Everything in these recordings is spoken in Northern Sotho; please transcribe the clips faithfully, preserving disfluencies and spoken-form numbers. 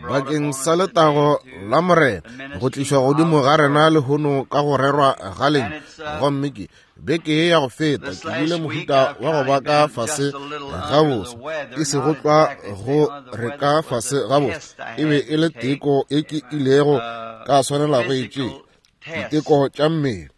Bakeng sa letago la Morena go tlišwa godimo ga rena lehono ka go rerwa ga lentšu. Gomme ke beke ya go feta ke bile mohuta wa go ba ka fase ga boso, e sego tlwa go re ka fase ga boso, e be e le teko e ke ilego ka swanela go e tšea, diteko tša mmele.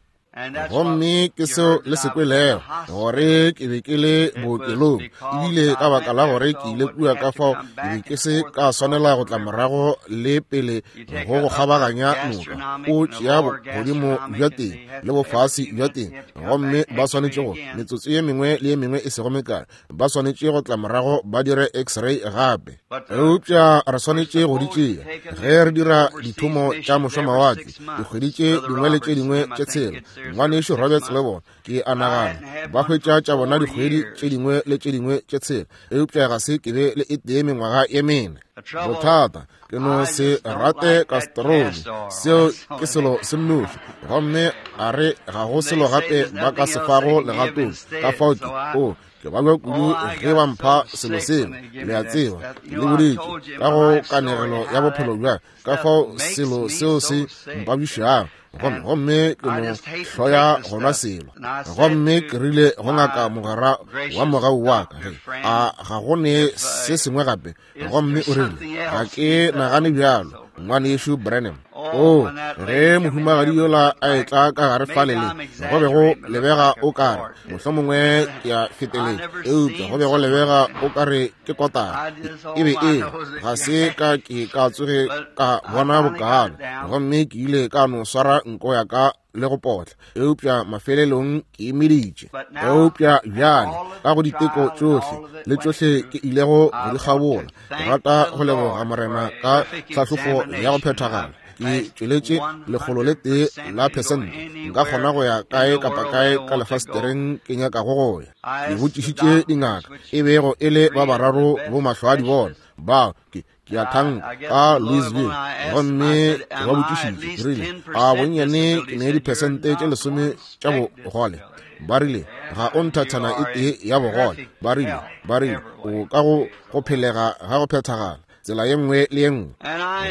Gomme ke seo le se kwelego, gore ke be ke le bookelong, ebile ka baka la gore ke ile kua ka fao ke be ke se ka swanela go tla morago le pele go go kgabaganya noka. O tšea godimo bja teng le bofase bja teng, gomme ba swanetše go metsotso ye mengwe le ye mengwe e sego mekae ba swanetše go tla morago ba dire x-ray gape. Eupša re swanetše go di tšea ge re dira dithomo tša mošomawatle dikgwedi tše dingwe le tše dingwe tše tshela. Ngwanešu Roberts le bona ke a nagana ba hwetša tša bona dikgwedi tše dingwe le tše dingwe tše tshela, eupša ga se ke be le e tee mengwaga ye mene. Bothata ke no se rate kastroli, seo ke selo se nnoši, gomme a re ga go selo gape ba ka se fago legatong. Ka fao ke o ke babja kudu ge ba mpha selo seo, le a tseba, ke le boditše ka go kanegelo ya bophelo bja ka fao selo seo se mpabišago, gomme gomme ke no hloya gona selo. Gomme ke rile go ngaka mogwera wa mogau wa ka, ge a ga go ne se sengwe gape, gomme o rile ga ke nagane bjalo, ngwanešu Branham. O ge mohumagadi yola a etla ka gare fale le go be go lebega o kare mohlomongwe ke a feteletša, eupša go be go lebega o kare ke kotara e be e ga se ka ke ka tsoge ka bona bokalo. Gomme ke ile ka no swara nko ya ka le go potla, eupša mafelelong ke emeditše. Eupša bjale ka go diteko tšohle le tšohle ke ilego go di kgabola, ke rata go leboga Morena ka tlhahlofo ya go phethagala. Ke tšweletše lekgolo le tee la pesente, nka kgona go ya kae kapa kae ka lefastereng ke nyakago go ya. Ke botšišitše dingaka, e bego e le ba bararo bo mahlo a di bona bao ke ke a thanka ka Louisville, gomme ke ba botšišitše ke rile a bonnyane ke ne diphesente tše lesome tša bogole. Ba rile ga o nthathana e tee ya bogole. Ba rile ba rile o ka go go phelega ga go phethagala tsela ye nngwe le ye nngwe.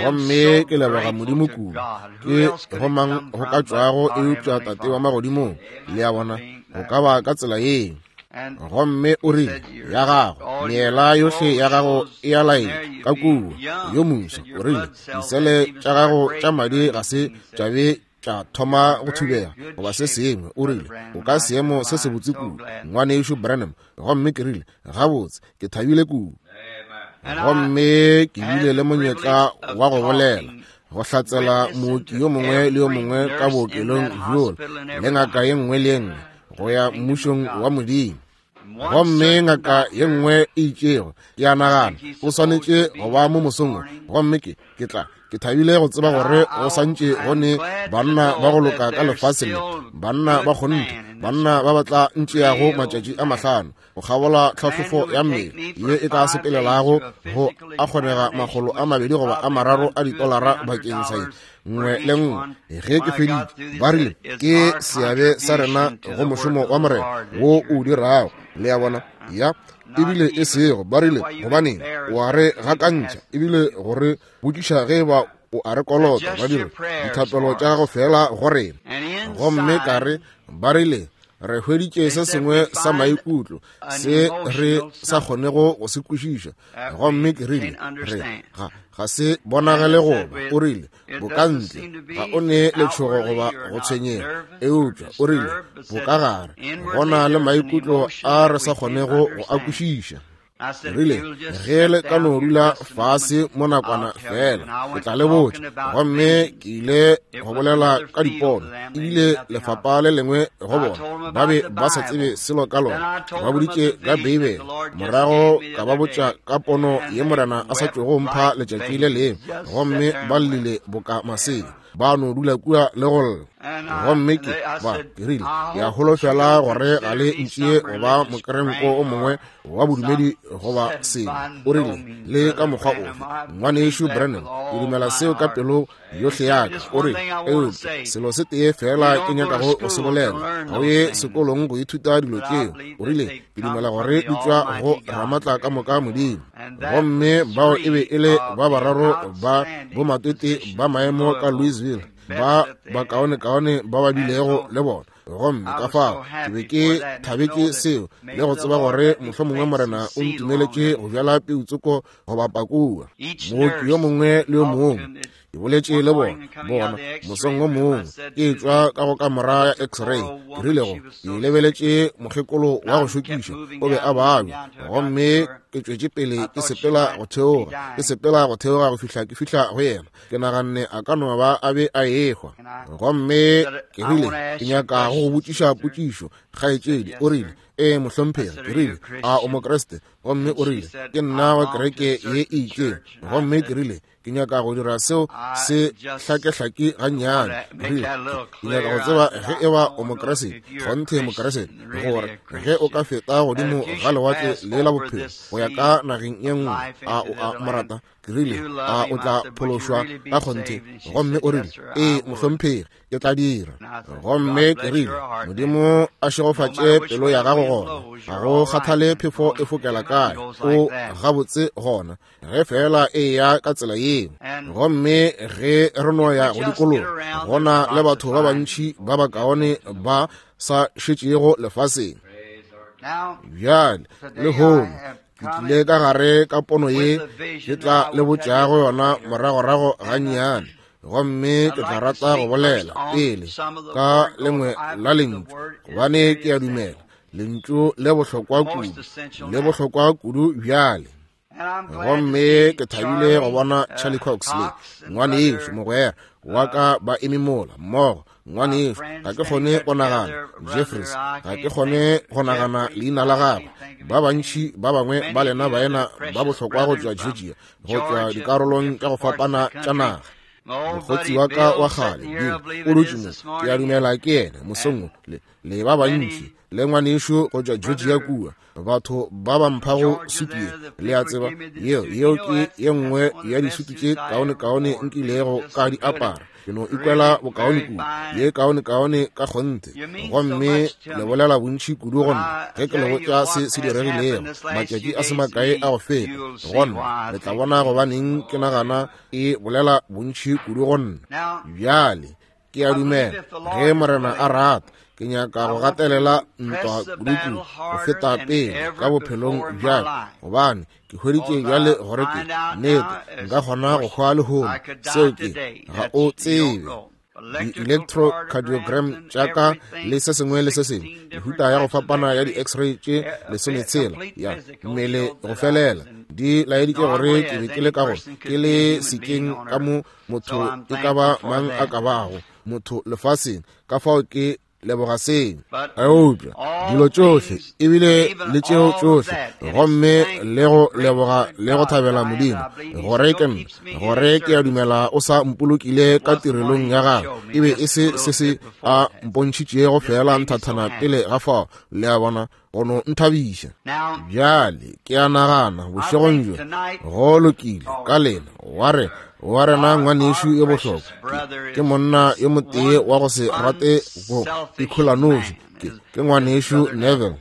Gomme ke leboga Modimo kudu, ke go mang go ka tšwago eupša Tate wa magodimong, le a bona, go ka ba ka tsela ye. Gomme o rile ya gago meela yohle ya gago e a laetša ka kua yo moswa. O rile disele tša gago tša madi ga se tša be tša thoma go thubega goba se sengwe. O rile o ka seemo se sebotse kudu, ngwanešu Branham. Gomme ke rile gabotse, ke thabile kudu. Gomme ke bile le monyetla wa go bolela go hlatsela mooki yo mongwe le yo mongwe ka bookelong bjola le ngaka ye nngwe le ye nngwe go ya mmušong wa Modimo. Gomme ngaka ye nngwe e itšego ke a nagana o swanetše go ba mo mosong, gomme ke ke tla ke thabile go tseba gore go santše go ne banna ba go loka ka lefaseng le, banna ba kgonthe, banna ba ba tla ntšeago matšatši a mahlano go kgabola tlhahlofo ya mmele ye e ka sepelelago go a kgonega makgolo a mabedi goba a mararo a ditolara bakeng sa ye nngwe le nngwe. Ge ke feditše, ba rile ke seabe sa rena go mošomo wa Morena wo o dirago, le a bona, ya ebile e sego. Ba rile gobaneng o a re gakantšha ebile gore botšiša ge ba o a re kolota, ba dire dithapelo tša gago fela go rena. Gomme ka re ba rile re hweditše se sengwe sa maikutlo se re sa kgonego go se kwešiša. Gomme ke rile re ga ga se bonagale goba. O rile bokantle ga o ne letšhogo goba go tshwenyega, eupša o rile bokagare go na le maikutlo a re sa kgonego go a kwešiša. Rile ge le ka no dula fase mo nakwana fela ke tla le botša. Gomme ke ile go bolela ka dipono, ebile lefapa le lengwe go bona ba be ba sa tsebe selo ka lona. Ba boditše ka Beibele, morago ka ba botša ka pono ye Morena a sa tšwego mpha letšatši le lengwe, gomme ba llile boka masea, ba no dula kua le go lla. Gomme ke ba ke rile ke a holofela gore ga le ntšee goba mokerenko o mongwe wa bodumedi goba sengwe. O rile le ka mokgwa ofe, ngwanešu Branham, ke dumela seo ka pelo yohle ya ka. O rile eupša selo se tee fela ke nyakago go se bolela, ga o ye sekolong go ithuta dilo tšeo. O rile ke dumela gore di tšwa go Ramatla ka moka Modimo. Gomme bao e be e le ba bararo ba bomatwetwe ba maemo ka Louisville, ba bakaonekaone ba ba bilego le bona. Gomme ka fao ke be ke thabetše seo, le go tseba gore mohlomongwe Morena o ntumeletše go bjala peutsoko go bapa kua. Mooki yo mongwe le yo mongwe ke boletše le bona bona mosong wo mongwe ke etšwa ka go kamora ya x-ray, ke rile go ke lebeletše mokgekolo wa go šokiša, o be a babja, gomme ke tšwetše pele ke sepela go theoga ke sepela go theoga go fihla ke fihla go yena. Ke naganne a ka no ba a be a ehwa. Gomme ke rile ke nyaka go go botšiša potšišo, kgaetšedi. O rile, ee mohlomphegi. Ke rile, a o Mokriste? Gomme o rile, ke nna wa kereke ye e itšeng. Gomme ke rile, ke nyaka go dira seo se hlakehlake gannyane. Ke rile, ke nyaka go tseba ge e ba o Mokriste, kgonthe Mokriste, gore ge o ka feta godimo ga lewatle le la bophelo go ya ka nageng ye nngwe, a o a mo rata? Ke rile, a o tla phološwa ka kgonthe? Gomme o rile, ee mohlomphegi, ke tla dira. Gomme ke rile, Modimo a šegofatše pelo ya gago gona. Ga go kgathale phefo e fokela kae, o gabotse gona, ge fela e ya ka tsela yeo. Gomme ge re no ya go dikologa, gona le batho ba bantši ba bakaone ba sa šetšego lefaseng. Bjale lehono ke tlile ka gare ka pono ye ke tla le botšago yona moragorago gannyane. Gomme ke tla rata go bolela pele ka lengwe la lentšu, gobane ke a dumela lentšu le bohlokwa kudu, le bohlokwa kudu bjale. Gomme ke thabile go bona Charlie Cox le ngwanešo mogwera wa ka ba eme mola mmogo. Ngwanešo, ga ke kgone go nagana Jeffries, ga ke kgone go nagana leina la gagwe. Ba bantši ba bangwe ba lena baena ba bohlokwa go tšwa Georgia, go tšwa dikarolong tša go fapana tša naga. Mokgotsi wa ka wa kgale Bill o dutše mo, ke a dumela ke yena mosong wo, le, le ba bantši, le ngwanešo go tšwa Georgia kua, batho ba ba mphago sutu ye, le a tseba, yeo yeo ke ye nngwe ya disutu tše kaonekaone nkilego ka di apara. Ke no ikwela bokaone kudu, ye kaonekaone ka kgonthe. Gomme le bolela bontši kudu go nna ge ke le botša se se diregilego matšatši a se makae a go feta. Gona le tla bona gobaneng ke nagana e bolela bontši kudu go nna. Bjale ke a dumela ge Morena a rata, ke nyaka go gatelela ntwa kudu-kudu go feta pele ka bophelong bjaka, gobane ke hweditše bjale gore ke nnete nka kgona go hwa lehono. Seo ke ga o tsebe. Di-electrocardiogram tša ka le se sengwe le se sengwe, mehuta ya go fapana ya di-x-ray tše lesometshela ya mmele go felela, di laeditše gore ke be ke le ka go ke le sekeng ka mo motho e ka ba mang a ka bago motho lefaseng. Ka fao ke leboga seng. Eupša dilo tšohle ebile le tšeo tšohle, gomme le go leboga le go thabela Modimo gore ke nna, gore ke a dumela o sa mpolokile ka tirelong ya gagwe. E be e se se se a mpontšhitšego fela nthathana pele ga fao, le a bona, go no nthabiša. Bjale ke a nagana bošegong bjo go lokile ka lena wa re wa rena ngwanešo yo bohlokwa ke monna yo motee wa go se rate go ikholanoši, ke ke ngwanešo Neville.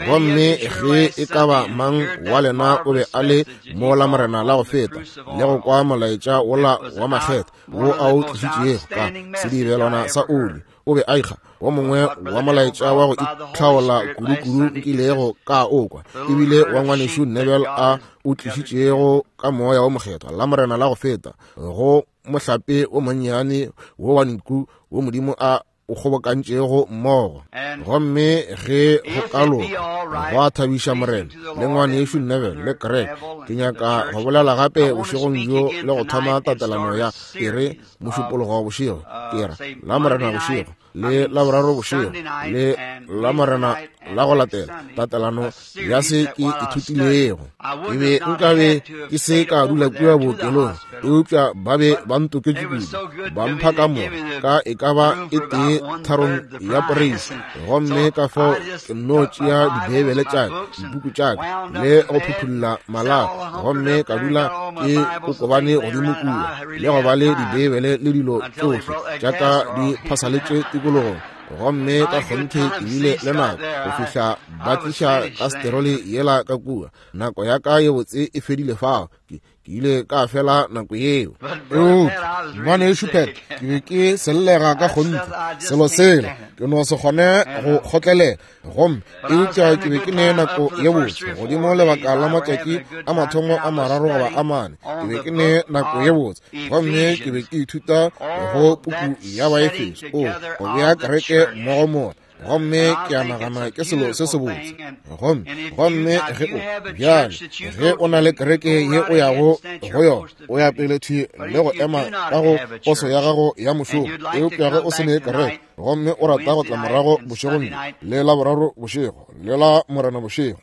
Gomme ge e ka ba mang wa lena o be a le mo la Morena la go feta le go kwa molaetša wola wa makgetho wo a o tlišitšego ka sedibelwana sa oli, o be a ikga wo mongwe wa molaetša wa go itlhaola kudu-kudu nkilego ka o kwa, ebile wa ngwanešo Neville a o tlišitšego ka moya wo mokgethwa la Morena la go feta go mohlape wo monnyane wo wa nku wo Modimo a o kgobokantšego mmogo. Gomme ge go ka loka go a thabiša Morena le ngwanešo Neville le Greg, ke nyaka go bolela gape bošegong bjo le go thoma tatelano ya ere mošupologo bošego, ke ra la Morena bošego le la boraro bošego le la Morena la go latela, tatelano ya se ke ithutilego. Ke be nkabe ke se ka dula kua bookelong, eupša ba be ba ntoketše kudu, ba mpha kamora ka e ka ba e tee tharong ya poreisi. Gomme ka fao ke nno tšea dibeibele tša ka, dipuku tša ka le go phuthulla malapa, gomme ka dula ke kokobane godimo kua le go ba le dibeibele le dilo tšohle tša ka di phasaletše tikologong. Gomme ka kgonthe ke bile le nako go fihla ba tliša kasterole yela ka kua. Nako ya ka ye botse e fedile fao. Ke ke ile ka fela nako yeo. Eupša ngwanešu Pat, ke be ke sellega ka kgonthe selo sela, ke no se kgone go kgotlelela. Gomme eupša ke be ke ne nako ye botse godimo lebaka la matšatši a mathomo a mararo goba a mane. Ke be ke ne nako ye botse, gomme ke be ke ithuta go puku ya Baefeso, o go bea kereke mmogo mola. Gomme ke a nagana ke selo se sebotse. Gomme gomme ge o bjale ge o na le kereke ye o yago go yona, o ya pele thwi le go ema ka go poso ya gago ya mošomo. Eupša ge o se ne kereke gomme o rata go tla morago bošegong bjo le la boraro bošego le la Morena bošego,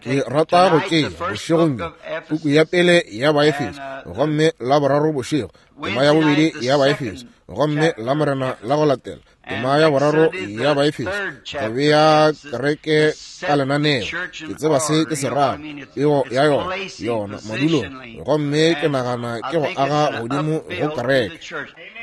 ke rata go tšea bošegong bjo puku ya pele ya Baefeso, gomme la boraro bošego tema ya bobedi ya Baefeso, gomme la Morena la go latela tema ya boraro ya Baefeso, go bea kereke ka lenaneo. Ke tseba se ke se rago, pego ya yona yona madulong, gomme ke nagana ke go aga godimo go kereke.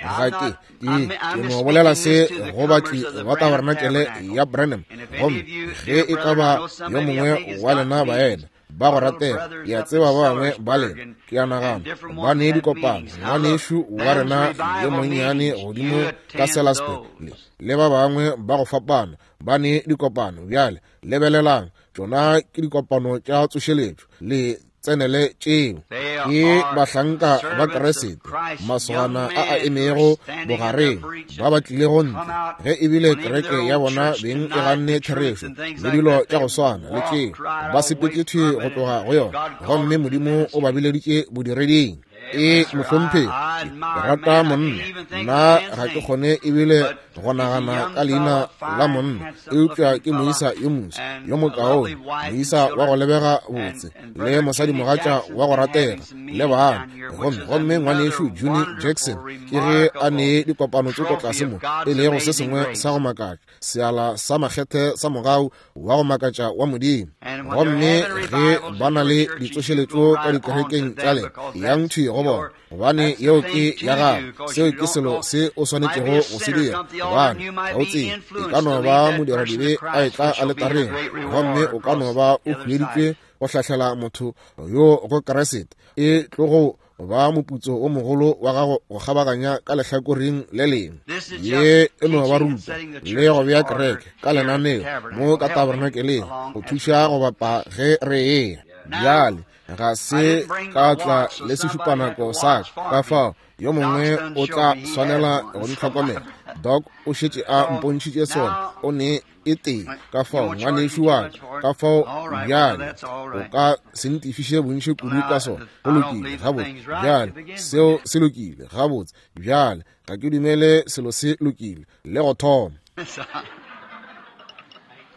Ga ke ke ke no bolela se go batli ba tabernacle ya Branham. Gomme ge e ka ba yo mongwe wa lena baena ba go ratega, ke a tseba ba bangwe ba lena, ke a nagana ba ne dikopano, ngwanešu wa rena yo monnyane godimo ka Sellersburg le, le ba bangwe ba go fapana ba ne dikopano. Bjale lebelelang, tšona ke dikopano tša tsošeletšo, le tsenele tšeo. Ke bahlanka ba Kriste, masogana a a emego bogareng, ba ba tlilego ntle ge ebile kereke ya bona beng e ganne therešo le dilo tša go swana le tšeo, ba sepetše thwi go tloga go yona, gomme Modimo o ba bileditše bodireding. E mohlomphegi, ke rata monna, nna ga ke kgone ebile go nagana ka leina la monna, eupša ke moisa yo moswa yo mokaone, moisa wa go lebega botse, le mosadimogatša wa go ratega, le bana. Gomme gomme ngwanešu Juni Jackson ke ge a ne dikopano tsoko tlase mo, e lego se sengwe sa go makatša, seala sa makgethe sa mogau wa go makatša wa Modimo. Gomme ge ba na le ditsošeletšo ka dikerekeng tša lena, yang thwi go bona, gobane yeo ke ya gago, seo ke selo se o swanetšego go se dira, gobane ga o tsebe, e ka no ba modiradibe a etla aletareng, gomme o ka no ba o hueditšwe go hlahlela motho yo go Kriste. E tlogo ba moputso o mogolo wa gago go kgabaganya ka lehlakoreng le lengwe. Ye e no ba ruta le go bea kereke ka lenaneo mo ka tabernakeleng go thuša go bapa ge re eya. Bjale ga se ka tla le sešupanako sa ka, ka fao yo mongwe o tla swanela go ntlhokomela. Doc o šetše a mpontšhitše sona, o ne e tee, ka fao ngwanešu wa ka, ka fao bjale o ka se ntefiše bontši kudu ka sona. Go lokile gabotse, bjale seo se lokile gabotse. Bjale ga ke dumele selo se lokile le go thoma.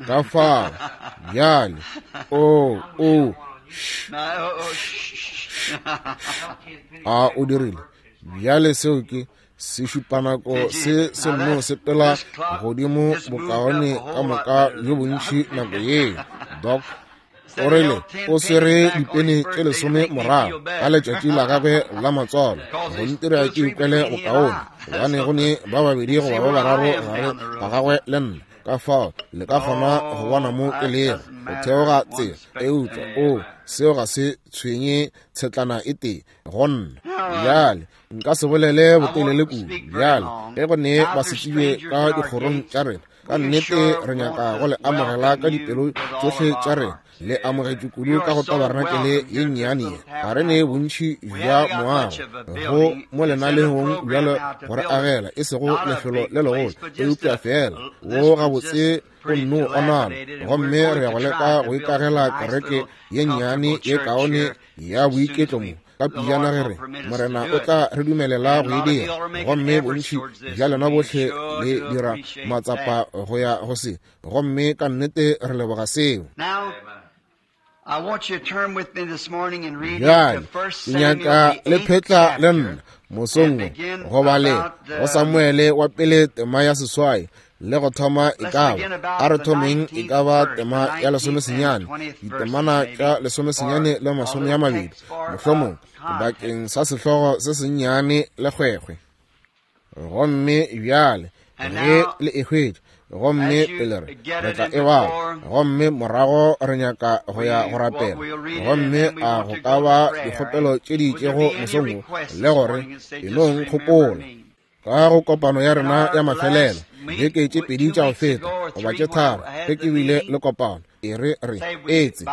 Ka fao bjale o o a o dirile bjale seo ke sešupanako se se nno sepela godimo bokaone ka moka bjo bontši nako yeo. Doc o rile o swere dipene tše lesome morago ka letšatši la gagwe la matswalo go ntira ke ikwele bokaone, gobane go ne ba babedi goba ba bararo gare ga gagwe le nna. Ka fao le ka kgona go bona mo ke lego go theoga tsela, eupša o seo ga se tshwenye tshetlana e tee go nna. Bjale nka se bolele botelele kudu. Bjale ge go ne basetsebje ka dikgorong tša rena, ka nnete re nyaka go le amogela ka dipelo tšohle tša rena. Le amogetšwe kudu ka go tabernacle ye nnyane ye. Ga re ne bontši bja moago go mo lenaneong bjalo go re agela, e sego lefelo le legolo, eupša fela wo gabotse o nno onala. Gomme re ya go leka go ikagela kereke ye nnyane ye kaone ya boiketlo mo ka pijana ge re Morena o tla re dumelela go e dira. Gomme bontši bja lena bohle le dira matsapa go ya go se, gomme ka nnete re leboga seo. Bjale ke nyaka le phetla le nna mosong wo go ba le go Samuele wa pele tema ya seswai le go thoma e ka ba a re thomeng e ka ba tema ya lesomesenyane, ditemana tša lesomesenyane le masome a mabedi mohlomong bakeng sa sehlogo se sennyane le kgwekgwe. Gomme bjale ge le e hwetša, Gomme pele re re tla e bala, gomme morago re nyaka go ya go rapela. Gomme a go ka ba dikgopelo tše di itšego mosong wo, le gore e nong kgopola ka go kopano ya rena ya mafelelo beke tše pedi tša go feta goba tše tharo ge ke bile le kopano. E re re etse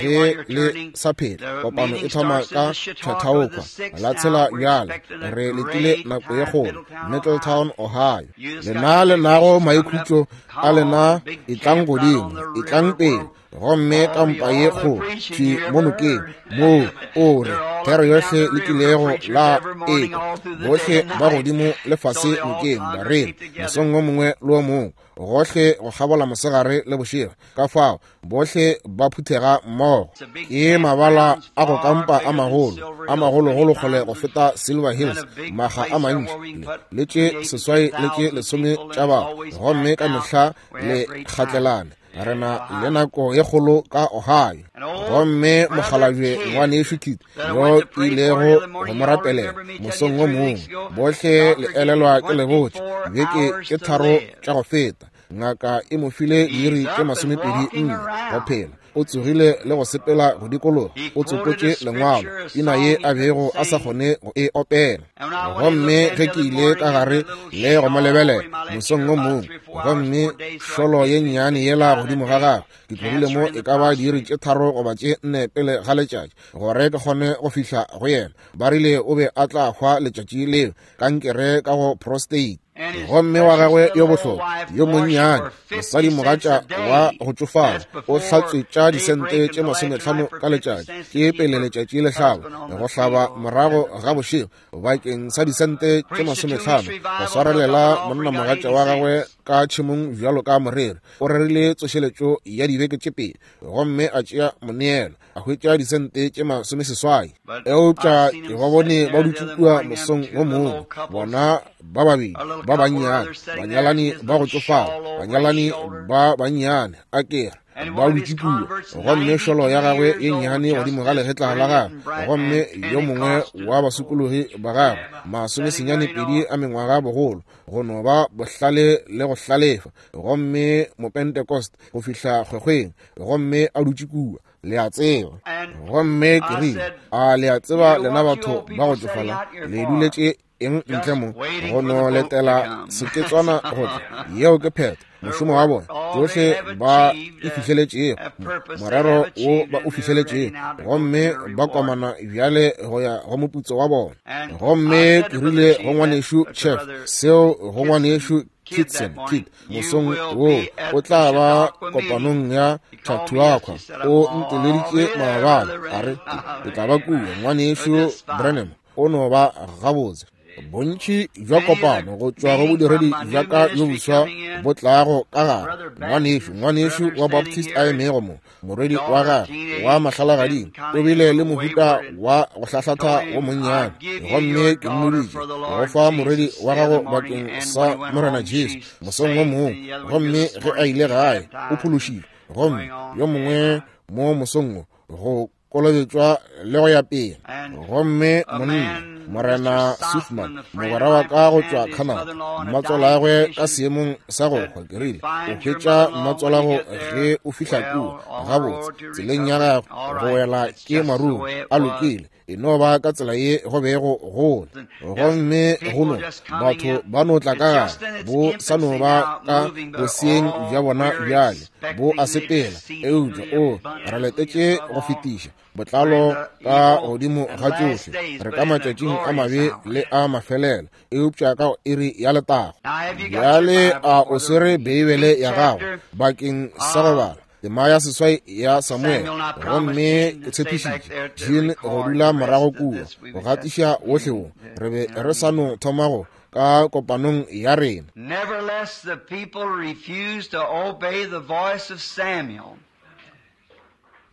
ge le sa phela kopano e thoma ka Chautauqua la tshela bjale re letile nako ye kgolo Middletown, Ohio. Lena le nago maikhutšo a lena, etlang godimo, etlang pele, gomme kampa ye kgolo thwi mo nokeng moo o re thero yohle le kilego la ekwa, bohle ba godimo le fase nokeng bareri mosong wo mongwe le wo mongwe, gohle go kgabola mosegare le bošego. Ka fao bohle ba phuthega mmogo. Ke mabala a go kampa a magolo, a magologolo kgole go feta Silver Hills, maga a mantši le tše seswai le tše lesome tša batho, gomme ka mehla le kgatlelane. Re na le nako ye kgolo ka Ohio. Gomme mokgalabje ngwanešu Kit yo ke ilego go mo rapelela mosong wo mongwe, bohle le elelwa ke le botše beke tše tharo tša go feta, ngaka e mo file diiri tše masomepedi nne go phela. O tsogile le go sepela go dikologa, o tsopotše lengwalo, pina ye a bego a sa kgone go e opela. Gomme ge ke ile ka gare le go mo lebelela mosong wo mongwe, gomme šolo ye nnyane yela godimo ga gagwe, ke tlogile mo e ka ba diiri tše tharo goba tše nne pele ga letšatši gore ke kgone go fihla go yena. Ba rile o be a tla hwa letšatši leo, kankere ka go prostate. Gomme wa gagwe yo bohlokwa yo monnyane, mosadi mogatša wa go tšofala, o hlatswetša disente tše masometlhano ka letšatši, ke pele letšatši le hlaba, go hlaba morago ga bošego bakeng sa disente tše masometlhano, go swarelela monna mogatša wa gagwe ka tšhemong bjalo ka moreri. O rerile tsošeletšo ya dibeke tše pedi, gomme a tšea moneelo, a hwetša disente tše masomeseswai. Eupša ke ba bone ba dutše kua mosong wo mongwe, bona ba babedi ba bannyane, banyalani ba go tšofala, banyalani ba bannyane, a kere ba dutše kua, gomme šolo ya gagwe ye nnyane godimo ga legetla la gagwe, gomme yo mongwe wa basokologi ba gagwe masomesenyane pedi a mengwaga bogolo, go no ba bohlale le go hlalefa, gomme mopentecost go fihla kgwekgweng, gomme a dutše kua. Le a tseba. Gomme ke rile, a le a tseba lena batho ba go tšofala le duletše eng ntle mo go no letela seketswana go tla? Yeo ke phetho, mošomo wa bona, tšohle ba e fihleletšego, morero wo ba o fihleletšego, gomme ba komana bjale go ya go moputso wa bona. Gomme ke rile go ngwanešu Chef, seo go ngwanešu Kitson Kid mosong wo o tla ba kopanong ya Chautauqua. O nteleditše maabane, a re ke tla ba kua. Ngwanešu Branham o no ba gabotse. Bontši bja kopano go tšwa go bodiredi bja ka yo boswa bo tlago ka gare. Ngwanešu, ngwanešu wa Baptist a emego mo, morwedi wa gagwe wa mahlalagading o bile le mohuta wa go hlahlatha wo monnyane, gomme ke mmoditše go fa morwedi wa gago bakeng sa Morena Jesu mosong wo mongwe, gomme ge a ile gae o phološile. Gomme yo mongwe mo mosong wo go kolobetšwa le go ya pele. Gomme monna Morena Sufman, mogwera wa ka go tšwa Canada, mmatswalagwe ka seemong sa go hwa, ke rile o hwetša mmatswalago ge o fihla kua gabotse tseleng ya gagwe go wela ke marung a lokile, e no ba ka tsela ye go bego gole. Gomme go no batho ba no tla ka gare, bo sa no ba ka boseeng bja bona bjale, bo a sepela, eupša o re letetše go fetiša botlalo ka godimo ga tšohle. Re ka matšatšing a mabe le a mafelelo, eupša ka iri ya letago. Bjale a o swere Beibele ya gago bakeng sa go bala tema ya seswai ya Samuel? Gomme ke tshepišitše Jean go dula morago kua go gatiša wohle wo re be re sa no thoma go ka kopanong ya rena. Nevertheless, the people refused to obey the voice of Samuel.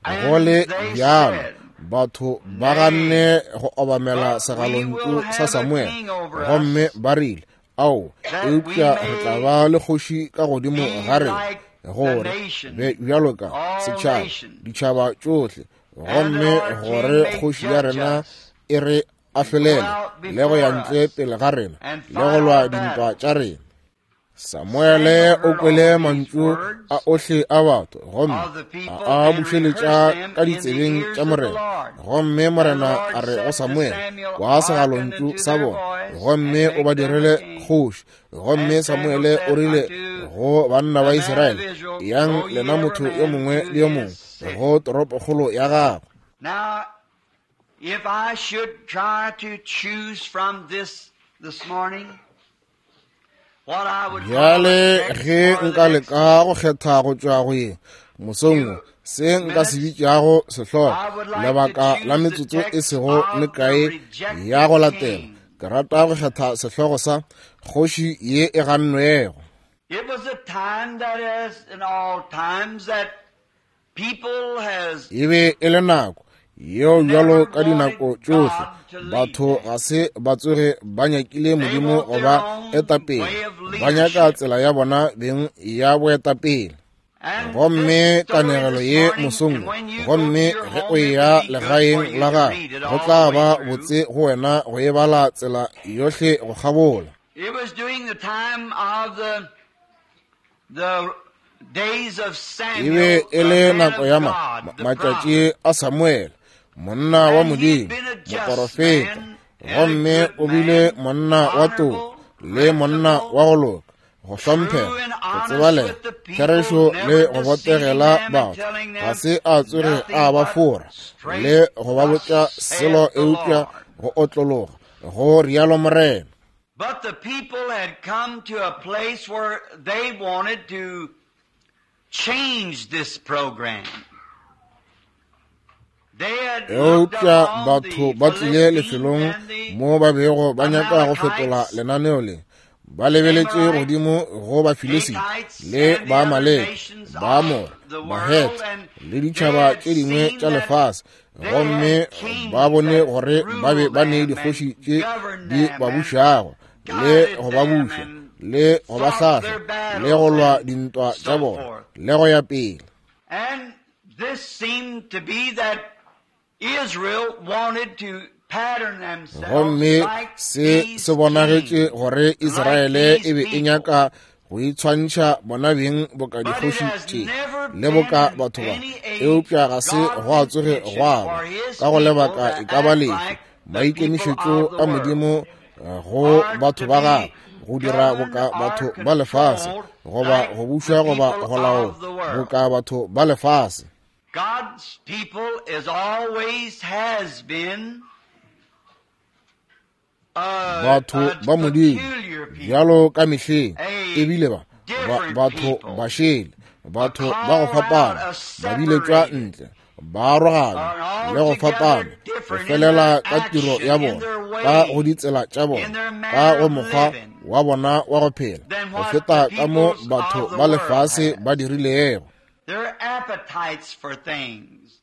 Go le bjalo batho ba ganne go obamela segalontšu sa Samuel, gomme ba rile, ao, eupša re tla ba le kgoši ka godimo ga rena, gore be bjalo ka setšhaba, ditšhaba tšohle, gomme gore kgoši ya rena e re ahlolele le go ya ntle pele ga rena le go lwa dintwa tša rena. Samuele o kwele mantšu a ohle a batho gomme a a bušeletša ka ditsebeng tša Morena. Gomme Morena a re go Samuele, kwa segalontšu sa bona, gomme o ba direle kgoši. Gomme Samuele o rile go banna ba Israele, yang lena motho yo mongwe le yo mongwe go toropokgolo ya gagwe. Now, if I should try to choose from this this morning, bjale ge nka leka go kgetha go tšwa go ye mosong wo, se nka se bitšago sehlogo lebaka la metsotso e sego mekae ya go latela, ke rata go kgetha sehlogo sa kgoši ye e gannwego. It was a time that as in all times that people has E be e le nako yeo bjalo ka dinako tšohle batho ga se ba tsoge ba nyakile Modimo go ba etapele, ba nyaka tsela ya bona beng ya boetapele. Gomme kanegelo ye mosong, gomme ge o eya legaeng la gago, go tla ba botse go wena go e bala tsela yohle go kgabola. It was during the time of the the days of E Samuel, be e the le man nako of ya ma God, the matšatši prophet. a Samuele, monna wa And he had Modimo, been a just moporofeta, man and a gomme good o bile man, monna wa toka honorable, le monna principled, wa go loka, go true hlomphega, and go honest tsebalega, with the people, therešo never le go deceiving botegela them and batho. telling Ga them se a tsoge nothing a ba but fora straight, le go ba thus botša selo saith the eupša Lord. go otlologa, go rialo Morena. But the people had come to a place where they wanted to change this program. They had looked Eupša upon batho the ba tlile Philistines lefelong and the mo ba bego ba nyaka go fetola Amalekites, lenaneo le. Ba lebeletše godimo go Bafilisita Hittites, le and the other Baamaleke, nations of Baamore, the world, Bahete and le they ditšhaba had tše dingwe seen tša that lefase, they gomme had kings ba bone that gore ba be ruled ba ne them dikgoši and tše governed di them ba and bušago le guided go ba them buša and le go ba fought their hlahla le go battles lwa and dintwa tša so bona forth. le go ya pele. And this seemed to be that Israel wanted to pattern themselves Gomme like se these se bonagetše kings, gore like Israele these e be e people. nyaka go itshwantšha bona beng boka But it dikgoši has tše never le boka been in batho ba, any age eupša ga se God's gwa tsoge intention gwa ba for His ka go people lebaka to e ka ba act lefe like the people maikemišetšo of the a world Modimo eh, go or batho to ba gagwe be go dira governed boka or batho ba lefase controlled goba like go the bušwa goba people go laola of the world. boka batho ba lefase. God's people is always has been a, Batho a ba Modimo peculiar people, bjalo ka mehleng a ebile ba ba different batho people, ba šele, a batho ba go called out, fapana, a ba biletšwa separated, ntle, ba aroganywa are le go altogether fapana, go different in their felela ka tiro action, ya in bona, their ka go ways, ditsela tša in bona, their ka manner go of mokgwa living wa bona wa go phela, than go what the feta ka mo peoples batho of the ba world lefase have. ba dirilego. Their appetites for things.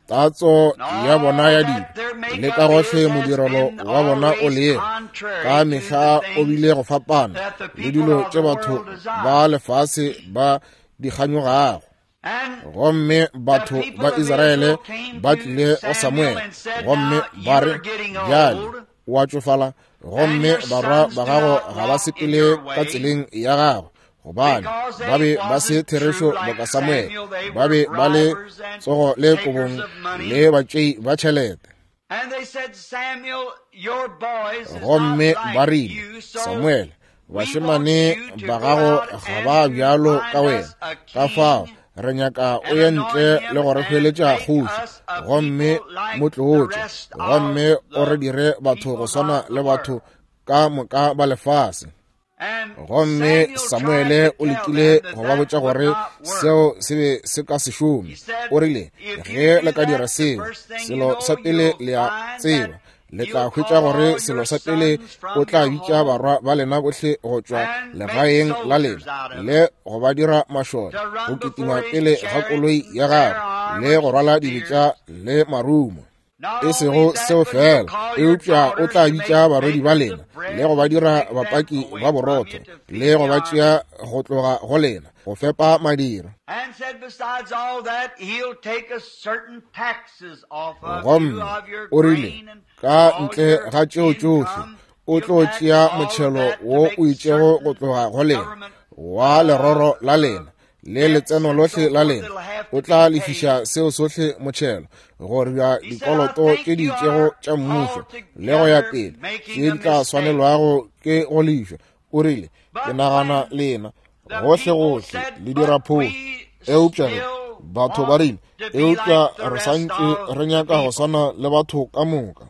Tatso And ya bona all ya that dilo their le ka makeup gohle is has modirelo been wa bona o always lego ka contrary to the mehla o things bile go fapana that the le people dilo of tše the batho world ba desire. lefase ba di kganyogago. And Gomme the batho people ba of Israele Israel came ba to tlile go Samuel Samuele and said, gomme Now ba you re, are getting bjale old, o a tšofala, and gomme your barwa sons ba do gago not ga ba walk in sepele your ka way, tseleng ya gago, gobane because ba they be ba se wasn't true therešo like boka Samuele, Samuel. They ba were be ba le bribers and tsogo le takers kobong of money. le batšei ba tšhelete. And they said, Samuel, your boys is not Gomme ba like rile, you, so Samuele, we want bašemane you to ba go gago out ga and ba to bjalo ka find wena, us a ka fao king re nyaka o and ye anoint ntle him le go re and hweletša make kgoši, us a gomme people like mo the tlotše, rest of gomme o re the dire batho go peoples swana of le the batho world. ka moka ba lefase. And Gomme Samuel tried Samuele to o tell lekile them that go ba that botša would gore not work. seo se be se ka se He šome. said, O rile, If you ge le do ka dira that, the seo, first thing you selo know, sa pele you'll le a find tseba, that le tla you'll hwetša call gore all selo your sa pele sons o from tla your bitša home barwa ba lena bohle go tšwa and make legaeng la soldiers lena out of le them go ba dira mašole to go run kitima before his pele ga chariot koloi and ya their gagwe armored le go rwala dibetša spears. le marumo. Not E only sego that, seo but he'll fela, call your eupša o daughters tla to bitša make barwedi ba bakers lena of bread le go ba and dira take them bapaki away ba from you borotho to le feed go the ba army. tšea go tloga go lena go fepa madira. And said, besides all that, he'll take a certain taxes off of you, Gomme of your o rile, grain and ka all ntle your ga tšeo tšohle income, O tlo tšea motšhelo wo o itšego go tloga go lena, wa leroro la lena le letseno lohle la lena. O tla lefiša seo sohle motšhelo, gore bja dikoloto tše di itšego tša mmušo le go ya pele tše di tla swanelwago ke go lefišwa. O rile, ke nagana lena gohle gohle le dira phošo. Eupša re batho ba rile, eupša re santše re nyaka go swana le batho ka moka.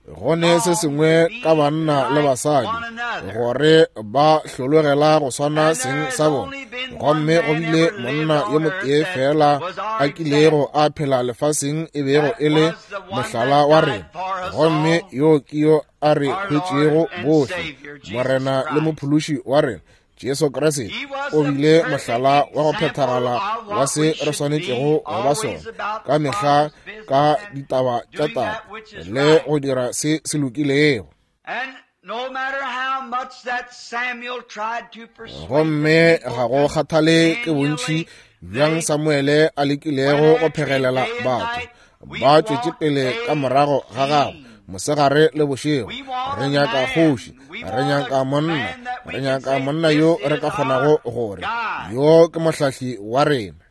Go ne se sengwe ka banna le basadi gore ba hlologela go swana seng sa bona. Gomme go bile monna yo motee fela a kilego a phela lefaseng e bego e le mohlala wa rena, gomme yo ke yo a re hwetšego bohle, Morena le Mophološi wa rena Jesu Kriste. O bile mohlala wa go phethagala wa se re swanetšego go ba sona ka mehla ka ditaba tša taba le go dira se se lokilego. Gomme ga go kgathale ke bontši bjang Samuele a lekilego go phegelela batho, ba tšwetše pele ka morago ga gagwe mosegare le bošego. Re nyaka kgoši, re nyaka monna, re nyaka monna yo re ka kgonago gore yo ke mohlahli wa rena.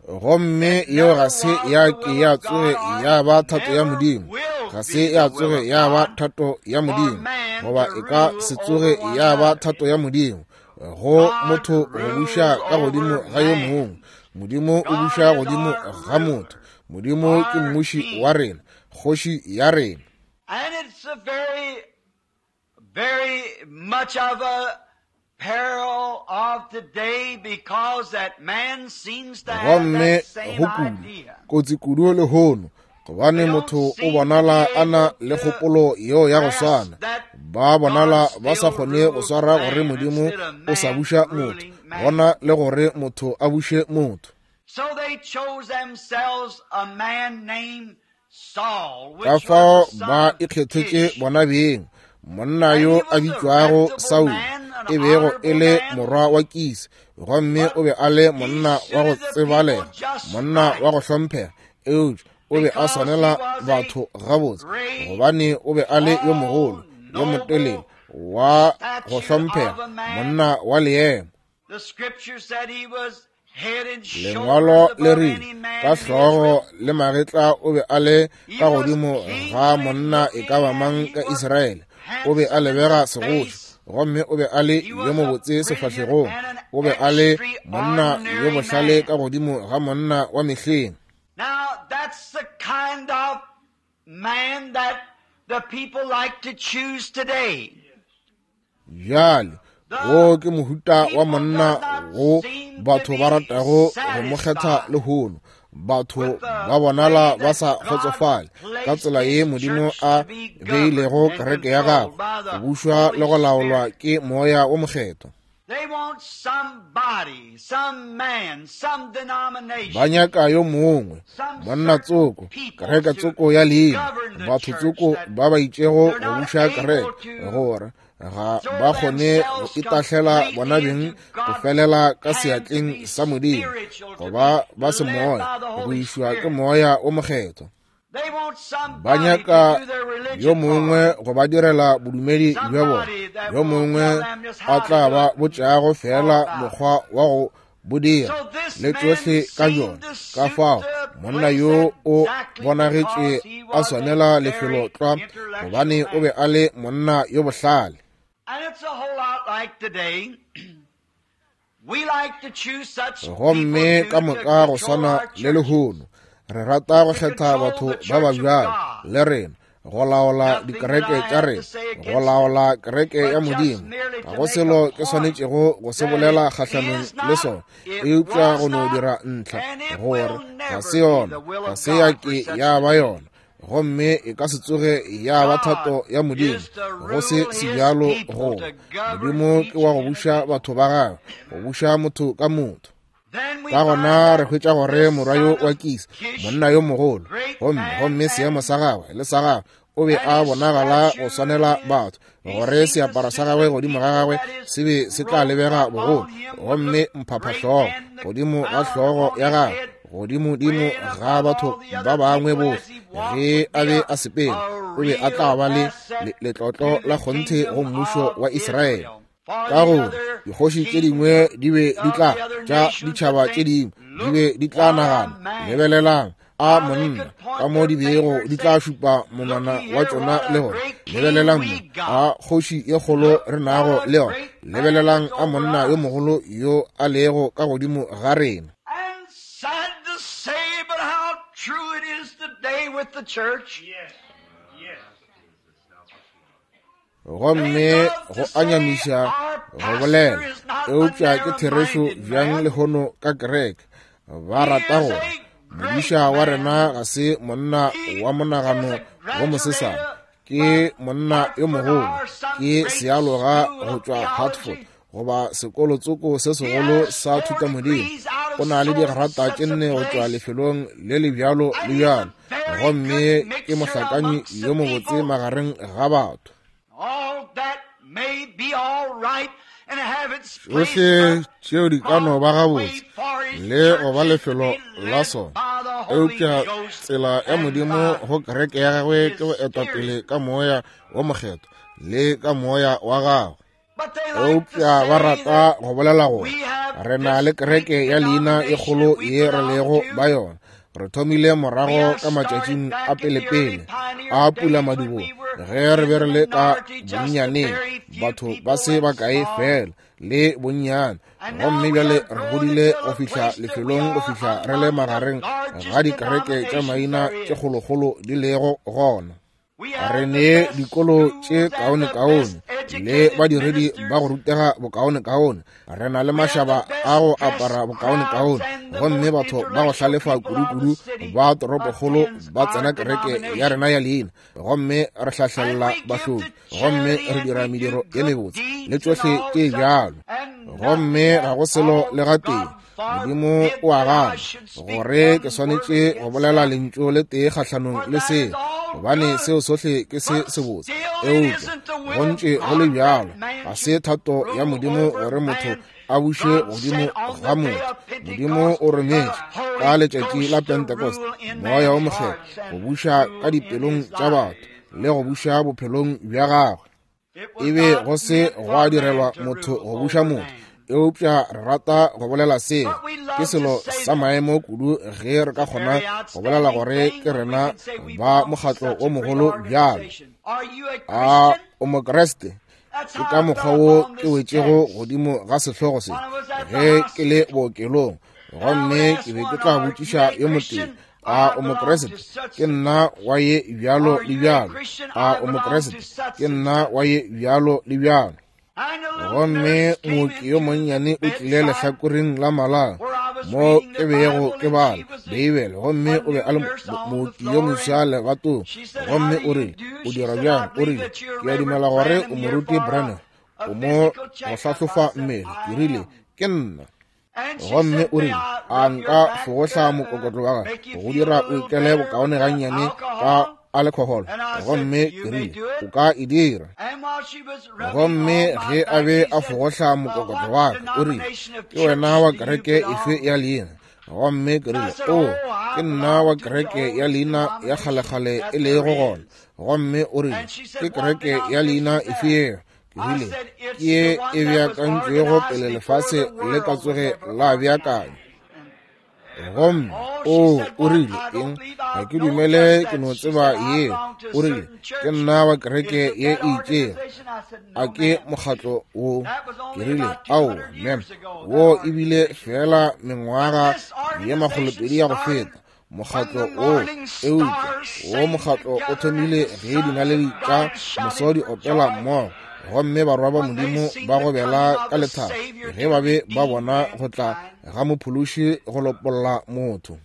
Gomme yeo ga se ya ke ya tsoge ya ba thato ya Modimo, ga se ya tsoge ya ba thato ya Modimo, goba e ka se tsoge ya ba thato ya Modimo go motho go buša ka godimo ga yo mongwe. Modimo o buša godimo ga motho. Modimo ke mmuši wa rena, kgoši ya rena. And it's a very, very much of a peril of today because that man seems to have that same idea. Kotsi kudu lehono, gobane motho o bonala a na le kgopolo yeo ya go swana. Ba bonala ba sa kgone go swara gore Modimo o sa buša motho, gona le gore motho a buše motho. Ka fao ba ikgethetše bona beng monna yo a bitšwago Saul, e bego e le morwa wa Kisi, gomme o be a le monna wa go tsebalega, monna wa go hlomphega, eupša o be a swanela batho gabotse, gobane o be a le yo mogolo, yo motelele, wa go hlomphega, monna wa leemo. Lengwalo le rile ka hlogo le magetla o be a le ka godimo ga monna e ka ba mang ka Israele. O be a lebega segoši, gomme o be a le yo mobotse sefahlegong. O be a le monna yo bohlale ka godimo ga monna wa mehleng. Now that's the kind of man that the people like to choose today. Bjale wo ke mohuta wa monna wo batho ba ratago go mo kgetha lehono. Batho ba bonala ba sa kgotsofale ka tsela ye Modimo a beilego kereke ya gagwe go bušwa le go laolwa ke moya wo mokgethwa. Ba nyaka yo mongwe, monna tsoko, kereke tsoko ya leina, batho tsoko ba ba itšego go buša kereke, gore ga ba kgone go itahlela bona beng go felela ka seatleng sa Modimo, goba ba se moya, go išwa ke moya o mokgethwa. Ba nyaka yo mongwe go ba direla bodumedi bja bona, yo mongwe a tla ba botšago fela mokgwa wa go bo dira le tšohle ka bjona. Ka fao monna yo o bonagetše a swanela lefelo tlwa, gobane o be a le monna yo bohlale. Gomme ka moka go swana le lehono, re rata go kgetha batho ba ba bjalo le rena, go laola dikereke tša rena, go laola kereke ya Modimo. Ga go selo ke swanetšego go se bolela kgahlanong le sona, eupša go no dira ntlha gore ga se yona, ga se ya ke ya ba yona, gomme e ka se tsoge ya ba thato ya Modimo go se sebjalo. Go Modimo ke wa go buša batho ba gagwe, go buša motho ka motho. Ka gona re hwetša gore morwa yo wa Kisi, monna yo mogolo, gomme gomme seemo sa gagwe le sa gagwe, o be a bonagala go swanela batho, gore seaparo sa gagwe godimo ga gagwe se be se tla lebega bogolo, gomme mphaphahlogo godimo ga hlogo ya gagwe godimodimo ga batho ba bangwe bohle ge a be a sepela, o be a tla ba le letlotlo la kgonthe go mmušo wa Israele. Ka gore dikgoši tše dingwe di be di tla tša ditšhaba tše dingwe di be di tla nagana, lebelelang a monna ka mo di bego di tla šupa monwana wa tšona le gore, lebelelang mo a kgoši ye kgolo re nago le yona, lebelelang a monna yo mogolo yo a lego ka godimo ga rena. Gomme go anyamiša go bolela, eupša ke therešo bjang lehono ka kereke. Ba rata gore modiša wa rena ga se monna wa monagano wo mosesane, ke monna yo mogolo, ke sealoga go tšwa Hartford goba sekolotsoko se segolo sa thutamodimo. O na le digrata tše nne go tšwa lefelong le le bjalo le bjalo, gomme ke mohlakanyi yo mobotse magareng ga batho. Tšohle tšeo di ka no ba gabotse le go ba lefelo la sona, eupša tsela ya Modimo go kereke ya gagwe ke go etwa pele ka moya wo mokgethwa le ka moya wa gagwe. Eupša ba rata go bolela gore re na le kereke ya leina e kgolo ye re lego ba yona. Re thomile morago ka matšatšing a pelepele a pula madibogo ge re be re le ka bonnyaneng, batho ba se bakae fela le bonnyane, gomme bjale re godile go fihla lefelong go fihla re le magareng ga dikereke tša maina tše kgolokgolo di lego gona. Re ne dikolo tše kaonekaone le badiredi ba go rutega bokaonekaone, re na le mašaba a go apara bokaonekaone, gomme batho ba go hlalefa kudukudu ba toropokgolo ba tsena kereke ya rena ya leina, gomme re hlahlelela bahloki, gomme re dira mediro ye mebotse le tšohle tše bjalo, gomme ga go selo le gatee. Modimo o a gana gore ke swanetše go bolela lentšu le tee kgahlanong le seo, gobane seo sohle ke se sebotse, eupša go ntše go le bjalo ga se thato ya Modimo gore motho a buše godimo ga motho. Modimo o rometše ka letšatši la Pentecost moya wo mokgethwa go buša ka dipelong tša batho le go buša bophelong bja gagwe. E be go se gwa direlwa motho go buša motho, eupša re rata go bolela seo ke selo sa maemo kudu ge re ka kgona go bolela gore ke rena ba mokgatlo o mogolo bjalo. A o Mokreste? Ke ka mokgwa wo ke wetšego godimo ga sehlogo se ge ke le bookelong, gomme ke be ke tla botšiša yo motee, a o Mokreste? Ke nna wa ye bjalo le bjalo. A o Mokreste? Ke nna wa ye bjalo le bjalo. Gomme mooki yo monnyane o tlile lehlakoreng la malao mo ke bego ke bala Beibele, gomme o be a le mooki yo moswa lebatong, gomme o rile, o dira bjang? O rile, ke a dumela gore o moruti Branham, o mo go hlahlofa mmele. Ke rile, ke nna. Gomme o rile, a nka fogohla mokokotlo wa gagwe go dira o ikele bokaone gannyane ka alcohol? Gomme ke rile, o ka e dira. Gomme ge a be a fogohla mokokotlo wa ka, o rile, ke wena wa kereke efe ya leina? Gomme ke rile, o, ke nna wa kereke ya leina ya kgalekgale e lego gona. Gomme o rile, ke kereke ya leina efe yeo? Ke rile, ke ye e beakantšwego pele lefase le ka tsoge la beakanywa. Gomme o o rile eng? Ga ke dumele ke no tseba yeo. O rile, ke nna wa kereke ye e itšego, a ke mokgatlo wo? Ke rile, aowa mem, wo ebile fela mengwaga ye makgolopedi ya go feta mokgatlo wo, eupša wo mokgatlo o thomile ge dinaledi tša moso di opela mmogo, gomme barwa ba Modimo ba gobela ka lethabo ge ba be ba bona go tla ga mophološi go lopolla motho.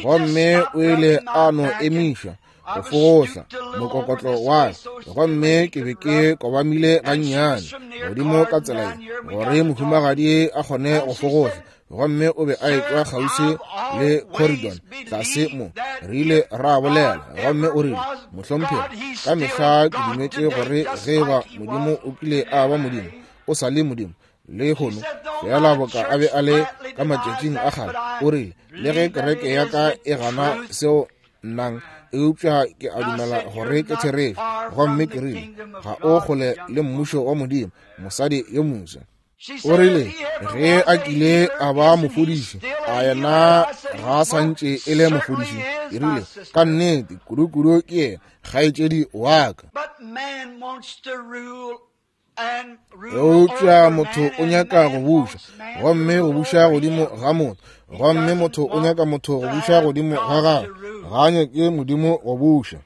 Gomme o ile a no emiša go fogohla mokokotlo wa ka, gomme ke be ke kobamile gannyane godimo ka tsela ye gore mohumagadi a kgone go fogohla, gomme o be a etšwa kgauswi le Corridon tlase mo. Re ile ra bolela, gomme o rile, mohlomphegi, ka mehla ke dumetše gore ge ba Modimo o kile a ba Modimo, o sa le Modimo Lehono fela boka a be a le ka matšatšing a kgale. O rile, le ge kereke ya ka e gana seo nnang, eupša ke a dumela gore ke therešo. Gomme ke rile, ga o kgole le mmušo wa Modimo, mosadi yo moswa. O rile, ge a kile a ba mofodiši, a yena ga a santše e le mofodiši? Ke rile, ka nnete, kudu-kudu ke yena, kgaetšedi wa ka. Eupša motho o nyaka go buša, gomme go buša godimo ga motho, gomme motho o nyaka motho go buša godimo ga gagwe, ga a nyake Modimo go buša.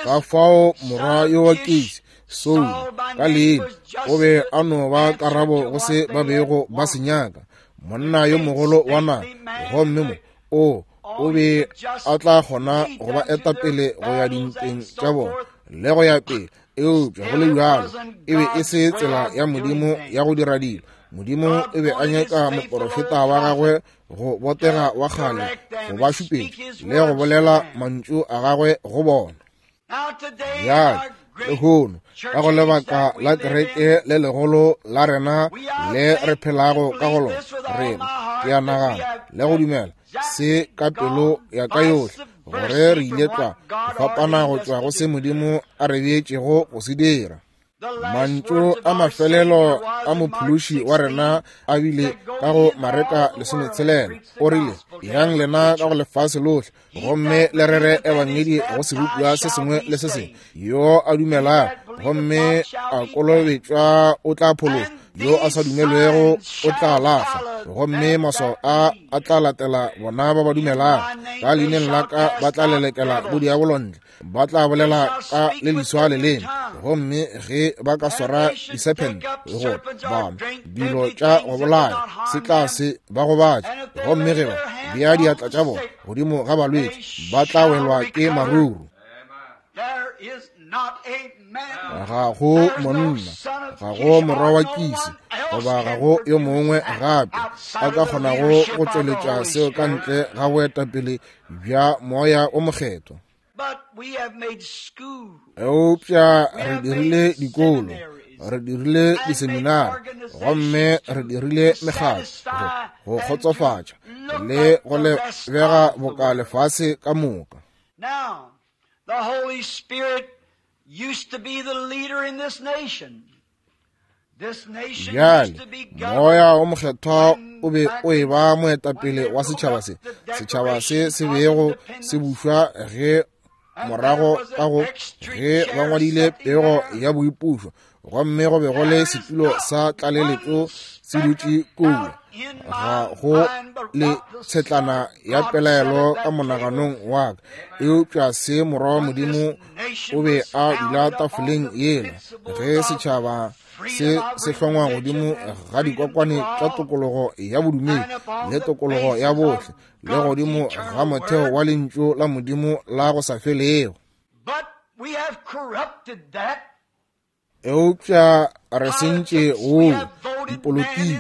Ka fao morwa yo wa Kisi, Saulo, ka leina, o be a no ba karabo go se ba bego ba se nyaka, monna yo mogolo wa naga, gomme mo o o be a tla kgona go ba eta pele go ya dintweng tša bona le go ya pele. Eupša go le bjalo e be e se tsela ya Modimo ya go dira dilo. Modimo e be a nyaka moporofeta wa gagwe go botega wa kgale go ba šupetša le go bolela mantšu a gagwe go bona. Bjale lehono ka go lebaka la kereke le legolo la rena le re phelago ka go lona, rena ke a nagana le go dumela se ka pelo ya ka yohle gore re ile tla go fapana go tšwa go se Modimo a re beetšego go se dira. Mantšu a mafelelo a mophološi wa rena a bile ka go Mareka lesometshelela. O rile, yang lena ka go lefase lohle, gomme le rere ebangedi go sebopiwa se sengwe le se sengwe. Yo a dumelago gomme a kolobetšwa o tla phološwa, yo a sa dumelwego o tla lahlwa. Gomme maswao a a tla latela bona ba ba dumelago, ka leineng la ka ba tla lelekela bodiabolo ntle, ba tla bolela ka le leswa leleme, gomme ge ba ka swara disephente go ba dilo tša go bolaya se tla se ba gobatša, gomme ge ba bea diatla tša bona godimo ga balwetši ba tla welwa ke maruru. Ga go monna, ga go morwa wa Kisi, goba ga go yo mongwe gape a ka kgonago go tšweletša seo ka ntle ga boetapele bja Moya o Mokgethwa. Eupša re dirile dikolo, re dirile diseminari, gomme re dirile mekgatlo go kgotsofatša le go lebega boka lefase ka moka. The Holy Spirit used to be the leader in this nation. This nation used to be governed. Moya o Mokgethwa o be o e ba moetapele wa setšhaba se. Setšhaba se se bego se bušwa ge morago ka go ge ba ngwadile pego ya boipušo, gomme go be go le setulo sa tlaleletšo se dutše kua. Ga go le tshetlana ya pelaelo ka monaganong wa ka, eupša se morwa wa Modimo o be a dula tafoleng yela ge setšhaba se se hlongwa godimo ga dikokwane tša tokologo ya bodumedi le tokologo ya bohle le godimo ga motheo wa lentšu la Modimo la go sa felego. Eupša re sentše woo dipolotiki,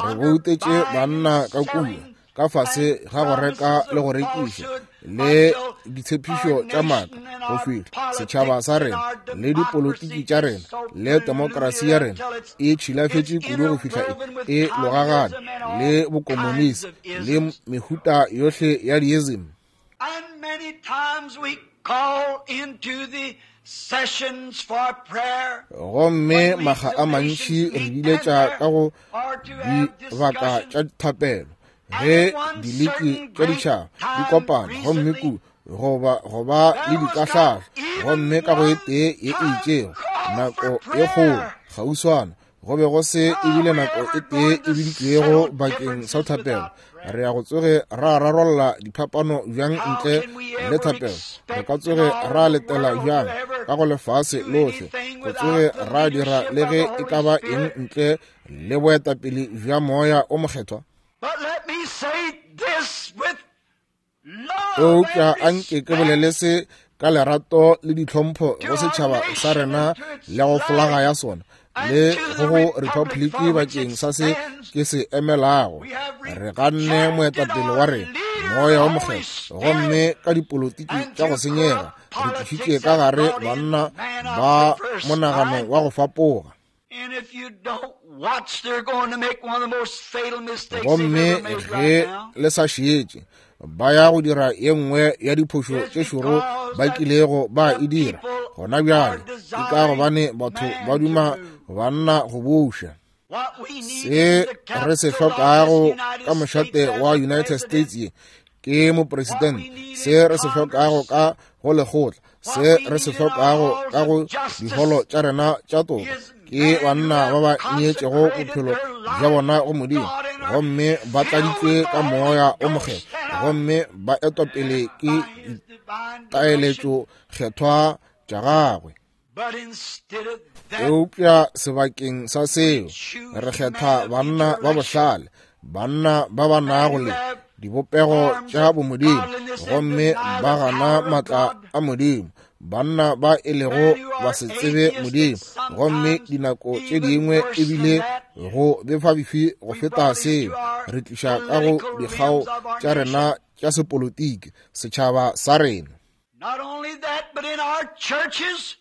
re boutetše banna ka kua ka fase ga go reka le go rekiša le ditshepišo tša maaka go fihla setšhaba sa rena le dipolotiki tša rena le demokrasi ya rena e tšhilafetše kudu go fihla e logagane le bokomonisi le mehuta yohle ya diism. And many times we call into the sessions for prayer. Gomme makga a mantši re biletša ka go dibaka tša thapelo ge diliki tša ditšhaba di kopana, gomme ku goba goba le dikahlahlo, gomme ka go e tee ye e itšego nako ye kgolo kgauswana go be go se ebile nako e tee e biditšwego bakeng sa thapelo. Re ya go tsoge ra rarolla diphapano bjang ntle le thapelo? Re ka tsoge ra letela bjang ka go lefase lohle go tsoge ra dira le ge e ka ba eng ntle le boetapele bja Moya o Mokgethwa? Eupša anke ke bolele se ka lerato le ditlhompho go setšhaba sa rena le go folaga ya sona le go go republiki bakeng sa se ke se emelago. Re ganne moetapele wa rena Moya o Mokgethwa, gomme ka dipolotiki tša go senyega re tlišitše ka gare banna ba monagano wa go fapoga. Gomme ge le sa šetše, ba ya go dira ye nngwe ya diphošo tše šoro ba kilego ba e dira gona bjale, ke ka gobane batho ba duma banna go buša. Se re se hlokago ka mošate wa United States ye ke mopresidente, se re se hlokago ka go lekgotla, se re se hlokago ka go diholo tša rena tša toka ke banna ba ba neetšego bophelo bja bona go Modimo, gomme ba tladitšwe ka moya o mokgethwa, gomme ba etwa pele ke ditaeletšo kgethwa tša gagwe. Eupša sebakeng sa seo, re kgetha banna ba bohlale, banna ba ba nago le dibopego tša bomodimo, gomme ba gana matla a Modimo, banna ba e lego ba se tsebe Modimo, gomme dinako tše dingwe ebile go befabefi go feta seo, re tliša ka go dikgao tša rena tša sepolotiki setšhaba sa rena. Not only that, but in our churches,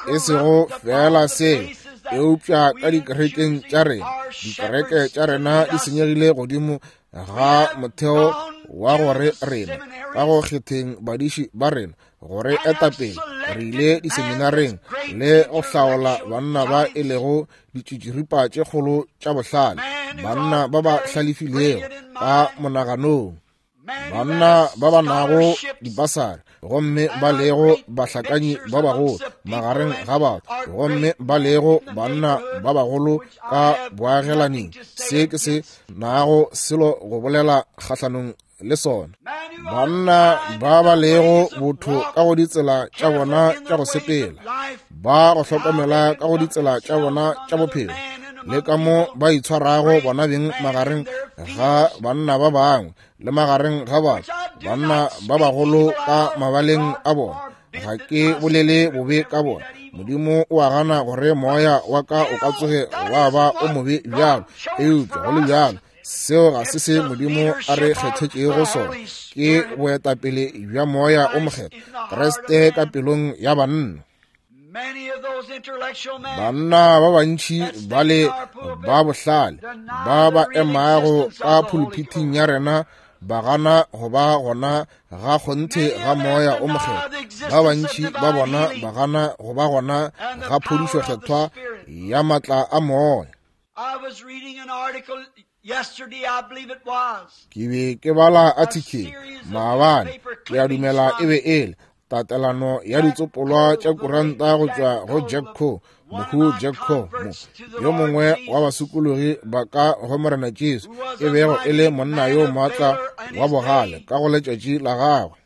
E sego fela seo, eupša ka dikerekeng tša rena, dikereke tša rena di senyegile godimo ga motheo wa gore rena ka go kgetheng badiši ba rena gore etapele re ile diseminareng le go hlaola banna ba e lego ditšitširipa tše kgolo tša bohlale, banna ba ba hlalefilego ka monaganong, banna ba ba nago dipasari, gomme ba lego bahlakanyi ba bagolo magareng ga batho, gomme ba lego banna ba bagolo ka boagelaning. Se ke se nago selo go bolela kgahlanong le sona. Banna ba ba lego botho ka go ditsela tša bona tša go sepela, ba go hlokomela ka go ditsela tša bona tša bophelo, le ka mo ba itshwarago bona beng magareng ga banna ba bangwe le magareng ga batho, banna ba bagolo ka mabaleng a bona. Ga ke bolele bobe ka bona. Modimo o a gana gore moya wa ka o ka tsoge wa ba o mobe bjalo, eupša go le bjalo seo ga se se Modimo a re kgethetšego sona. Ke boetapele bja moya o mokgethwa, Kriste ka pelong ya banna. Banna ba bantši ba le ba bohlale ba ba emago ka pulpiting ya rena ba gana go ba gona ga kgonthe ga moya o mokgethwa. Ba bantši ba bona ba gana go ba gona ga phodišo kgethwa ya matla a moya. Ke be ke bala article maabane, ke a dumela e be ele tatelano ya ditsopolwa tša kuranta go tšwa go Jack Coe, mohu Jack Coe, mo yo mongwe wa basokologi ba ka go Morena Jesu, e bego e le monna yo maatla wa bogale ka go letšatši la gagwe,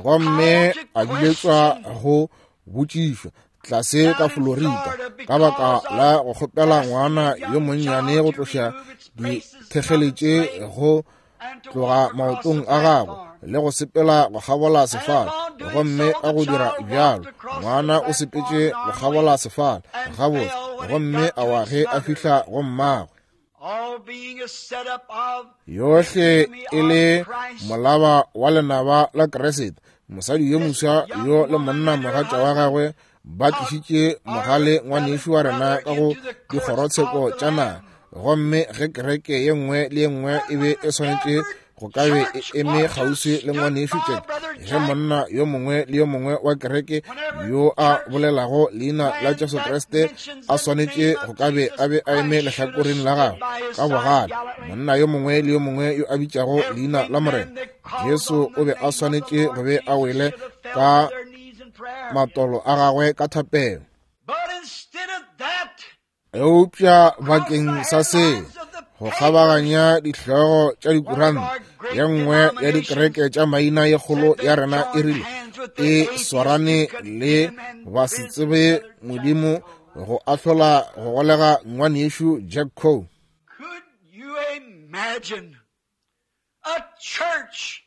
gomme a biletšwa go botšišwa tlase ka Florida ka baka la go kgopela ngwana yo monnyane go tloša dithekgeletše go tloga maotong a gagwe le go sepela go kgabola sefala, gomme ka go dira bjalo ngwana o sepetše go kgabola sefala gabotse, gomme a wa ge a fihla go mmagwe. Yohle e le molaba wa lenaba la Kriste. Mosadi yo moswa yo le monna mogatša wa gagwe ba tlišitše mogale ngwanešu wa rena ka go dikgorotsheko tša naga, gomme ge kereke ye nngwe le ye nngwe e be e swanetše go ka be e eme kgauswi le ngwanešu Jack, ge monna yo mongwe le yo mongwe wa kereke yo a bolelago leina la Jesu Kriste a swanetše go ka be a be a eme lehlakoreng la gagwe ka bogale, monna yo mongwe le yo mongwe yo a bitšago leina la Morena Jesu o be a swanetše go be a wele ka matolo a gagwe ka thapelo. Eupša bakeng sa seo, go kgabaganya dihlogo tša dikuranta, ye nngwe ya dikereke tša maina ye kgolo ya rena e rile e swarane le ba se tsebe Modimo go ahlola go golega ngwanešu Jack Coe. Could you imagine a church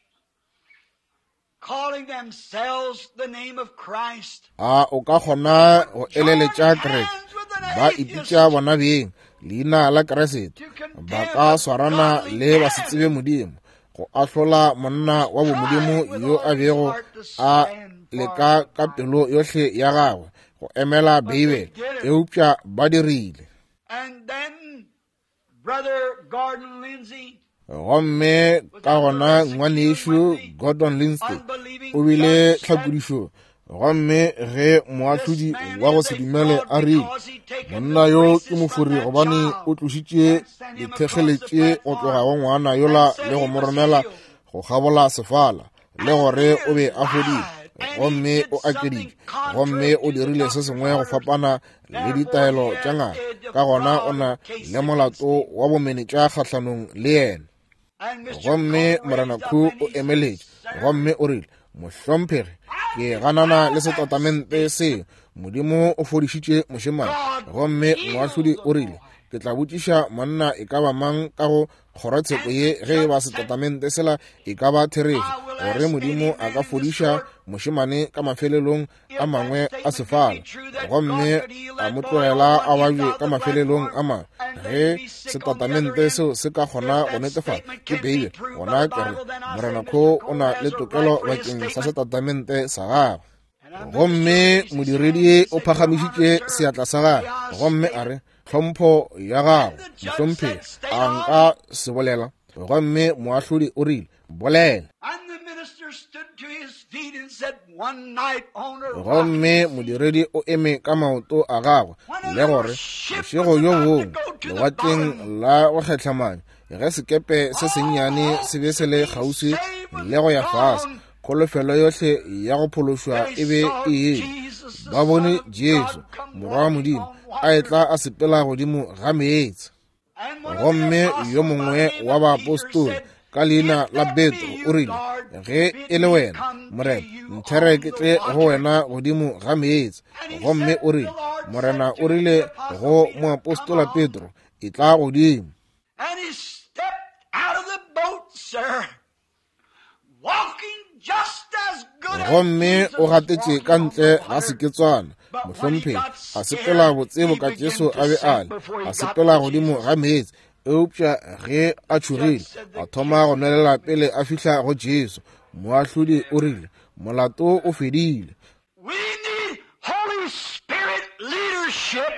calling themselves the name of Christ? A o ka kgona go eleletša kereke ba ipitša bona beng leina la Kriste, ba ka swarana le ba se tsebe Modimo go ahlola monna wa bomodimo yo a bego a leka ka pelo yohle ya gagwe go emela Beibele, eupša ba dirile. Gomme ka gona ngwanešu Gordon Lindsay o bile tlhakodišong. Gomme ge moahlodi wa go se dumele a rile, monna yo ke mofori gobane o tlošitše dithekgeletše go tloga go ngwana yola le go mo romela go kgabola sefala, le gore o be a fodile, gomme o akeditše, gomme o dirile se sengwe go fapana le ditaelo tša ngaka, ka gona o na le molato wa bomenetša kgahlanong le yena. Gomme Morena Khu o emeletše gomme o rile, mohlomphegi, ke ganana le setatamente seo, Modimo o fodišitše mošemane. Gomme moahlodi o rile, ke tla botšiša monna e ka ba mang ka go kgorotsheko ye ge e ba setatamente sela e ka ba therešo, gore Modimo a ka fodiša mošemane ka mafelelong a mangwe a sefala, gomme a mo tlogela a babje ka mafelelong a mangwe. Ge setatamente seo se ka kgona go netefatša ke Beibele, gona ke re Morena Kho o na le tokelo bakeng sa setatamente sa gagwe. Gomme modiredi o phagamišitše seatla sa gagwe gomme a re, tlhompho ya gago mohlomphegi, a nka se bolela? Gomme moahlodi o rile, bolela. Gomme modiredi o eme ka maoto a gagwe le gore, bošego bjo bongwe lewatleng la go kgehlamanya, ge sekepe se sennyane se be se le kgauswi le go ya fase, kholofelo yohle ya go phološwa e be e ile. Ba bone Jesu, Morwa wa Modimo, a etla a sepela godimo ga meetse. Gomme yo mongwe wa baapostola ka leina la Petro o rile, ge e le wena, Morena, nthere ke tle go wena godimo ga meetse. Gomme o rile, Morena o rile go moapostola Petro, etla godimo. Gomme o gatetše ka ntle ga seketswana, mohlomphegi, a sepela botse boka Jesu a be a le, a sepela godimo ga meetse. Eupša ge a tšhogile, a thoma go nwelela pele a fihla go Jesu. Moahlodi o rile, molato o fedile. We need Holy Spirit leadership,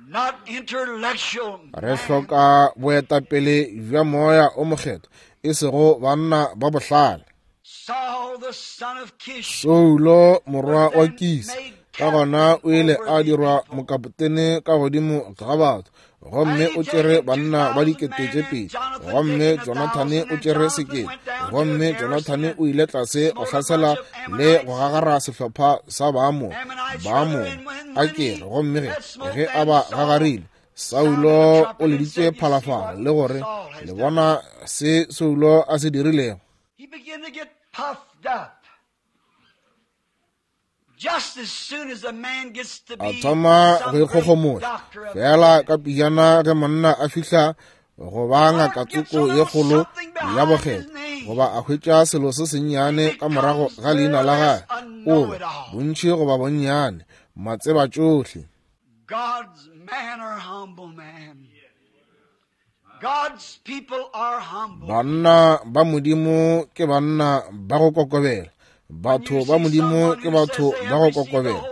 not intellectual. Re hloka boetapele bja moya o mokgethwa, e sego banna ba bohlale. Saul, the son of Kish, Saulo morwa wa Kisi, ka gona o ile a dirwa mokapotene ka godimo ga batho, gomme o tšere banna ba dikete tše pedi, gomme Jonathane o tšere sekete, gomme Jonathane o ile tlase go hlasela le go gagara sehlopha sa Baamoni, Baamoni a kere, gomme ge ge a ba gagarile, Saulo o leditše phalafala le gore, le bona se Saulo a se dirilego. He began to get puffed up. Just as soon as a man gets to A be thoma some go great ikgogomoša doctor of fela ka pejana ge monna a fihla go ba ngaka tsoko ye kgolo ya bokgethwa, goba a hwetša selo se sennyane ka morago ga leina la gagwe, o ba bontši goba bonnyane matseba tšohle. God's man are humble man. God's people are humble. Banna ba Modimo ke banna ba go kokobela. Batho ba Modimo ke batho ba go kokobela.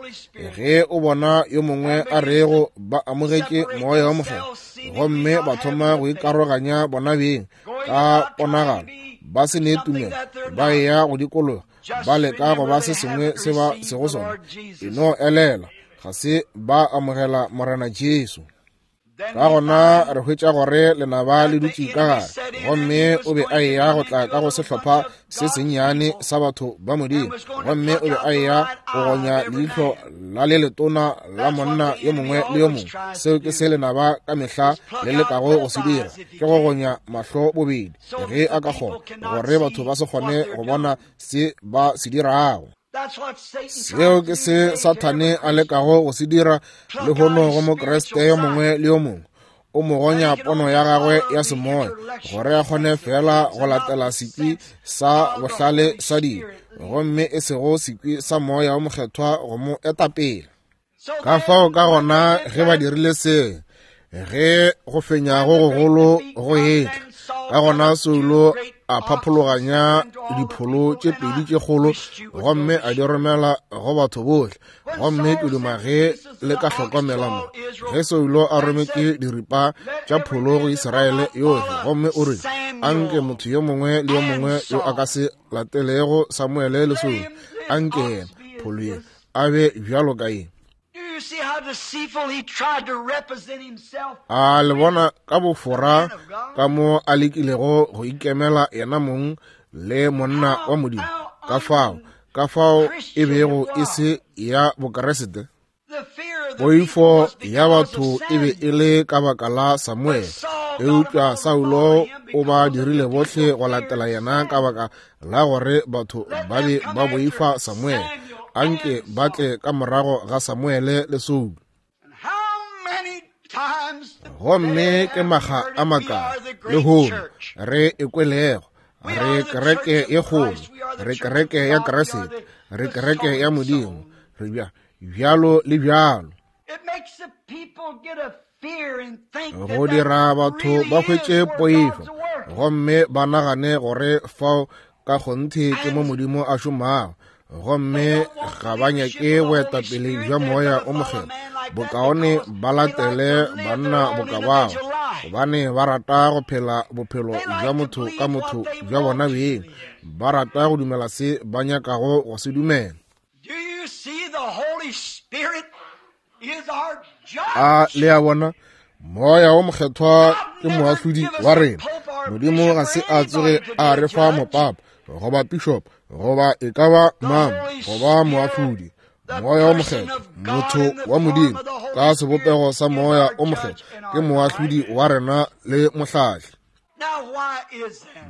Ge o bona yo mongwe a rego ba amogetše moya wa mokgethwa, gomme ba thoma go ikaroganya bona beng ka ponagalo, ba se ne tumelo, ba eya go dikologa, ba leka go ba se sengwe se ba sego sona, e no elela, ga se ba amogela Morena Jesu. Ka gona re hwetša gore lenaba le dutše ka gare, gomme o be a eya go tla ka go sehlopha se sennyane sa batho ba Modimo, gomme o be a eya go gonya leihlo la le letona la monna yo mongwe le yo mongwe. Seo ke se lenaba ka mehla le lekago go se dira, ke go gonya mahlo bobedi ge a ka kgona, gore batho ba se kgone go bona se ba se dirago. Seo ke se Sathane a lekago go se dira lehono go Mokriste yo mongwe le yo mongwe. O mo gonya pono ya gagwe ya semoya, gore a kgone fela go latela sekwi sa bohlale sa dilo, gomme e sego sekwi sa moya o mokgethwa go mo etapele. Ka fao ka gona ge ba dirile se, ge go fenya go gogolo go etla, Ka gona Saulo a phaphologanya dipholo tše pedi tše kgolo gomme a di romela go batho bohle. Gomme ke duma ge le ka hlokomela mo ge Saulo a rometše diripa tša pholo go Israele yohle, gomme o rile, anke motho yo mongwe le yo mongwe yo a ka se latelego Samuele le Saulo, anke yena pholo ye a be bjalo ka ye. A le bona ka bofora ka mo a lekilego go ikemela yena mong le monna wa Modimo, ka fao ka fao e bego e se ya Bokeresete. Poifo ya batho e be e le ka baka la Samuele, eupša Saulo o ba dirile bohle go latela yena ka baka la gore batho ba be ba boifa Samuele. Anke ba tle ka morago ga Samuele le Saulo. Gomme ke maga a makae lehono re ekwelego, re kereke ye kgolo, re kereke ya Keresete, re kereke ya Modimo, re bja bjalo le bjalo. Go dira batho ba hwetše poifo gomme ba nagane gore fao ka kgonthe ke mo Modimo a šomago, gomme ga ba nyake boetapele bja Moya o Mokgethwa. Bokaone ba latele banna boka bao, gobane ba rata go phela bophelo bja motho ka motho bja bona beng. Ba rata go dumela se ba nyakago go se dumela. A le a bona, Moya o Mokgethwa ke moahlodi wa rena. Modimo ga se a tsoge a re fa mopapa goba bishop goba e ka ba mang goba moahlodi. Moya o Mokgethwa, motho wa Modimo ka sebopego sa Moya o Mokgethwa, ke moahlodi wa rena le mohlahli.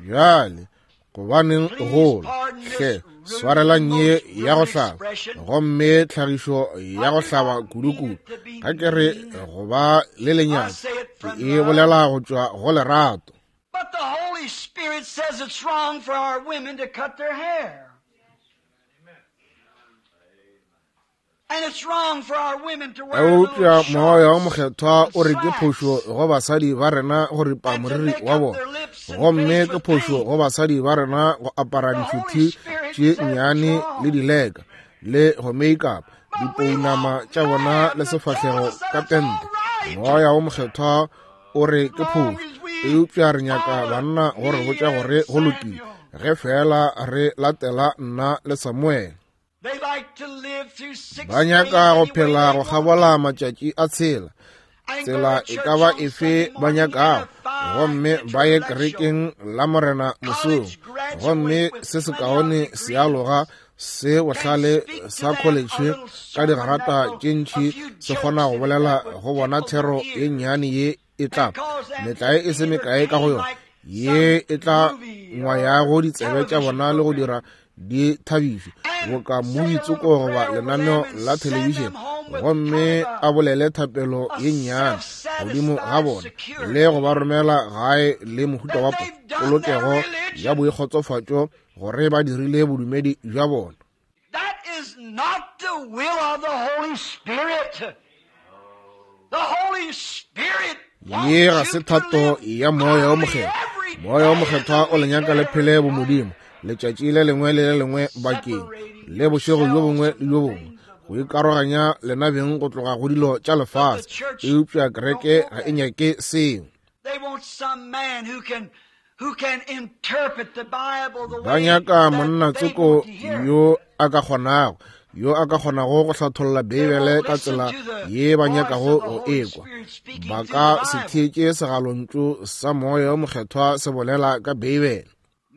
Bjale gobaneng gola hle swarelang ye ya go hlaba, gomme tlhagišo ya go hlaba kudu-kudu ga ke re go ba le lenyatšo, ke e bolela go tšwa go lerato. But the Holy Spirit says it's wrong for our women to cut their hair. And it's wrong for our women to wear Eupša Moya o Mokgethwa o re ke phošo go basadi ba rena go ripa moriri wa bona, gomme ke phošo go basadi ba rena go apara dišuthi tše nnyane le dileka le go make-up dipounama tša bona le sefahlego ka pente. Moya o Mokgethwa o re ke phošo, eupša re nyaka banna go re botša gore go lokile ge fela re latela nna le Samuele. Ba nyaka go phela go kgabola matšatši a tshela, tsela e ka ba efe ba nyakago, gomme ba ye kerekeng la Morena mosong, gomme se sekaone se aloga se bohlale sa college ka digarata tše ntši se kgona go bolela go bona thero ye nnyane ye e tla metlae e se mekae ka go yona, ye e tla ngwayago ditsebe tša bona le go dira di thabišwe boka movie-tsoko goba lenaneo la thelebišene, gomme a bolele thapelo ye nnyane godimo ga bona le go ba romela gae le mohuta wa polokego ya boikgotsofatšo gore ba dirile bodumedi bja bona. That is not the will of the Holy Spirit. The Holy Spirit Ye ga se thato ya Moya o Mokgethwa. Moya o Mokgethwa o le nyaka le phele bomodimo letšatši le lengwe le le lengwe bakeng le bošego bjo bongwe le bjo bongwe, go ikaroganya lena beng go tloga go dilo tša lefase. Eupša kereke ga e nyake seo. Ba nyaka monna tsoko yo a ka kgonago yo a ka kgonago go hlatholla Beibele ka tsela ye ba nyakago go ekwa. Ba ka se theetše segalontšu sa Moya o Mokgethwa se bolela ka Beibele.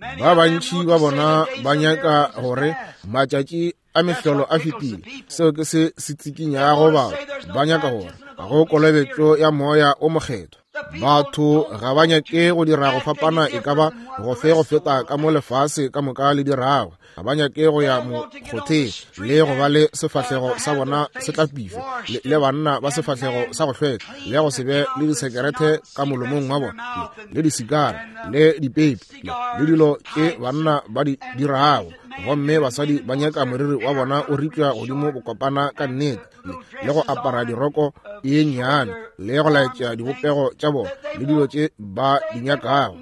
Ba bantši ba bona ba nyaka gore matšatši a mehlolo a fetile. Seo ke se se tsikinyago batho. Ba nyaka gore go kolobetšo ya Moya o Mokgethwa. Batho ga ba nyake go dira go fapana e ka ba go fe go feta ka mo lefase ka moka le dirago. Ga ba nyake go ya mokgotheng le go ba le sefahlego sa bona se tlapišwe, le, le banna ba sefahlego sa go hlweka, le go se be le disekerete ka molomong wa bona, le, le disikara le dipepi le, le dilo tše banna ba di dirago. Gomme basadi ba nyaka moriri wa bona o ripša godimo bokopana ka nnete, le, le go apara diroko ye nnyane, le go laetša dibopego tša bona le dilo tše ba di nyakago.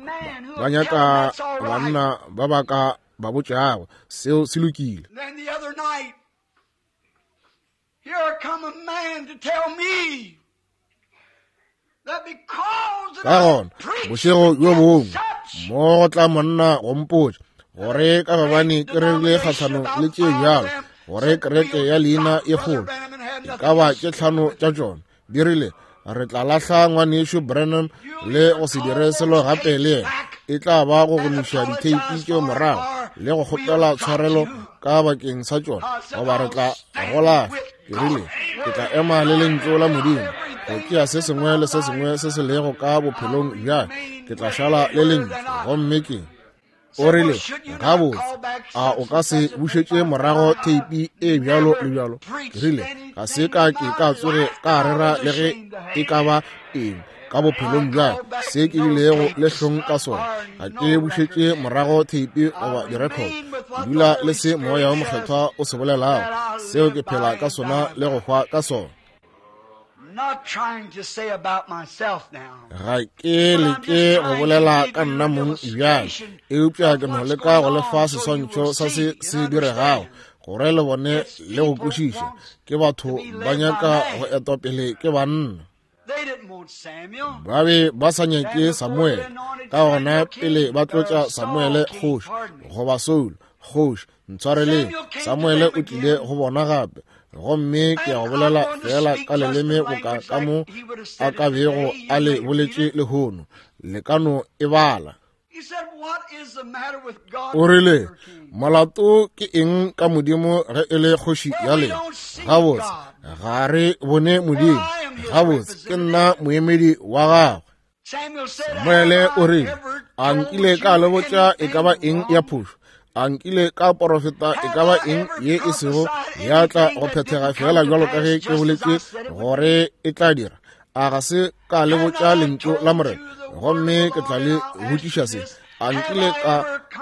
Ba nyaka banna ba ba ka ba botšago seo se lokile. Ka gona bošego bjo bongwe mo go tla monna go mpotša gore ka gobane ke rerile kgahlanong le tše bjalo, gore kereke ya leina e kgolo e ka ba tše tlhano tša tšona di rile re tla lahla ngwanešu Branham le go se dire selo gape le yena. E tla ba go gomiša ditheipi tšeo morago le go kgopela tshwarelo ka bakeng sa tšona, goba re tla go lahla. Ke rile ke tla ema le lentšu la Modimo go tšea se sengwe le se sengwe se se lego ka bophelong bjaka, ke tla šala le lentšu. Gomme ke o rile gabotse, a o ka se bušetše morago theipi e bjalo le bjalo? Ke rile ga se ka ke ka tsoge ka rera le ge e ka ba eng ka bophelong bjaka se ke bilego le hlong ka sona. Ga ke bušetše morago theipi goba direkhoto. Ke dula le se Moya wo Mokgethwa o se bolelago, seo ke phela ka sona le go hwa ka sona. Ga ke leke go bolela ka nna mong bjale, eupša ke no leka go lefa seswantšho sa se se diregago gore le bone le go kwešiša. Ke batho ba nyaka go etwa pele ke banna. Ba be ba sa nyake Samuele, ka gona pele ba tlotša Samuele kgoši goba Saul kgoši, ntshwareleng, Samuele o tlile go bona gape. Gomme ke a go bolela fela ka leleme boka ka mo a ka bego a le boletše lehono, le ka no e bala. O rile molato ke eng ka Modimo ge e le kgoši ya lena? Gabotse ga re bone Modimo. Gabotse ke nna moemedi wa gagwe. Samuele o rile a nkile ka le botša e ka ba eng ya phošo? A nkile ka porofeta e ka ba eng ye e sego ya tla go phethega fela bjalo ka ge ke boletše gore e tla dira? A ga se ka le botša lentšu la Morena? Gomme ke tla le botšiša se. A nkile ka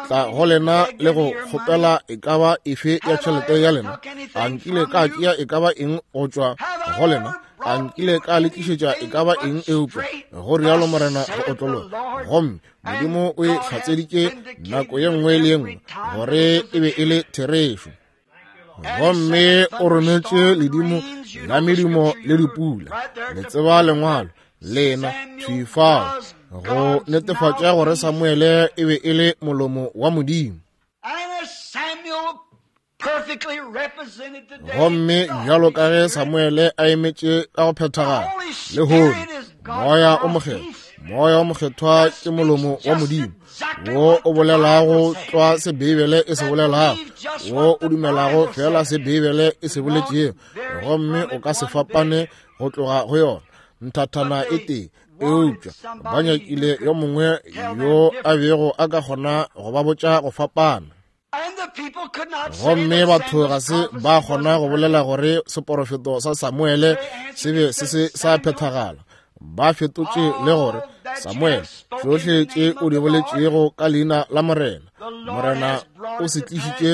tla go lena le go kgopela e ka ba efe ya tšhelete ya lena? A nkile ka tšea e ka ba eng go tšwa go lena? A nkile ka le tlišetša e ka ba eng eupša go rialo Morena go otlologa? Gomme Modimo o e hlatseditše nako ye nngwe le ye nngwe gore e be e le therešo. Gomme o rometše ledimo la medumo le dipula, le tseba lengwalo lena thwi fao, go netefatša gore Samuele e be e le molomo wa Modimo. Gomme bjalo ka ge Samuele a emetše ka go phethagala lehono, Moya o Mokgethwa, Moya o Mokgethwa ke molomo wa Modimo wo o bolelago tlwa se Beibele e se bolelago, wo o dumelago fela se Beibele e se boletšego, gomme o ka se fapane go tloga go yona nthathana e tee. Eupša ba nyakile yo mongwe yo a bego a ka kgona go ba botša go fapana. Gomme batho ga se ba kgona go bolela gore seporofeto sa Samuele se be se se sa phethagala. Ba fetotše le gore Samuele tšohle tše o di boletšego ka leina la Morena, Morena o se tlišitše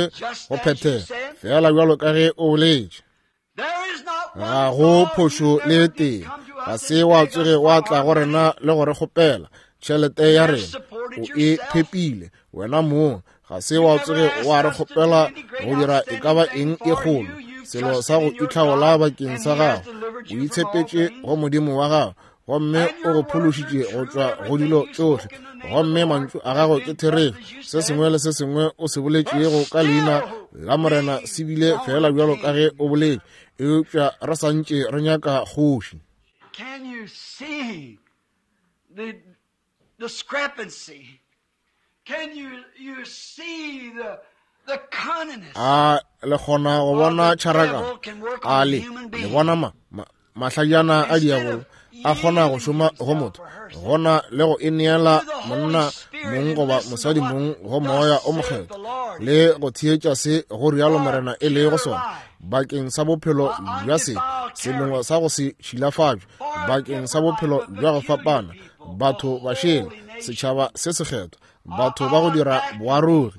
go phethega fela bjalo ka ge o boletše. Ga go phošo le tee. Ga se wa tsoge wa tla go rena le go re kgopela tšhelete ya rena, o e phepile wena mong. Ga se wa tsoge wa re kgopela go dira e ka ba eng e kgolo, selo sa go itlhaola bakeng sa gago. O itshepetše go Modimo wa gago, gomme o go phološitše go tšwa go dilo tšohle. Gomme mantšu a gago ke therešo. Se sengwe le se sengwe o se boletšego ka leina la Morena se bile fela bjalo ka ge o boletše, eupša re sa ntše re nyaka kgoši. Can you see the discrepancy? Can you, you see the, the cunningness? A le kgona go bona tšharakano? A le le bona ma, ma mahlajana a diabolo a kgona go šoma go motho, gona le go ineela monna mong goba mosadi mong go Moya o Mokgethwa le go theetša se go rialo Morena e lego sona bakeng sa bophelo bja se selongwe sa go se šilafatšwe, bakeng sa bophelo bja go fapana, batho ba šele, setšhaba se sekgethwa, batho ba go dira boarogi.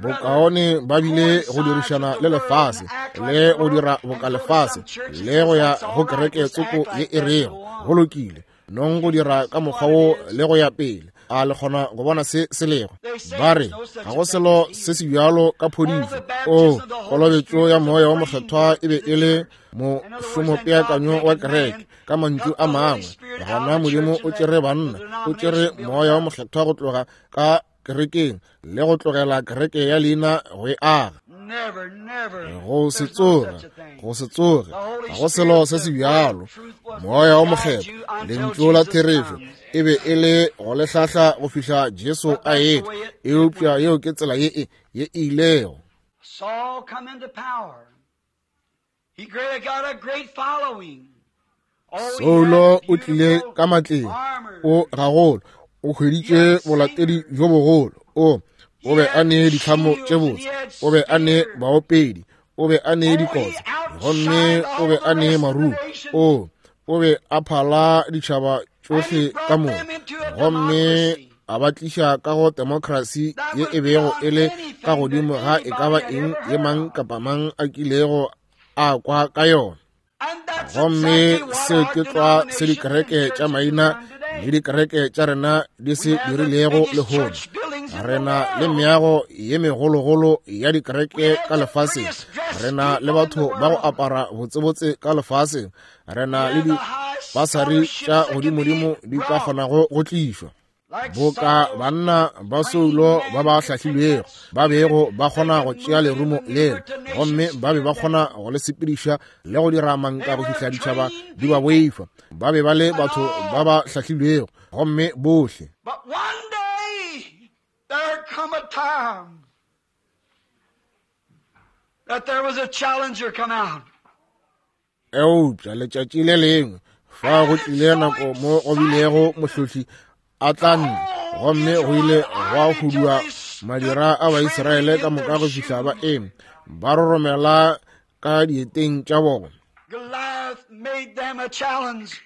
Bokaone ba bile go dirišana le lefase le go dira boka lefase le go ya go kereke tsoko ye e rego go lokile, nong go dira ka mokgwa wo le go ya pele. A le kgona go bona se se lego? Ba re ga go selo se se bjalo ka phodišo. O kolobetšo ya Moya wa Mokgethwa e be e le mošomopeakanyo wa kereke. Ka mantšu a mangwe, gona Modimo o tšere banna, o tšere Moya wa Mokgethwa go tloga ka kerekeng le go tlogela kereke ya leina go e aga. Go se tsoge, go se tsoge, ga go selo se se bjalo. Moya wa Mokgethwa, lentšu la therešo, e be e le go le hlahla go fihla Jesu a etla. Eupša yeo ke tsela ye e ye e ilego. Saul come into power. He got a great following. Saulo o tlile ka matleng, o gagolo, o hweditše bolatedi bjo bogolo. O o be a ne ditlhamo tše botse, o be a ne baopedi, o be a ne dikotsa, gomme o be a ne marumo. O o be a phala ditšhaba tšohle ka moka, gomme a ba tliša ka go demokrasi ye e bego e le ka godimo ga e ka ba eng ye mang kapa mang a kilego a kwa ka yona. Gomme seo ke tlwa se dikereke tša maina le dikereke tša rena di se dirilego lehono. Re na le meago ye megologolo ya dikereke ka lefaseng. Re na le batho ba go apara botsebotse ka lefaseng. Re na le dipasari tša godimodimo di ka kgonago go tlišwa. Boka banna ba Saulo ba ba hlahlilwego ba bego ba kgona go tšea lerumo leo, gomme ba be ba kgona go le sepediša le go dira manka go fihla ditšhaba di ba boifa. Ba be ba le batho ba ba hlahlilwego, gomme bohle. But one day there come a time that there was a challenger come out. Eupša letšatši le lengwe fa go tlile nako mo go bilego mohlohli a tla nna, gomme go ile gwa hudua madira a Baisraele ka moka go fihla ba eme ba roromela ka dieteng tša bona. Goliath made them a challenge.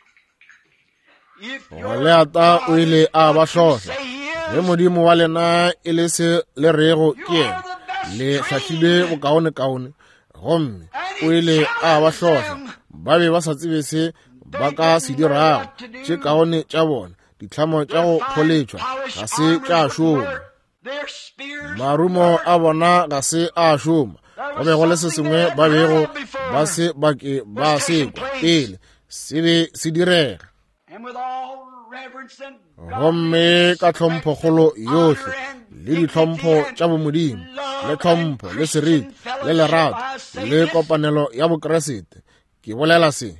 If your Goliata o ile a ba God hlohla. say he Ge is, Modimo wa lena e le se le rego you ke yena, are the best le hlahlilwe trained. bokaonekaone. Gomme And o he ile a ba challenged hlohla. them. Ba be ba sa tsebe se ba They ka se didn't know dirago. what to Tše do. kaone tša bona, ditlhamo tša Their go fine pholetšwa polished ga se armors tša wouldn't šoma. work. Their spears Marumo wouldn't a work. bona ga se a šoma. There Go was be go le se something sengwe they ba hadn't bego heard of ba before se ba ke ba was se taking kwa place. pele se be se direga. And with all reverence and godly Gomme ka respect and tlhomphokgolo honor yohle and le dignity ditlhompho and tša bomodimo le love and tlhompho le Christian seriti le fellowship, lerato I say le this. kopanelo ya Bokreste, ke bolela se.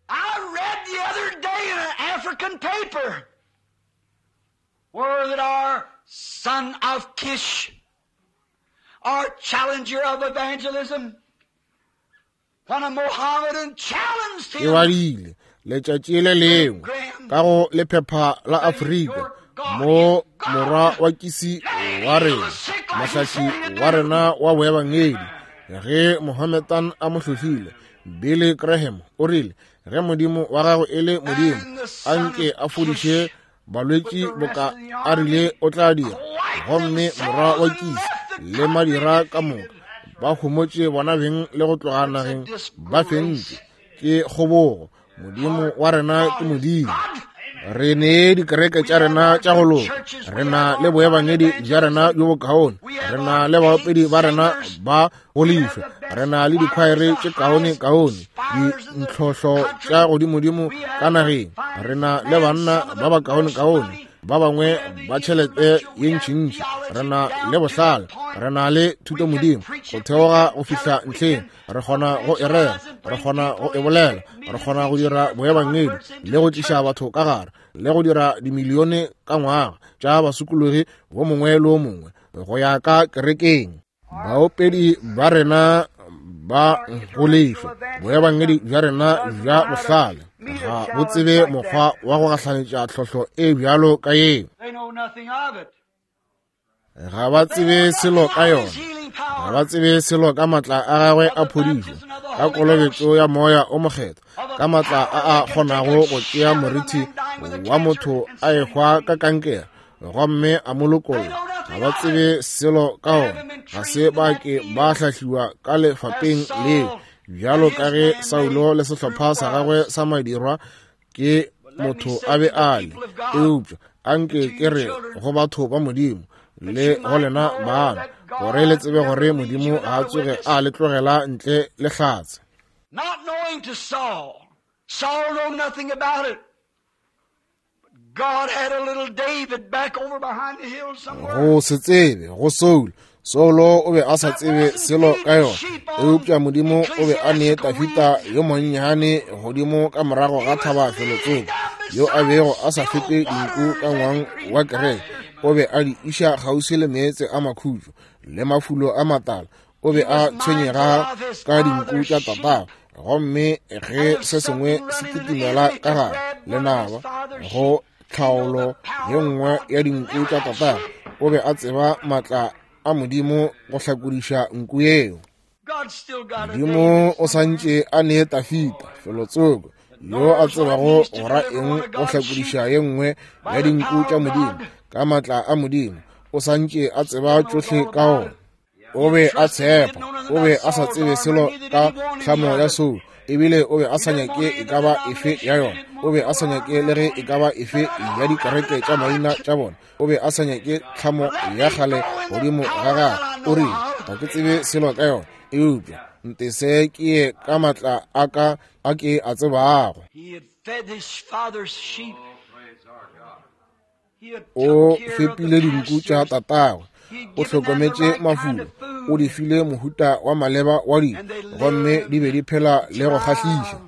I read the other day in an African paper where that our son of Kish, our challenger of evangelism, when a Mohammedan challenged Ke him, badile letšatši le lengwe Graham, ka go lephepha la that if Afrika your God mo is God, morwa wa Kisi let wa him heal rena, the sick like he said mohlahli he'd wa do. rena wa boebangedi, ge Mohammedan a mo hlohlile, Billy Graham o rile, ge Modimo wa gago e le Modimo, And the a son nke of a fodiše Kish with balwetši the rest boka of the a rile army o tla dira. quite Gomme morwa themselves wa and Kisi left the le country madira ka moka defeated. ba homotše bona beng le go tloga It's a nageng ba disgrace. fentše. Ke kgobogo. Modimo Our wa rena ke God is Modimo. God. Re ne dikereke We tša have rena our tša go good loka. churches. Re We na have le our fine boebangedi bja rena evangelism. bjo bokaone. We Re have na our le paid baopedi ba rena singers. ba go We have lefa. the Re best na le choirs, dikhwaere the tše kaone highest kaone, spires in the dintlhohlo country. tša godimodimo We ka have the nageng. Re finest na le men, banna some of ba the ba kaone most kaone, money. ba bangwe We have the ba tšhelete intellectual. ye We have ntšintši. Re theology na le down to the bohlale, point re na le we can thutomodimo preach go it, we theoga can go tell fihla it, we ntlheng. can Re kgona go e rera, evangelize and re bring kgona go people e in, bolela, make re millions kgona go each dira year, boebangedi converts into le go the tliša church. batho ka gare le go dira dimilione ka ngwaga tša basokologi wo mongwe le wo mongwe go ya ka kerekeng. Our Baopedi ba rena ba our go lefa, intellectual evangelism boebangedi bja rena doesn't bja know how to bohlale meet a ga bo challenge tsebe like that. mokgwa wa go gahlanetša tlhohlo e bjalo ka yeo. They know nothing of it. Ga ba They know tsebe selo nothing ka of yona. his healing Ga power, ba tsebe selo ka matla a gagwe of a the phodišo, baptism of the ka Holy Ghost, kolobetšo ya Moya o Mokgethwa, of ka a matla a power a that can take a kgonago go tšea shadow of a morithi man dying with a wa cancer motho and a set him ehwa ka free. kankere gomme a mo They lokolla. know Ga nothing ba of it. tsebe selo ka They ona. haven't been Ga trained se in ba that ke ba field hlahliwa ka as lefapeng leo, Saul and bjalo ka his ge man Saulo made le group sehlopha sa gagwe was. sa madirwa ke motho a be a le. Eupša anke ke re go batho ba Modimo le go lena bana, gore le tsebe gore Modimo ga a tsoge a le tlogela ntle le hlatse. Not knowing to Saul, Saul knew nothing about it. God had a little David back over behind the hill somewhere. Go se tsebe go Saul, Saulo o be a sa tsebe selo ka yona, eupša Modimo o be a ne Dafita yo monnyane godimo ka morago ga thaba felotsoko, yo a bego a sa fepe dinku ka ngwang wa kereke. O be a di iša kgauswi le meetse a makhutšo le mafulo a matala. O be a tshwenyega ka dinku tša tatagwe, gomme ge se sengwe se kitimela ka gare lenaba go tlhaolo ye nngwe ya dinku tša tatagwe, o be a tseba maatla a Modimo go hlakodiša nku yeo. Modimo o santše a ne Dafita felotsoko yo a tsebago go ra eng go hlakodiša ye nngwe ya dinku tša Modimo ka maatla a Modimo. O santše a tseba tšohle ka ona. O be a tshepa, o be a sa tsebe selo ka tlhamo ya Saul, ebile o be a sa nyake e ka ba efe ya yona. O be a sa nyake le ge e ka ba efe ya dikereke tša maina tša bona. O be a sa nyake tlhamo ya kgale godimo ga gagwe. O rile, ga ke tsebe selo ka yona, eupša ntese ke ye ka maatla a ka a ke a tsebago. O fepile dinku tša tatagwe, o hlokometše mafulo, o di file mohuta wa maleba wa dijo, gomme di be di phela le go kgahliša.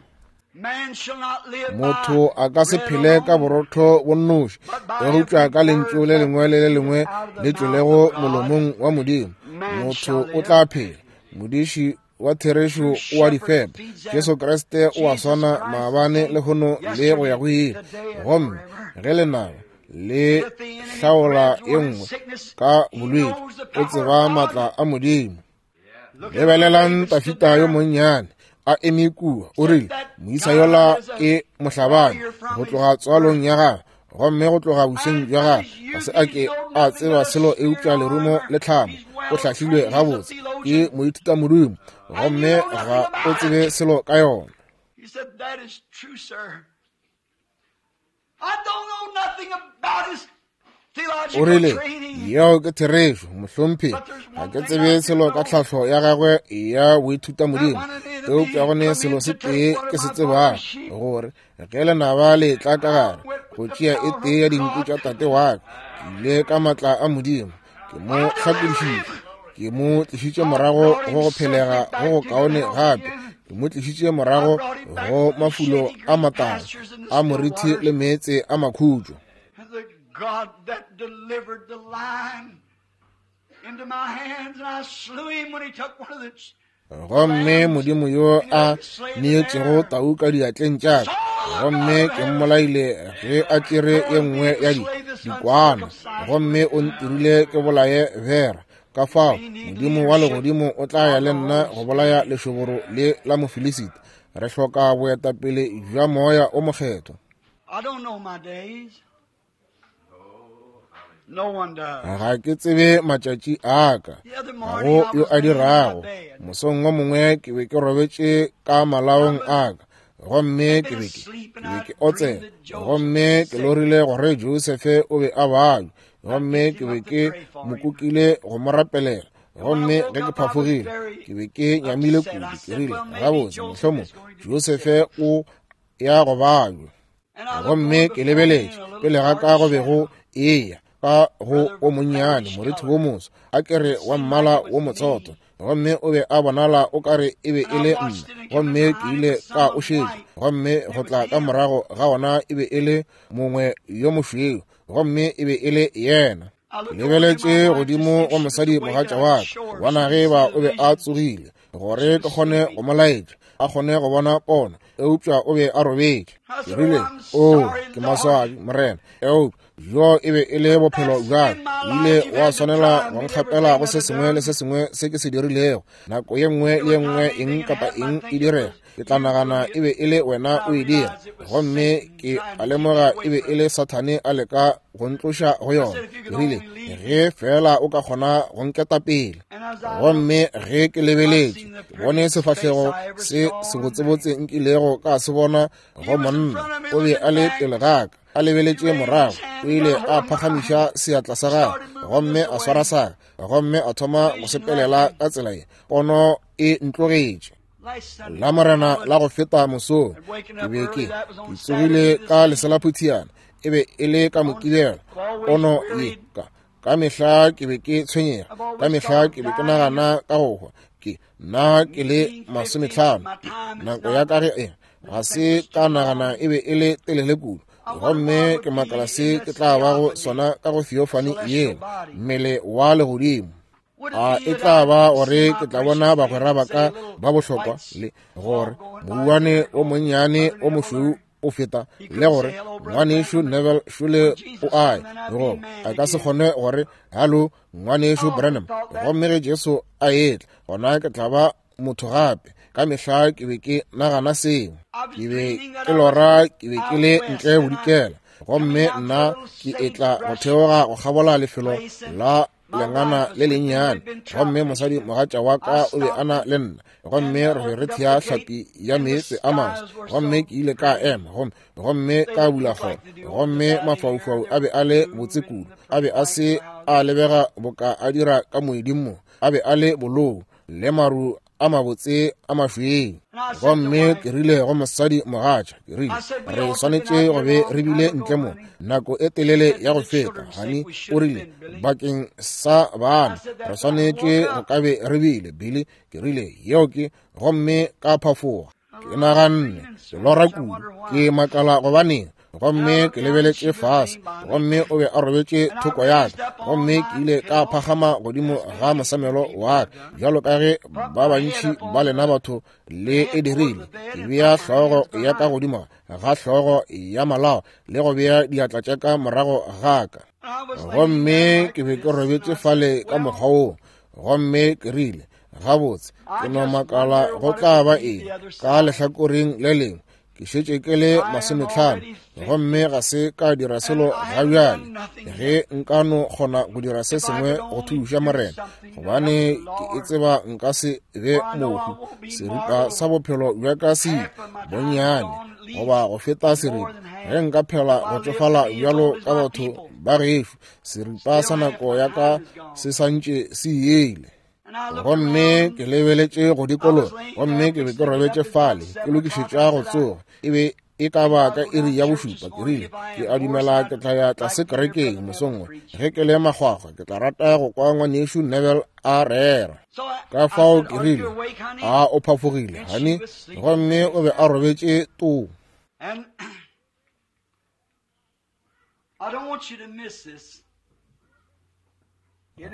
Motho a ka se phele ka borotho bo nnoši, eupša ka lentšu le lengwe le le lengwe le tšwelego molomong wa Modimo, motho o tla phela. Modiši wa therešo o a di fepa. Jesu Kriste o a swana maabane lehono le go ya go ile. Gomme ge lenaba le hlaola ye nngwe ka bolwetši, o tseba maatla a Modimo. Lebelelang Dafita yo monnyane a eme kua, o rile, moisa yola ke mohlabani go tloga tswalong ya gagwe, gomme go tloga boseng bja gagwe ga se a ke a tseba selo eupša lerumo le tlhamo. O hlahlilwe gabotse ke moithutamodimo, gomme ga o tsebe selo ka yona. O rile, yeo ke therešo, mohlomphegi, ga ke tsebe selo ka tlhahlo ya gagwe ya boithutamodimo, eupša go ne selo se tee ke se tsebago, gore ge lenaba le tla ka gare go tšea e tee ya dinku tša tate wa ka, ke ile ka maatla a Modimo, ke mo hlakodišitše, ke mo tlišitše morago go go phelega go go kaone gape, ke mo tlišitše morago go mafulo a matala a morithi le meetse a makhutšo. God that delivered the lion into my hands, and I slew him when he took one of the Gomme Modimo yo a neetšego tau ka diatleng tša ka, gomme ke mmolaile ge a tšere ye nngwe ya di dikwana, gomme o ntirile ke bolaye bera. Ka fao Modimo wa legodimo o tla ya le nna go bolaya lešoboro le la Mofilisita. Re hloka boetapele bja Moya o Mokgethwa. I don't know my days. No one does. Ga ke tsebe matšatši a ka, ga go yo a dirago. Mosong wo mongwe ke be ke robetše ka malaong a ka, gomme ke be ke ke be ke otsela, gomme ke lorile gore Josefe o be a babja, gomme ke be ke mo kukile go mo rapelela. Gomme ge ke phafogile, ke be ke nyamile kudu. Ke rile, gabotse, mohlomong Josefe o ya go babja. Gomme ke lebeletše pele ga ka go be go eya ka go o monnyane morithi wo moso, a kere wa mmala wo motsotho, gomme o be a bonala o kare e be e le nna. Gomme ke ile ka o šetša, gomme go tla ka morago ga ona e be e le mongwe yo mošweu, gomme e be e le yena. Ke lebeletše godimo go mosadi mogatša wa ka, bona ge ba o be a tsogile, gore ke kgone go mo laetša, a kgone go bona pono, eupša o be a robetše. Ke rile, o, ke maswabi, morena, eupša jo e be e le bophelo bja ka. O ile wa swanela go nkgapela go se sengwe le se sengwe se ke se dirilego. Nako ye nngwe le ye nngwe eng kapa eng e direga, Ke tla nagana e be e le wena o e dira. Gomme ke a lemoga e be e le Sathane a leka go ntloša go yona. Ke rile, ge fela o ka kgona go nketa pele. Gomme ge ke lebeletše, ke bone sefahlego se sebotsebotse nkilego ka se bona go monna. O be a le pele ga ka, a lebeletše morago. O ile a phagamiša seatla sa gagwe gomme a swara sa ka, gomme a thoma go sepelela ka tsela ye. Pono e ntlogetše. La morena la go feta mosong, ke be ke ke tsogile ka leselaphutiana. E be e le ka Mokibelo. Pono ye ka ka mehla ke be ke tshwenyega, ka mehla ke be ke nagana ka go hwa. Ke nna ke le masometlhano, nako ya ka ge e ga se ka nagana e be e le telele kudu. Gomme ke makala se ke tla bago sona ka go theophany yela, mmele wa legodimo. A e tla ba gore ke tla bona bagwera ba ka ba bohlokwa, le gore mouwane o monnyane o mošweu o feta, le gore ngwanešu Neville Shule o ae, goba a ka se kgone gore halo ngwanešu Branham. Gomme ge Jesu a etla, gona ke tla ba motho gape. Ka mehla ke be ke nagana seo. Ke be ke lora ke be ke le ntle bodikela, gomme nna ke etla go theoga go kgabola lefelo la lengana le lennyane, gomme mosadi mogatša wa ka o be a na le nna, gomme re be re thea hlapi ya meetse a maso. Gomme ke ile ka ema gomme gomme ka bula kgoro, gomme mafaufau a be a le botse kudu, a be a se a lebega boka a dira ka moeding mo, a be a le bolou le maru a mabotse a mašweu. Gomme ke rile go mosadi mogatša, ke rile, re swanetše go be re bile ntle mo nako e telele ya go feta. Hani o rile, bakeng sa bana re swanetše go ka be re bile. Billy, ke rile, yeo ke. Gomme ka phafoga. Ke naganne, ke lora kudu, ke makala gobaneng. Gomme ke lebeletše fase, gomme o be a robetše thoko ya ka. Gomme ke ile ka phagama godimo ga mosamelo wa ka, bjalo ka ge ba bantši ba lena batho le e dirile. Ke bea hlogo ya ka godimo ga hlogo ya malao le go bea diatla tša ka morago ga ka. Gomme ke be ke robetše fale ka mokgwa woo. Gomme ke rile, gabotse, ke no makala go tla ba eng ka lehlakoreng le lengwe. Ke šetše ke le masometlhano, gomme ga se ka dira selo ga bjale. Ge nka no kgona go dira se sengwe go thuša Morena, gobane ke e tseba nka se be mohu. Seripa sa bophelo bja ka se bonnyane goba go feta seripa, ge nka phela go tšofala bjalo ka batho ba gešo, seripa sa nako ya ka se santše se ile. Gomme ke lebeletše go dikologa, gomme ke be ke robetše fale ke lokišetša go tsoga. E be e ka ba ka iri ya bošupa. Ke rile, ke a dumela ke tla ya tlase kerekeng mosong wo. Ge ke le makgwakgwa, ke tla rata go kwa ngwanešu Neville a rera. Ka fao ke rile, a o phafogile, hani? Gomme o be a robetše too.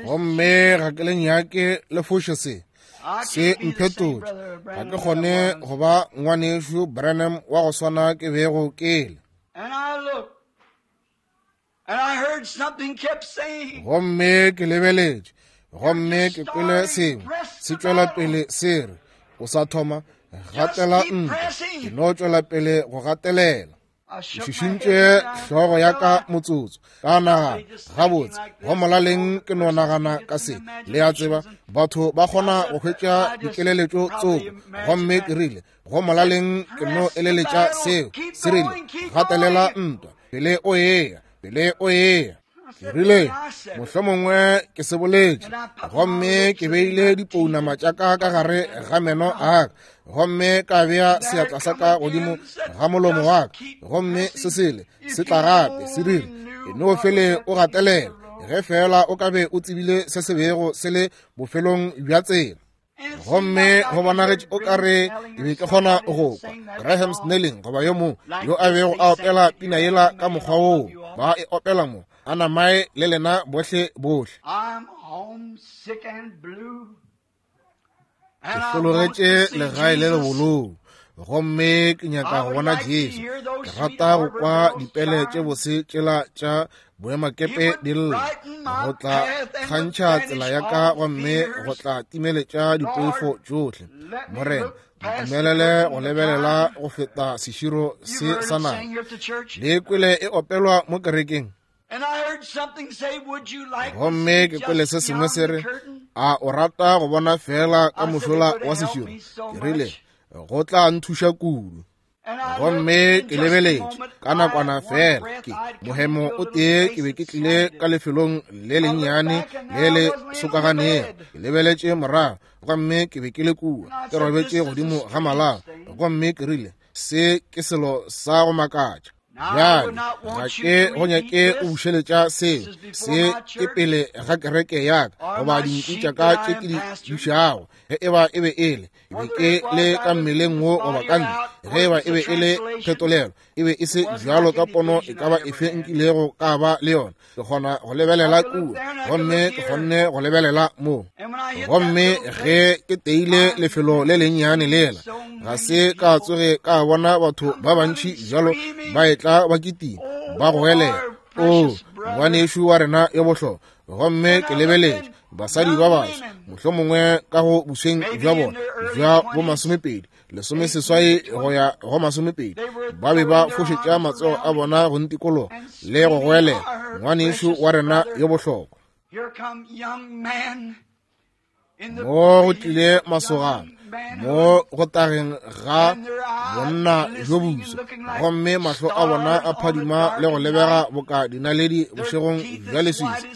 Gomme ga ke le nyake le foše se, se mphetotše. Ga ke kgone go ba ngwanešu Branham wa go swana ke bego ke le. Gomme ke lebeletše, gomme ke kwele sengwe se tšwela pele se re, o sa thoma, gatela ntwa. Ke no tšwela pele go gatelela. Ke šišintše hlogo ya ka motsotso, ka nagana, gabotse, go molaleng ke no nagana ka se. Le a tseba, batho ba kgona go hwetša dikeleletšo tsoko. Gomme ke rile, go molaleng ke no eleletša seo. Se rile, gatelela ntwa, pele o eya, pele o eya. Ke rile, mohlomongwe ke se boletše. Gomme ke beile dipounama tša ka ka gare ga meno a ka, gomme ka bea seatla sa ka godimo ga molomo wa ka. Gomme se sele se tla gape, se rile, e no fele o gatelela, ge fela o ka be o tsebile se se bego se le bofelong bja tsela. Gomme go bonagetše o ka re ke be ke kgona go kwa Graham Snelling goba yo mongwe yo a bego a opela pina yela ka mokgwa woo ba e opela mo, a namae le lena bohle bohle. Ke hlologetše legae le lebolou, Gomme ke nyaka go bona Jesu. Ke rata go kwa dipele tše bose tšela tša boemakepe di lla, go tla kgantšha tsela ya ka gomme go tla timeletša dipoifo tšohle. Morena, ntumelele go lebelela go feta seširo se sa naga. Le kwele e opelwa mo kerekeng. Gomme ke kwele se sengwe se re, a o rata go bona fela ka mošola wa seširo? Ke rile, go tla nthuša kudu. Gomme ke lebeletše ka nakwana fela, ke mohemo o tee ke be ke tlile ka lefelong le lennyane le le sokaganego. Ke lebeletše morago gomme ke be ke le kua ke robetše godimo ga malao, gomme ke rile, se ke selo sa go makatša. Bjale ga ke go nyake o bušeletša seo, se ke pele ga kereke ya ka goba dinku tša ka tše ke di bušago. Ge eba e be e le, e be ke le ka mmeleng wo goba ka ntle, ge eba e be e le phetolelo, e be e se bjalo ka pono e ka ba efe nkilego ka ba le yona. Ke kgona go lebelela kua, gomme ke kgonne go lebelela mo. Gomme ge ke teile lefelo le lennyane lela, ga se ka tsoge ka bona batho ba bantši bjalo ba etla ba kitima ba goelela, o ngwanešu wa rena yo bohlokwa. Gomme ke lebeletše basadi ba baso, mohlomongwe ka go busweng bja bona bja bo masomepedi, lesomeseswai go ya go masomepedi, ba be ba fošetša matsogo a bona go ntikologa le go goelela, ngwanešu wa rena yo bohlokwa. Mo go tlile masogana mo go tageng ga bonna jo boso, gomme mahlo a bona a phadima le go lebega boka dinaledi bošegong bja leswiswi,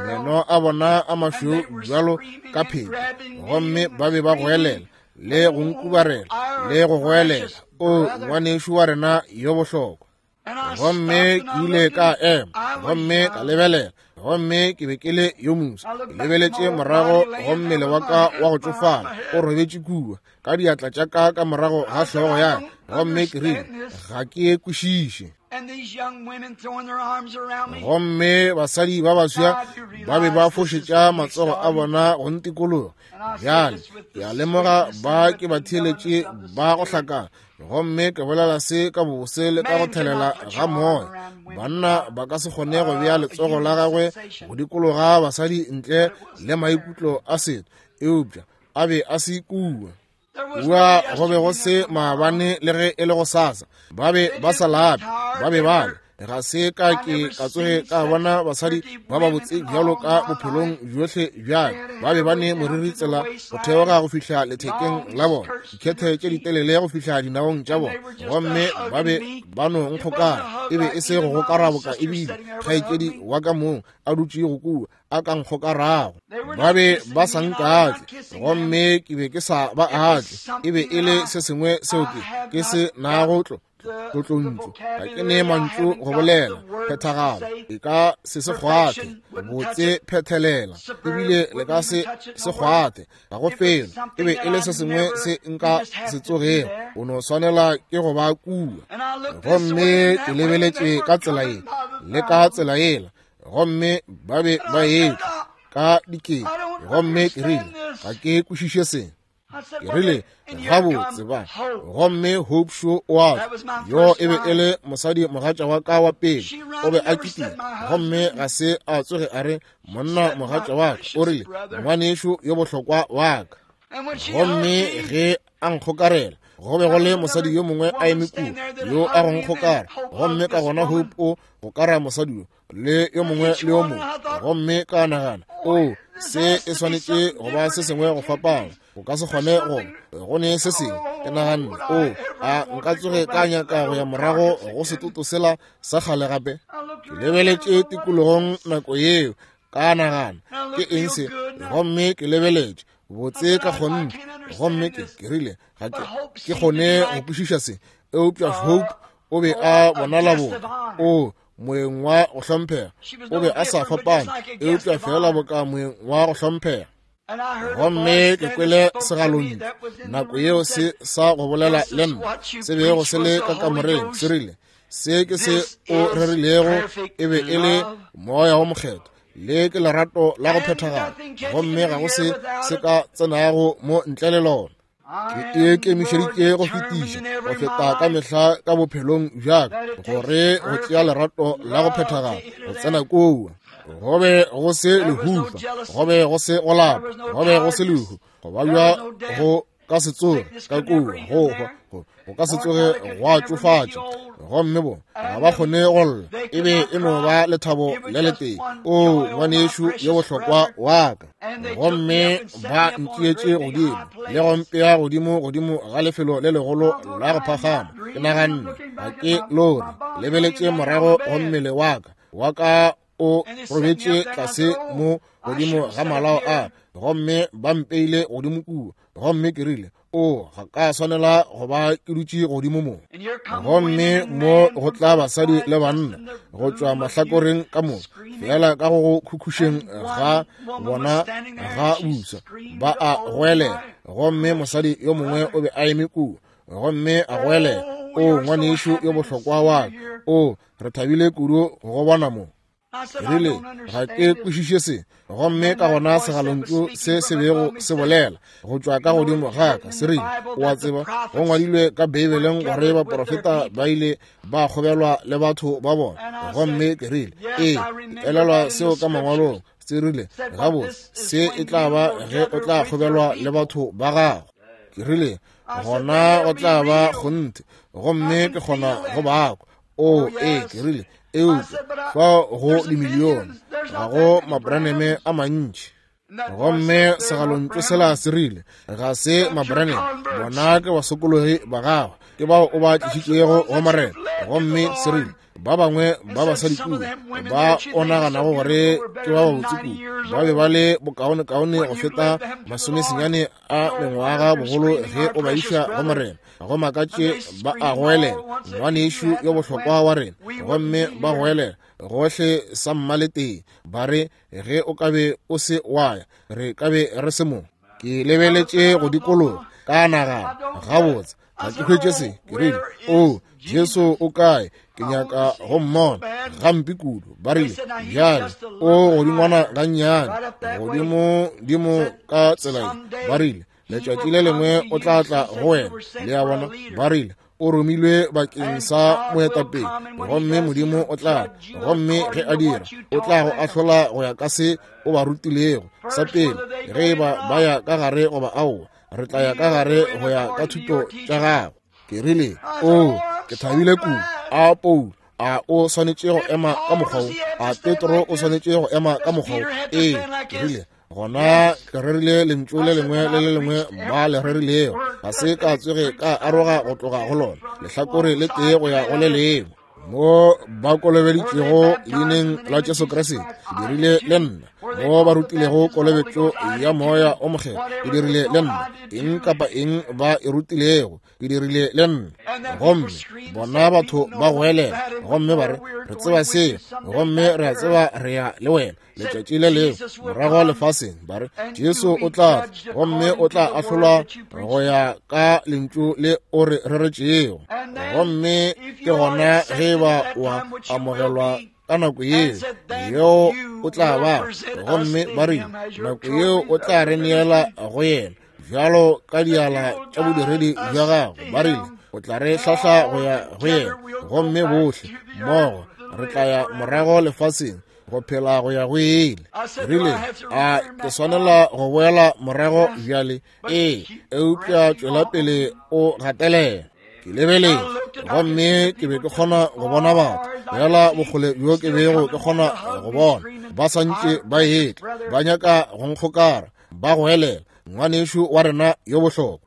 meno a bona a mašweu bjalo ka pheta, gomme ba be ba goelela le go nkubarela le go goelela, o ngwanešu wa rena yo bohlokwa. Gomme ke ile ka ema gomme ka lebelela, gomme ke be ke le yo moso. Ke lebeletše morago go mmele wa ka wa go tšofala o robetše kua ka diatla tša ka ka morago ga hlogo ya ka, gomme ke rile, ga ke e kwešiše. Gomme basadi ba baswa ba be ba fošetša matsogo a bona go ntikologa. Bjale ke a lemoga ba ke ba theeletše ba go hlakana, gomme ke bolela se ka bose le ka go thelela ga moya. Banna ba ka se kgone go bea letsogo la gagwe go dikologa basadi ntle le maikutlo a setho, eupša a be a se kua. Kua go be go se maabane le ge e le go sasa, ba be ba sa lape, ba be ba le. Ga se ka ke ka tsoge ka bona basadi ba ba botse bjalo ka bophelong bjohle bjale. Ba be ba ne moriri tsela go theoga go fihla lethekeng la bona, dikhethe tše ditelele go fihla dinaong tša bona, gomme ba be ba no nkgokara. E be e se go gokara boka ebile kgaetšedi wa ka mong a dutše go kua a ka nkgokarago. Ba be ba sa nkatle, gomme ke be ke sa ba atle. E be e le se sengwe seo ke ke se nago tlo tlotlontlo, ga ke ne mantšu go bolela phethagalo, e ka se se kgwathe botse phethelela, ebile le ka se se kgwathe ga go felo. E be e le se sengwe se nka se tsogego, o no swanela ke go ba kua. Gomme ke lebeletše ka tsela ye le ka tsela yela, gomme ba be ba etla ka dikete, gomme ke rile, ga ke kwešiše se. Ke rile, gabotse ba. Gomme Hope Shaw o a tla, yo e be e le mosadi mogatša wa ka wa pele, o be a kitima, gomme ga se a tsoge a re monna mogatša wa ka, o rile ngwanešu yo bohlokwa wa ka. Gomme ge a nkgokarela, go be go le mosadi yo mongwe a eme kua yo a go nkgokara, gomme ka gona Hope o gokara mosadi yo le yo mongwe le yo mongwe. Gomme ka nagana, o se e swanetše go ba se sengwe go fapana, o ka se kgone go go ne se sengwe. Ke naganne, o a nka tsoge ka nyaka go ya morago go setoto sela sa kgale gape. Ke lebeletše tikologong nako yeo, ka nagana, ke eng se? Gomme ke lebeletše botse ka kgonthe, gomme ke ke rile, ga ke ke kgone go kwešiša se. Eupša Hope o be a bonala boka o moeng wa go hlomphega, o be a sa fapana, eupša fela boka moeng wa go hlomphega. Gomme ke kwele segalontšu nako yeo se sa go bolela le nna, se bego se le ka kamoreng, se rile, se ke se o rerilego e be e le moya wo mokgethwa, le ke lerato la go phethagala, gomme ga go se se ka tsenago mo ntle le lona. Ke ikemišeditše go fetiša go feta ka mehla ka bophelong bjaka gore go tšea lerato la go phethagala go tsena kua. Go be go se lehufa, go be go se go lapa, go be go se lehu, go babja go ka se tsoge ka kua, go hwa go ka se tsoge gwa tšofatša. Gomme bo ga ba kgone go lla, e be e no ba lethabo le letee. O ngwanešu yo bohlokwa wa ka. Gomme ba ntšeetše godimo le go mpea godimo godimo ga lefelo le legolo la go phagama. Ke naganne ga ke lore, lebeletše morago go mmele wa ka wa ka o robetše tlase mo godimo ga malao a, gomme ba mpeile godimo kua. Gomme ke rile, o ga ka swanela go ba ke dutše godimo mo. Gomme mo go tla basadi le banna go tšwa mahlakoreng ka moka, fela ka go go khukhušeng ga bona ga busa ba a goelela. Gomme mosadi yo mongwe o be a eme kua, gomme a goelela, o ngwanešu yo bohlokwa wa ka, o re thabile kudu go bona mo. Rile, ga ke kwešiše se. Gomme ka gona segalontšu se se bego se bolela go tšwa ka godimo ga ka se rile, o a tseba, go ngwadilwe ka Beibeleng gore baprofeta ba ile ba kgobelwa le batho ba bona. Gomme ke rile, ee, ke elelwa seo ka mangwalong. Se rile, gabotse, se e tla ba ge o tla kgobelwa le batho ba gago. Ke rile, gona go tla ba kgonthe, gomme ke kgona go bakwa. O ee, ke rile, eupša fao go dimilione, ga go mabraneme a mantši. Gomme segalontšu sela se rile, ga se mabraneme, bona ke basokologi ba gago, ke bao o ba tlišitšego go Morena. Gomme se rile, ba bangwe ba basadi kua ba o naganago gore ke ba babotse kudu, ba be ba le bokaonekaone go feta masomesenyane a mengwaga bogolo ge o ba iša go Morena. Go makatše ba a goelela, ngwanešu yo bohlokwa wa rena. Gomme ba goelela gohle sa mmaletee, ba re, ge o ka be o se wa ya, re ka be re se mo. Ke lebeletše go dikologa ka nagana, gabotse ga ke hwetše se. Ke rile, o Jesu o kae? Ke nyaka go mmona gampe kudu. Ba rile, bjale o godingwana gannyane, godimo dimo ka tsela ye. Ba rile, letšatši le lengwe o tla tla go wena. Le a bona, ba rile, o romilwe bakeng sa moetapele, gomme Modimo o tla, gomme ge a dira, o tla go ahlola go ya ka se o ba rutilego sa pele, ge e ba ba ya ka gare goba aowa, re tla ya ka gare go ya ka thuto tša gago. Ke rile, o ke thabile kudu. A Paulo, a o swanetše go ema ka mokgwa wo? A Petro o swanetše go ema ka mokgwa wo? Ee, ke rile, gona ke rerile lentšu le lengwe le le lengwe ba le rerilego, ga se ka tsoge ka aroga go tloga go lona lehlakore le tee go ya go le lengwe. Mo ba kolobeditšego leineng la Jesu Kriste, ke dirile le nna. Mo ba rutilego kolobetšo ya moya o mokgethwa, ke dirile le nna. Eng kapa eng ba e rutilego, ke dirile le nna. Gomme bona batho ba goelela, gomme ba re, re tseba seo, gomme re a tseba re ya le wena letšatši le lengwe morago lefaseng. Ba re, Jesu o tla tla, gomme o tla ahlolwa go ya ka lentšu le o re reretšego. Gomme ke gona ge ba wa amogelwa ka nako yeo, yeo o tla ba. Gomme ba rile, nako yeo o tla re neela go yena bjalo ka diala tša bodiredi bja gago. Ba rile, o tla re hlahla go ya go yena, gomme bohle mmogo re tla ya morago lefaseng go phela go ya go ile. Rile, a ke swanela go boela morago bjale? Ee, eupša tšwela pele o gatelela. Ke lebeletše, gomme ke be ke kgona go bona batho fela bokgole bjo ke bego ke kgona go bona, ba santše ba etla, ba nyaka go nkgokara, ba goelela, ngwanešu wa rena yo bohlokwa.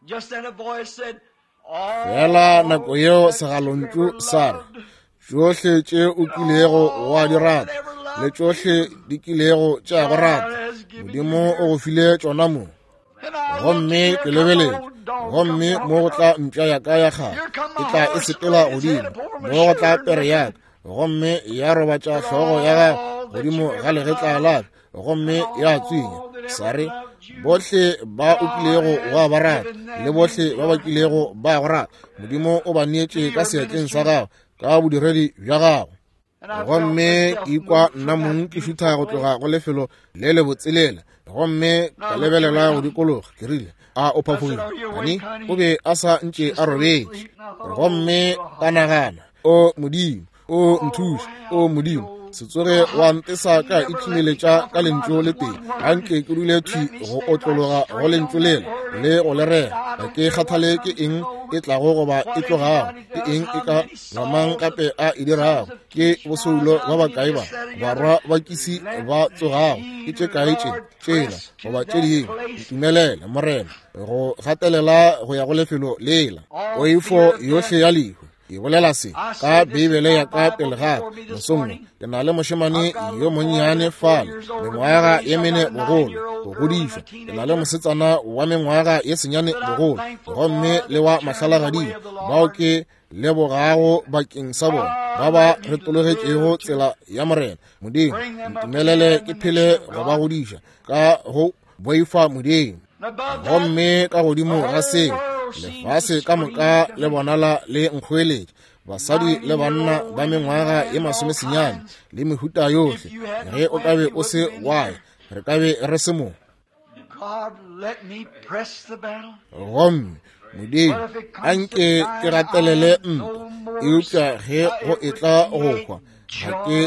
Fela nako yeo segalontšu sa re, tšohle tše o kilego wa di rata le tšohle di kilego tša go rata, Modimo o go file tšona mo. Gomme ke lebeletše, gomme mo go tla mpša ya ka ya kgale, e tla e sepela godimo, mo go tla pere ya ka, gomme ya robatša hlogo ya gago godimo ga legetla la ka, gomme ya tswinya. Sa re, bohle ba o kilego wa ba rata le bohle ba ba kilego ba go rata, Modimo o ba neetše ka seatleng sa gago ka bodiredi bja gago. Gomme ke ikwa nna mong ke šutha go tloga go lefelo le le botselela, gomme ka lebelela go dikologa. Ke rile, A o phafogile? Hani o be a sa ntše a robetše. Gomme ka nagana, o Modimo, o nthuše, o Modimo, se tsoge wa ntesa ka ithumeletša ka lentšu le tee. Ga nke ke dule thwi go otlologa go lentšu lela le go le rera. Ga ke kgathale ke eng e tlago goba e tlogago, ke eng e ka mamang gape a e dirago, ke bosoulo ba bakae ba barwa ba kisi ba tsogago, ke tše kae tše tšela goba tše dingwe. Ntumelele Morena go gatelela go ya go lefelo lela. Poifo yohle ya lehu. Ke bolela se ka Beibele ya ka pele ga ka mosong. Ke na le mošemane yo monnyane fale, mengwaga ye mene bogolo, go godišwa. Ke na le mosetsana wa mengwaga ye senyane bogolo, gomme le wa mahlalagading, bao ke lebogago bakeng sa bona, ba ba retologetšego tsela ya Morena Modimo. Ntumelele ke phele go ba godiša ka go boifa Modimo. Gomme ka godimo ga seo, lefase ka moka le bonala le nkgoeletša, basadi le banna ba mengwaga ye masomesenyane le mehuta yohle. Ge o ka be o se wa ya, re ka be re se mo. Gomme Modimo, a nke ke gatelele ntwa, eupša ge go etla go hwa, ga ke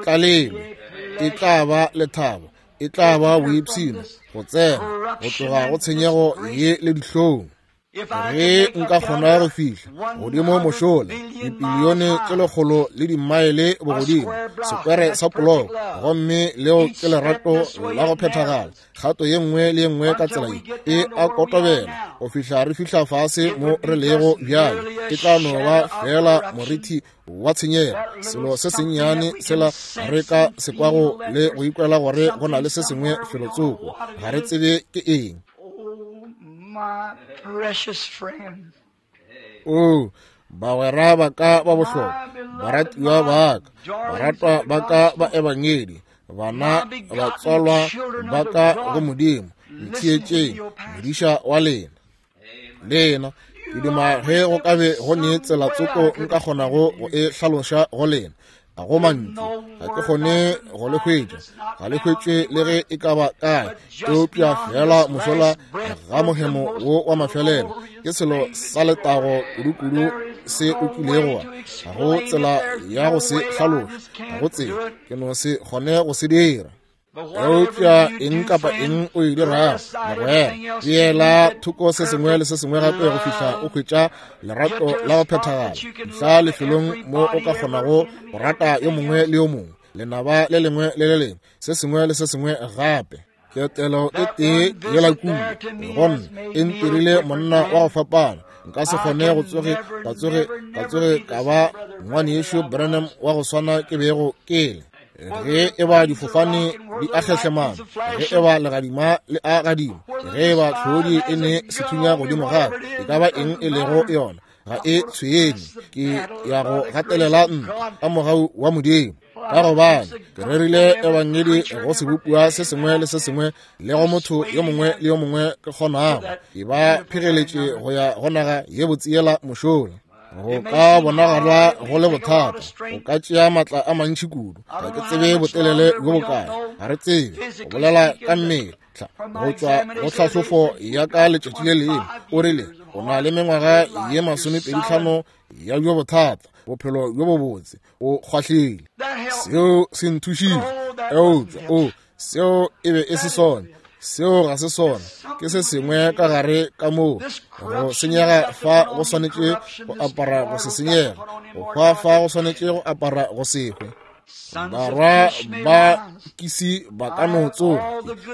tlalelwe. E tla ba lethabo, e tla ba boipshino go tsena go tloga go tshenyego ye le dihlong. Ge nka kgona go fihla godimo mošola dipilione tše lekgolo le dimaele bogodimo, sekwere sa poloko, gomme leo ke lerato la go phethagala, kgato ye nngwe le ye nngwe ka tsela ye e a kotobela go fihla re fihla fase mo re lego bjale. E tla no ba fela morithi wa tshenyego, selo se sennyane sela re ka se kwago le go ikwela gore go na le se sengwe felotsoko, ga re tsebe ke eng. My precious friend. Oh, bagwera ba ka ba bohlokwa, baratiwa ba ka, baratwa ba ka ba ebangedi, bana batswalwa ba ka go Modimo, ntheetšeng, modiša wa lena. Lena, ke duma ge go ka be go ne tsela tsoko nka kgonago go e hlaloša go lena. Ga go mantšu, ga ke kgone go le hwetša, ga le hwetšwe le ge e ka ba kae, eupša fela mošola ga mohemo wo wa mafelelo ke selo sa letago kudu-kudu se o kilego wa. Ga go tsela ya go se hlaloša, ga go tsela, ke no se kgone go se dira. Eupša eng kapa eng o e dirago, mogwera, beela thoko se sengwe le se sengwe gape go fihla o hwetša lerato la go phethagala, fihla lefelong mo o ka kgonago go rata yo mongwe le yo mongwe, lenaba le lengwe le le lengwe, se sengwe le se sengwe gape. Ketelo e tee yela kua gomme e ntirile monna wa go fapana. Nka se kgone go tsoge ka tsoge ka tsoge ka ba ngwanešu Branham wa go swana ke bego ke le. Ge e ba difofane di a kgehlemana, ge e ba legadima le a gadima, ge e ba tlhodi e ne sethunya godimo ga e ka ba eng e lego yona, ga e tshwenye. Ke ya go gatelela ntwa ka mogau wa Modimo, ka gobane ke rerile ebangedi go sebopiwa se sengwe le se sengwe le go motho yo mongwe le yo mongwe ke kgonago. Ke ba phegeletše go ya go naga ye botsiela mošola. Go ka bonagala go le bothata, go ka tšea matla a mantši kudu. Ga ke tsebe botelele bjo bokae, ga re tsebe go bolela ka mmele. Go tšwa go tlhahlofo ya ka letšatši le lengwe, o rile o na le mengwaga ye masomepedi tlhano ya bjo bothata, bophelo bjo bobotse, o kgwahlile. Seo se nthušitše, eupša o seo e be e se sona. Seo ga se sona, ke se sengwe ka gare ka moo. Go senyega fa go swanetše go apara go se senyega, go hwa fa go swanetše go apara go se hwe. Barwa ba kisi ba ka no tsoga,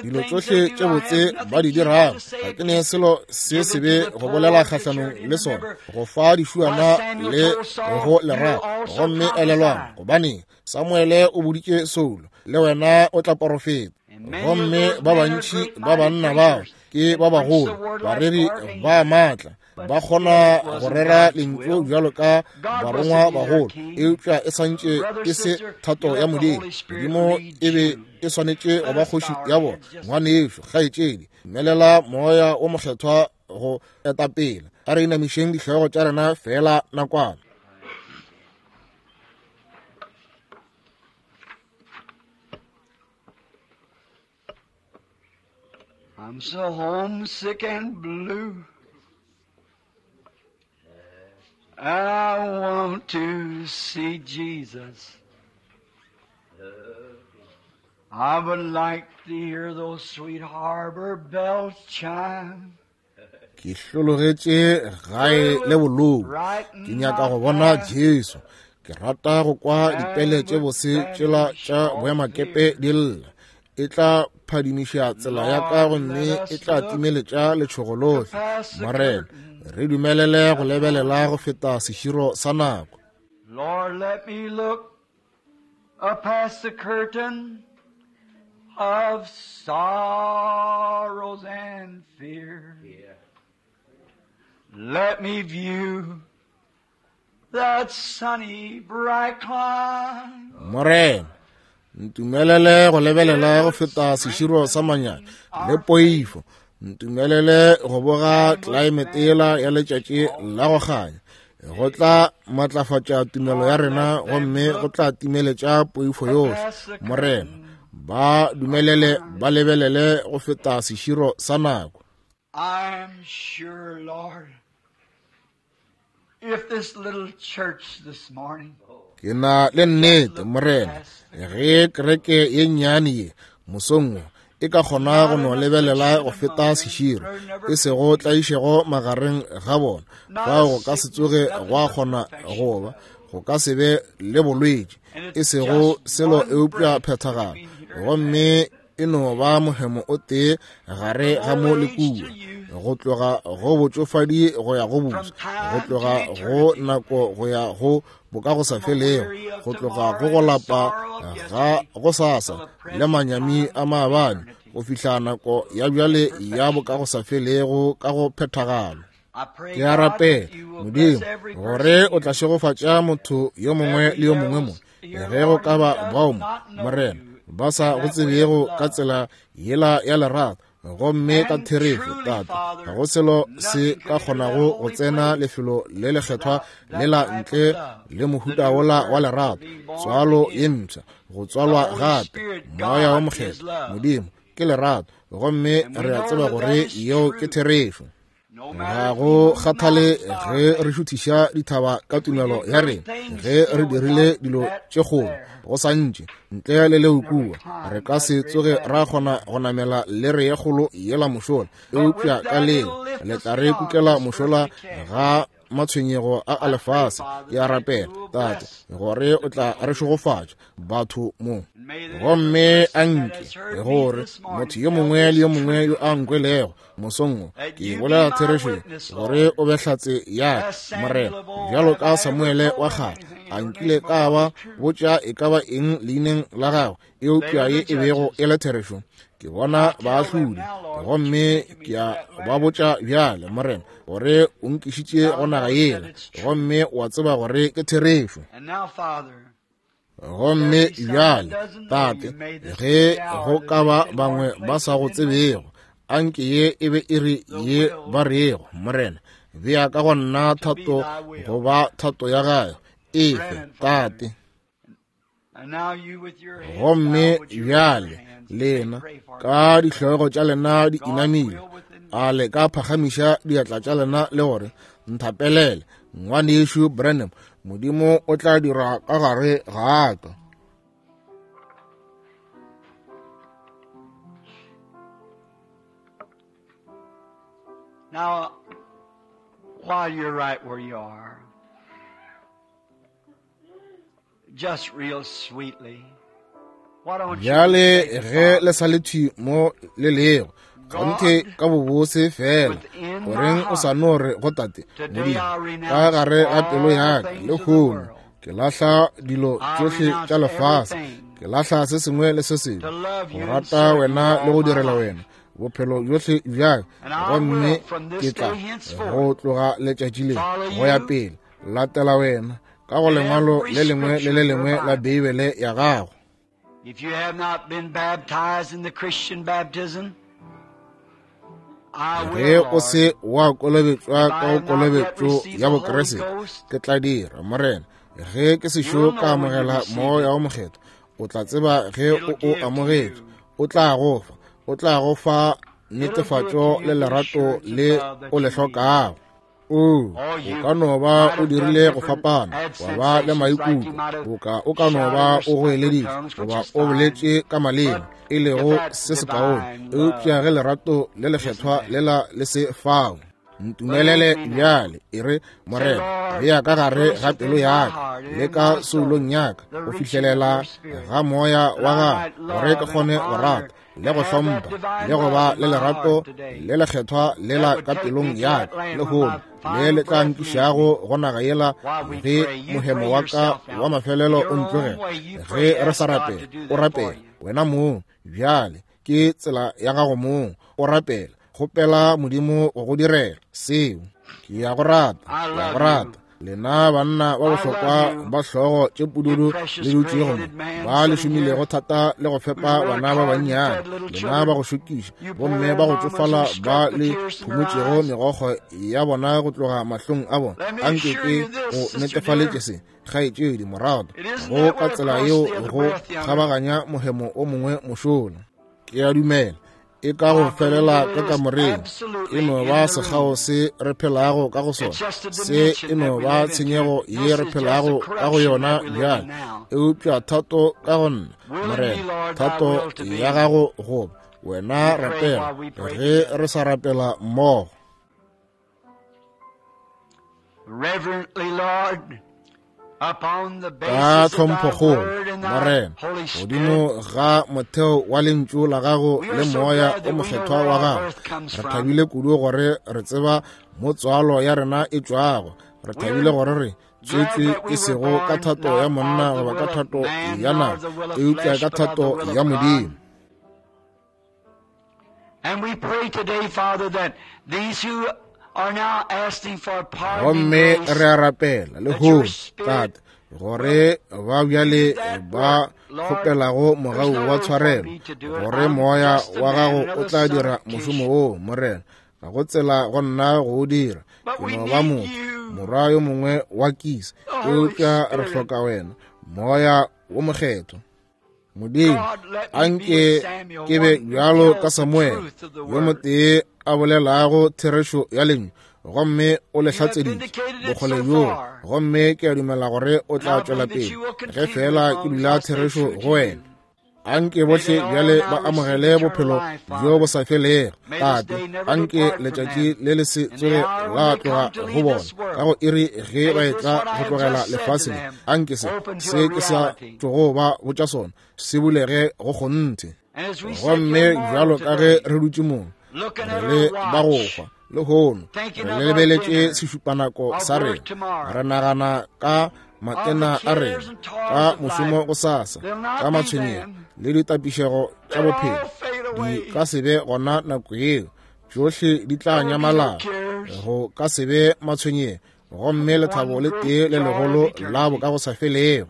dilo tsohle tše botse ba di dirago, ga ke ne selo se sebe go bolela kgahlanong le sona, go fa dišuana le go lerato. Gomme elelwang, gobane Samuele o boditše Saulo, le wena o tla porofeta. Gomme ba bantši ba banna bao ke ba bagolo, bareri ba maatla, ba kgona go rera lentšu bjalo ka barongwa bagolo, eupša e santše e se thato ya Modimo. Modimo e be e swanetše go ba kgoši ya bona. Ngwanešu, kgaetšedi, dumelela Moya o Mokgethwa go etapele. A re inamišeng dihlogo tša rena fela nakwana. I'm so homesick and blue. I want to see Jesus. I would like to hear those sweet harbor bells chime. Ke hlologetše gae le bolou. Ke nyaka go bona Jesu. Ke rata go kwa dipele tše bose tšela tša boemakepe di lla. E tla phadimiša tsela ya ka gomme e tla timeletša letšhogo lohle. Morena, re dumelele go lebelela go feta seširo sa nako. Lord, let me look up past the curtain of sorrows and fear. Let me view that sunny bright climb. Morena, ntumelele go lebelela go feta seširo sa manyami le poifo. Ntumelele go boga climate yela ya letšatši la go kganya. Go tla matlafatša tumelo ya rena gomme go tla timeletša poifo yohle. Morena, ba dumelele ba lebelele go feta seširo sa nako. I'm sure, Lord, if this little church this morning Ke na le nnete, Morena, ge kereke ye nnyane ye mosong wo e ka kgona go no lebelela go feta seširo, e sego tlaišego magareng ga bona, fao go ka se tsoge gwa kgona go ba, go ka se be le bolwetši, e sego selo eupša phethagalo, gomme e no ba mohemo o tee gare ga mo le kua, go tloga go botšofadi go ya go boswa, go tloga go nako go ya go boka go sa felego, go tloga go go lapa ga go sasa le manyami a maabane, go fihla nako ya bjale ya boka go sa felego ka go phethagalo. Ke a rapela, Modimo, gore o tla šegofatša motho yo mongwe le yo mongwe mo, ge go ka ba bao mo, Morena, ba sa go tsebego ka tsela yela ya lerato, gomme ka therešo, Tate, ga go selo se ka kgonago go tsena lefelo le lekgethwa le la ntle le mohuta wola wa lerato, tswalo ye mpsha, go tswalwa gape, Moya wa Mokgethwa. Modimo ke lerato, gomme re a tseba gore yeo ke therešo. Ga go kgathale ge re šuthiša dithaba ka tumelo ya rena, ge re dirile dilo tše kgolo, go sa ntše ntle le leo kua, re ka se tsoge ra kgona go namela lere ye kgolo yela mošola, eupša ka leo le tla re kukela mošola ga matshwenyego a a lefase. Ke a rapela, Tate, gore o tla re šegofatša batho mo, gomme a nke gore motho yo mongwe le yo mongwe yo a nkwelego mosong wo, ke bolela therešo gore o be hlatse ya ka, Morena, bjalo ka Samuele wa kgale, a nkile ka ba botša e ka ba eng leineng la gagwe, eupša ye e bego e le therešo. Ke bona baahlodi, gomme ke a ba botša bjale, Morena, gore o nkišitše go naga yela, gomme wa tseba gore ke therešo. Gomme bjale, Tate, ge go ka ba bangwe ba sa go tsebego, anke ye e be iri ye ba rego, Morena, bea ka go nna thato go ba thato ya gago, efe, Tate. Gomme bjale lena ka dihlogo tša lena di inamile, a le ka phagamiša diatla tša lena le gore nthapelele, ngwanešu Branham, Modimo o tla dira ka gare ga ka. Now, while you're right where you are, just real sweetly, why don't you Bjale ge le sa le thwi mo le lego, kgonthe ka bobose fela, goreng o sa no re go Tate Modimo, ka gare ga pelo ya ka lehono ke lahla dilo tšohle tša lefase, ke lahla se sengwe le se sengwe, go rata wena le go direla wena bophelo bjohle bja ka, gomme ke tla go tloga letšatši le go ya pele latela wena ka go lengwalo le lengwe le le lengwe la Beibele ya gago. If you have not been baptized in the Christian baptism, I Ge will, o se wa kolobetšwa ka go If I have not yet kolobetšo received ya the Holy Bokreste, Ghost, ke tla dira, Morena, ge ke sešo ka amogela Moya wo Mokgethwa, o tla tseba ge o o amogetše, o tla go fa, o tla go fa netefatšo le lerato le o le hlokago. O, o ka no ba o dirile go fapana, wa ba le maikutlo, boka o ka no ba o goeleditše goba o boletše ka maleme, e lego se sekaone, eupša ge lerato le lekgethwa lela le se fao, ntumelele bjale, e re, Morena, bea ka gare ga pelo ya ka le ka soulong ya ka go fihlelela ga moya wa gago, gore ke kgone go rata le go hlompha le go ba le lerato le lekgethwa lela ka pelong ya ka lehono, le le tla nkišago go naga yela ge mohemo wa ka wa mafelelo o ntlogela. Ge re sa rapela, o rapela wena mong bjale, ke tsela ya gago mong, o rapela, kgopela Modimo go go direla seo. Ke ya go rata, ke ya go rata. Lena banna ba bohlokwa ba hlogo tše pududu le dutšego mo, ba le šomilego thata le go fepa bana ba bannyane, lena ba go šokiša bomme ba go tšofala ba le phumotšego megokgo ya bona go tloga mahlong a bona, anke ke go netefaletše se, kgaetšedi morato, go ka tsela yeo go kgabaganya mohemo o mongwe mošola. Ke a dumela e ka go felela ka kamoreng, e no ba sekgao se re phelago ka go sona, se e no ba tshenyego ye re phelago ka go yona bjale, eupša thato ka go nna, Morena, thato ya gago goba wena rapela ge re sa rapela mmogo. Reverently, Lord, ka tlhomphokgolo, Morena, godimo ga motheo wa lentšu la gago le moya o mokgethwa wa gago, re thabile kudu gore re tseba mo tswalo ya rena e tšwago. Re thabile gore re tswetšwe e sego ka thato ya monna goba ka thato ya nama, eupša ka thato ya Modimo. And we pray today, Father, that these who are now asking for pardon, gomme re a rapela lehono, Tate, gore ba bjale ba kgopelago mogau wa tshwarelo, gore moya wa gago o tla dira mošomo wo, Morena. Ga go tsela go nna go o dira, ke no ba motho, morwa yo mongwe wa Kisa, eupša re hloka wena, moya wo mokgethwa. Modimo, anke ke be bjalo ka Samuele, yo motee a bolelago therešo ya lentšu, gomme o le hlatseditše bokgole bjoo, gomme ke a dumela gore o tla tšwela pele ge fela ke dula therešo go wena. Anke bohle bjale ba amogele bophelo bjo bo sa felego, Tate. Anke letšatši le le se tsoge la tloga go bona ka go iri ge ba etla go tlogela lefase le. Anke se se ke sa tlogo ba botša sona se bulege go kgonthe. Gomme bjalo ka ge re dutše mo, re le ba go hwa lehono, re lebeletše sešupanako sa rena, re nagana ka matena a rena, ka mošomo go sasa, ka matshwenyego le ditapišego tša bophelo, di ka se be gona nako yeo, tšohle di tla nyamalala, go ka se be matshwenyego, gomme lethabo le tee le legolo la bo ka go sa felego.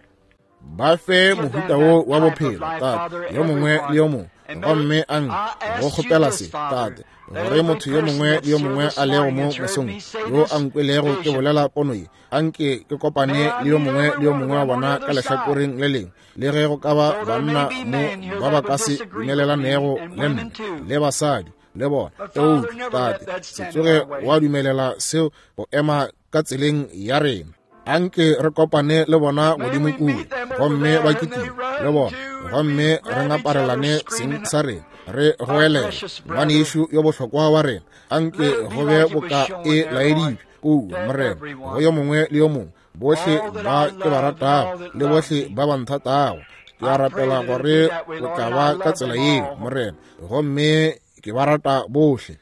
Ba fe mohuta wo wa bophelo, Tate, yo mongwe le yo mongwe, gomme anke go kgopela se, Tate, gore motho yo mongwe le yo mongwe a lego mo mosong yo a nkwelego ke bolela pono ye, anke ke kopane le yo mongwe le yo mongwe wa bona ka lehlakoreng le lengwe, le ge go ka ba banna mo ba ba ka se dumelelanego le nna, le basadi le bona, eupša Tate, se tsoge wa dumelela seo go ema ka tseleng ya rena. Anke re kopane le bona godimo kua, gomme ba kitime le bona, gomme re ngaparelane seng sa rena, re goelela ngwanešu yo bohlokwa wa rena. Anke go be boka e laeditšwe kua, Morena, go yo mongwe le yo mongwe, bohle ba ke ba ratago le bohle ba ba nthatago. Ke a rapela gore o tla ba ka tsela yeo, Morena, gomme ke ba rata bohle.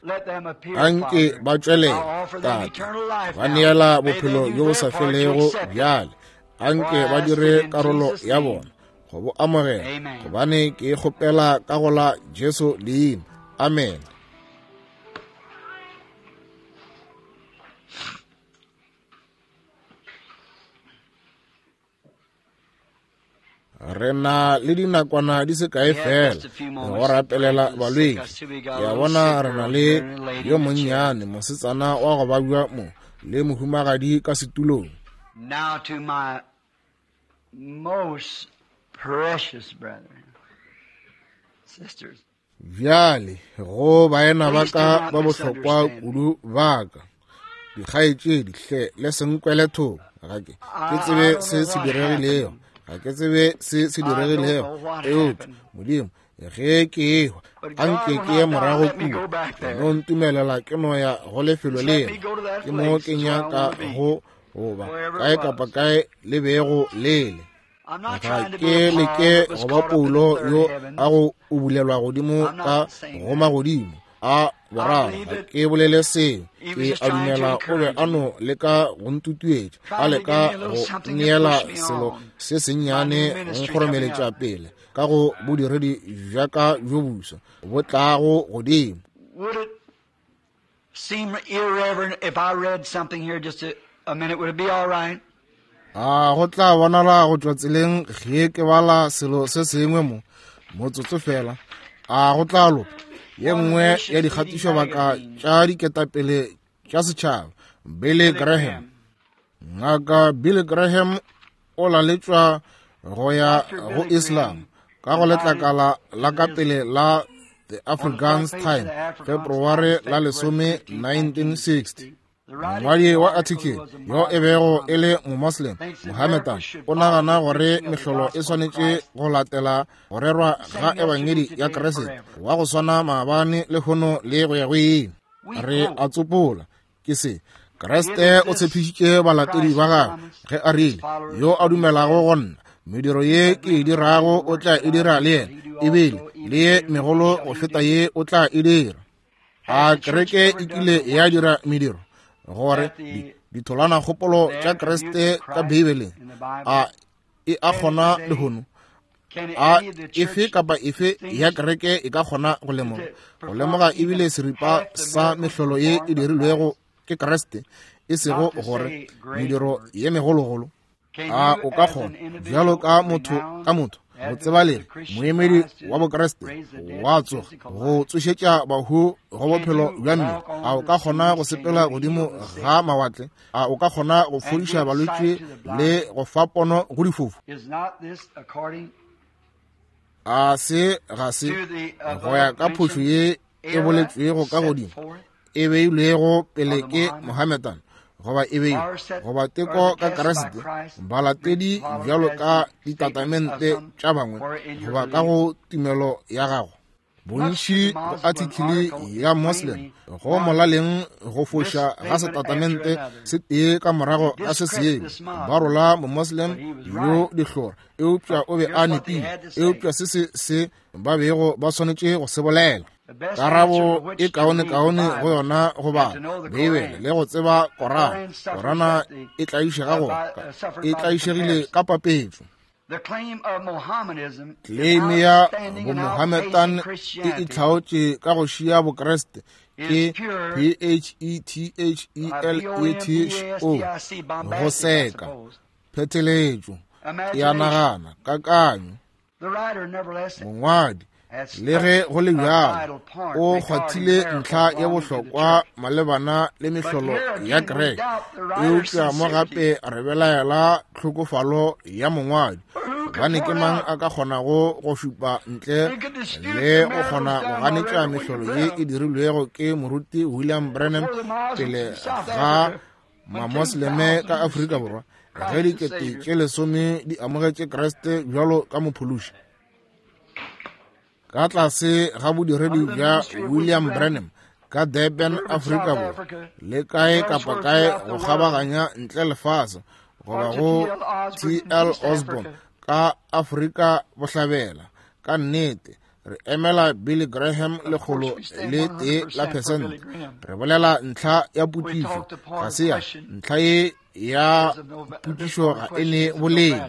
Anke ba tšwelele, Tate, ba neela bophelo bjo bo sa felego bjale. Anke ba dire karolo ya bona go bo amogela, gobane ke kgopela ka go la Jesu leina. Amen. Re na le dinakwana di se kae fela go rapelela balwetši. Ke a bona re na le yo monnyane mosetsana wa go babja mo le mohumagadi ka setulong. Now to my most precious brethren, sisters. Bjale go baena ba ka ba bohlokwa kudu ba ka, dikgaetšedi, hle le se nkwele thoko. Ga ke ke tsebe se se diregilego, ga ke tsebe se se diregilego, eupša Modimo, ge ke ehwa, anke ke ye morago kua, no ntumelela ke no ya go lefelo lela, ke mo ke nyaka go goba kae kapa kae le bego lele. Ga ke leke go ba Paulo yo a go ubulelwa godimo ka go magodimo a boraro. Ga ke bolele seo. Ke a dumela o be a no leka go ntutuetša, a leka go neela selo se sennyane go nkgoromeletša pele ka go bodiredi bja ka bjo boswa bo tlago godimo. Would it seem irreverent if I read something here just a, a minute? Would it be all right? A go tla bonala go tšwa tseleng ge ke bala selo se sengwe mo motsotso fela? A go tla loka? Ye nngwe ya dikgatišobaka tša diketapele tša setšhaba, Billy Graham. Ngaka Billy Graham o laletšwa go ya go Islam ka go letlakala la ka pele la The Afrikaans Time, February la lesome nineteen sixty. Mongwadi wa article yo e bego e le Momoslem Mohammedan o nagana gore mehlolo e swanetše go latela go rerwa ga ebangedi ya Kriste wa go swana maabane lehono le go ya go ile. Re a tsopola ke se Kriste o tshepišitše balatedi ba gagwe ge a rile, yo a dumelago go nna, mediro ye ke e dirago o tla e dira le yena, ebile le ye megolo go feta ye o tla e dira. A kereke e kile ya dira mediro gore ditholwana kgopolo tša Kriste ka Beibeleng a e a kgona lehono? A efe kapa efe ya kereke e ka kgona go lemoga go lemoga ebile seripa sa mehlolo ye e dirilwego ke Kriste, e sego gore mediro ye megologolo? A o ka kgona bjalo ka motho ka motho motsebalegi moemedi wa Bokriste wa tsoga go tsošetša bahu go bophelo bja mmele? A o ka kgona go sepela godimo ga mawatle? A o ka kgona go fodiša balwetši le go fa pono go difofu? A se ga se go ya ka phošo ye e boletšwego ka godimo e beilwego pele ke Mohammedan, goba e beilwe goba teko ka Kriste, balatedi bjalo ka ditatamente tša bangwe goba ka go tumelo ya gago? Bontši go article ya Muslim go molaleng go foša ga setatamente se tee ka morago ga se sengwe, ba rola Momoslem yo dihlora, eupša o be a nepile. Eupša se se se ba bego ba swanetše go se bolela. Karabo e kaone-kaone go yona go bala Beibele le go tseba Korana. Korana e tlaišega go e tlaišegile ka papetšo. Kleime ya Bomohammedan e itlhaotše ka go šia Bokriste ke P H E T H E L E T O, go seka pheteletšo ya nagana kakanyo. Mongwadi le ge go le bjalo o kgwathile ntlha ya bohlokwa malebana le mehlolo ya kereke, eupša mo gape re belaela tlhokofalo ya mongwadi, gobane ke mang a ka kgonago go šupa ntle le go kgona go ganetša mehlolo ye e dirilwego ke moruti William Branham pele ga Mamosleme ka Afrika Borwa ge dikete tše lesome di amogetše Kriste bjalo ka mophološi? Ka tlase ga bodiredi bja William Branham ka Durban, Afrika Borwa, le kae kapa kae go kgabaganya ntle lefase, goba go T L Osborne ka Afrika Bohlabela, ka nnete re emela Billy Graham lekgolo le tee la pesente. Re bolela ntlha ya potšišo, ga se ya ntlha ye ya potšišo ga e ne boleng,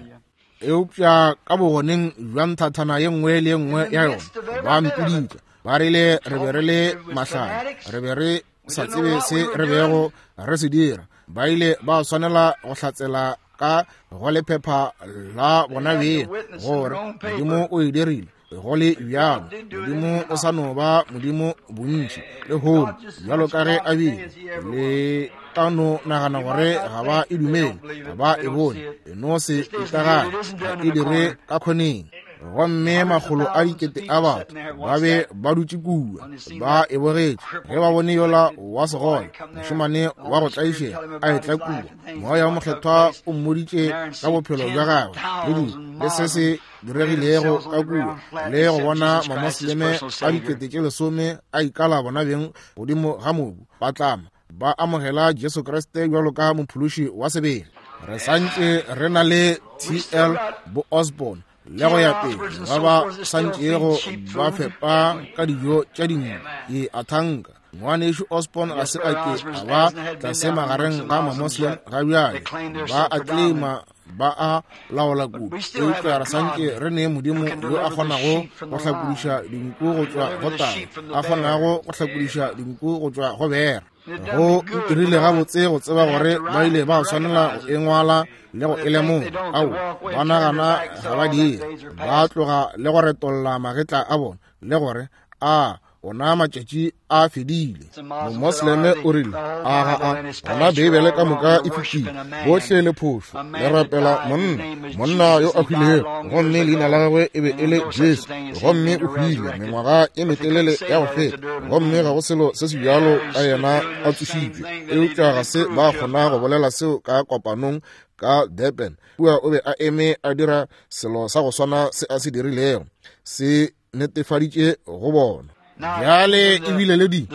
eupša ka bogoneng bja nthathana ye nngwe le ye nngwe ya yona ba mpiditša, ba rile re be re le mahlale, re be re sa tsebe se re bego re se dira. Ba ile ba swanela go hlatsela ka go lephepha la bona beng gore Modimo o e dirile. Go le bjalo, Modimo o sa no ba Modimo bontši lehono bjalo ka ge a bile. Le ka no nagana gore ga ba e dumele, ga ba e bone, e no se itagane, ga e dire ka kgoneng. Gomme makgolo a dikete a batho ba be ba dutše kua ba e bogetše ge ba bone yola wa segole mošemane wa go tlaišega a etla kua. Moya wa Mokgethwa o mmoditše ka bophelo bja gagwe le dilo le se se diregilego ka kua, le go bona mamosleme a dikete tše lesome a ikala bona beng godimo ga mobu ba tlama ba amogela Jesu Kriste bjalo ka mophološi wa sebele. Re santše re na le T L bo Osborne le go ya pele ba ba santšego ba fepa ka dijo tša dinku. Ke a thanka ngwanešu Osborne ga se a ke a ba tlase magareng ga mamoslem ga bjale, ba a claima ba a laola kudu, eupša re santše re ne Modimo yo a kgonago go hlakodiša dinku go tšwa go tau, a kgonago go hlakodiša dinku go tšwa go bera. Go ntirile gabotse go tseba gore ba ile ba swanela go e ngwala le go e lemoga. Ao, ba nagana ga ba dire, ba tloga le go retolla magetla a bona le gore a ona matšatši a fedile. Momosleme o rile, a ga a gona Beibele ka moka e fetile, bohle le phošo, le rapela monna, monna yo a hwilego, gomme leina la gagwe e be e le Jesu, gomme o hwile mengwaga e metelele ya go feta, gomme ga go selo se se bjalo ka yena a tsošitšwe. Eupša ga se ba kgona go bolela seo ka kopanong ka Durban. Kua o be a eme a dira selo sa go swana se a se dirilego, se netefaditše go bona. Bjale ebile le di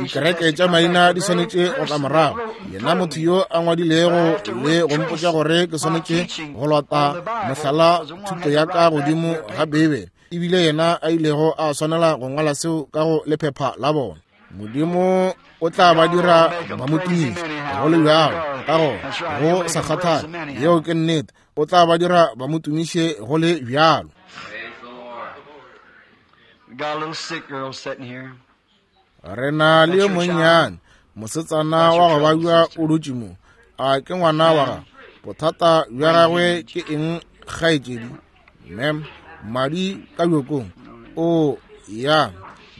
dikereke tša maina di swanetše go tla morago. Yena motho yo a ngwadilego le go mpotša gore ke swanetše go lota mohlala thuto ya ka godimo ga Beibele, ebile yena a ilego a swanela go ngwala seo ka go lephepha la bona. Modimo o tla ba dira ba mo tumiše go le bjalo, ka gona go sa kgathale, yeo ke nnete, o tla ba dira ba mo tumiše go le bjalo. Re na le yo monnyane mosetsana wa go babja o dutše mo. A ke ngwana wa gago? Bothata bja gagwe ke eng, kgaetšedi? Mem, madi ka bjokong. O ya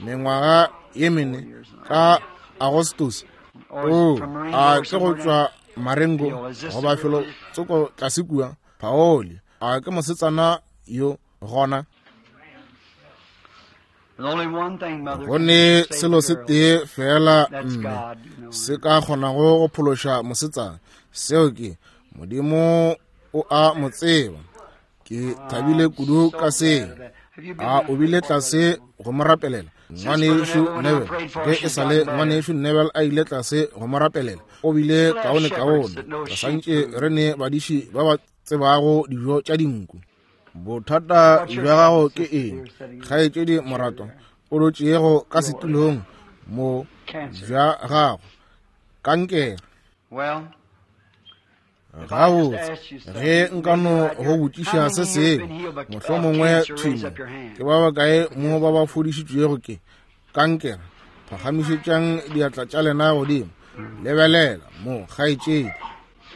mengwaga ye mene ka Agostos. O a ke go tšwa Marengo goba felo tsoko tlase kua Paoli. A ke mosetsana yo gona? Go ne selo se tee fela mme se ka kgonago go phološa mosetsana, seo ke Modimo o a mo tseba. Ke thabile kudu ka seo. A o bile tlase go mo rapelela ngwanešu Neville? Ge e sa le ngwanešu Neville a ile tlase go mo rapelela, o bile kaone kaone. Re santše re ne badiši ba ba tsebago dijo tša dinku. Bothata bja gago ke eng, kgaetšedi morato? O dutšego ka setulong mo bja gago, kankere. Gabotse, ge nka no go botšiša se sengwe, mohlomongwe thwimo, ke ba bakae mo ba ba fodišitšwego ke kankere? Phagamišetšang diatla tša lena godimo. Lebelela mo, kgaetšedi.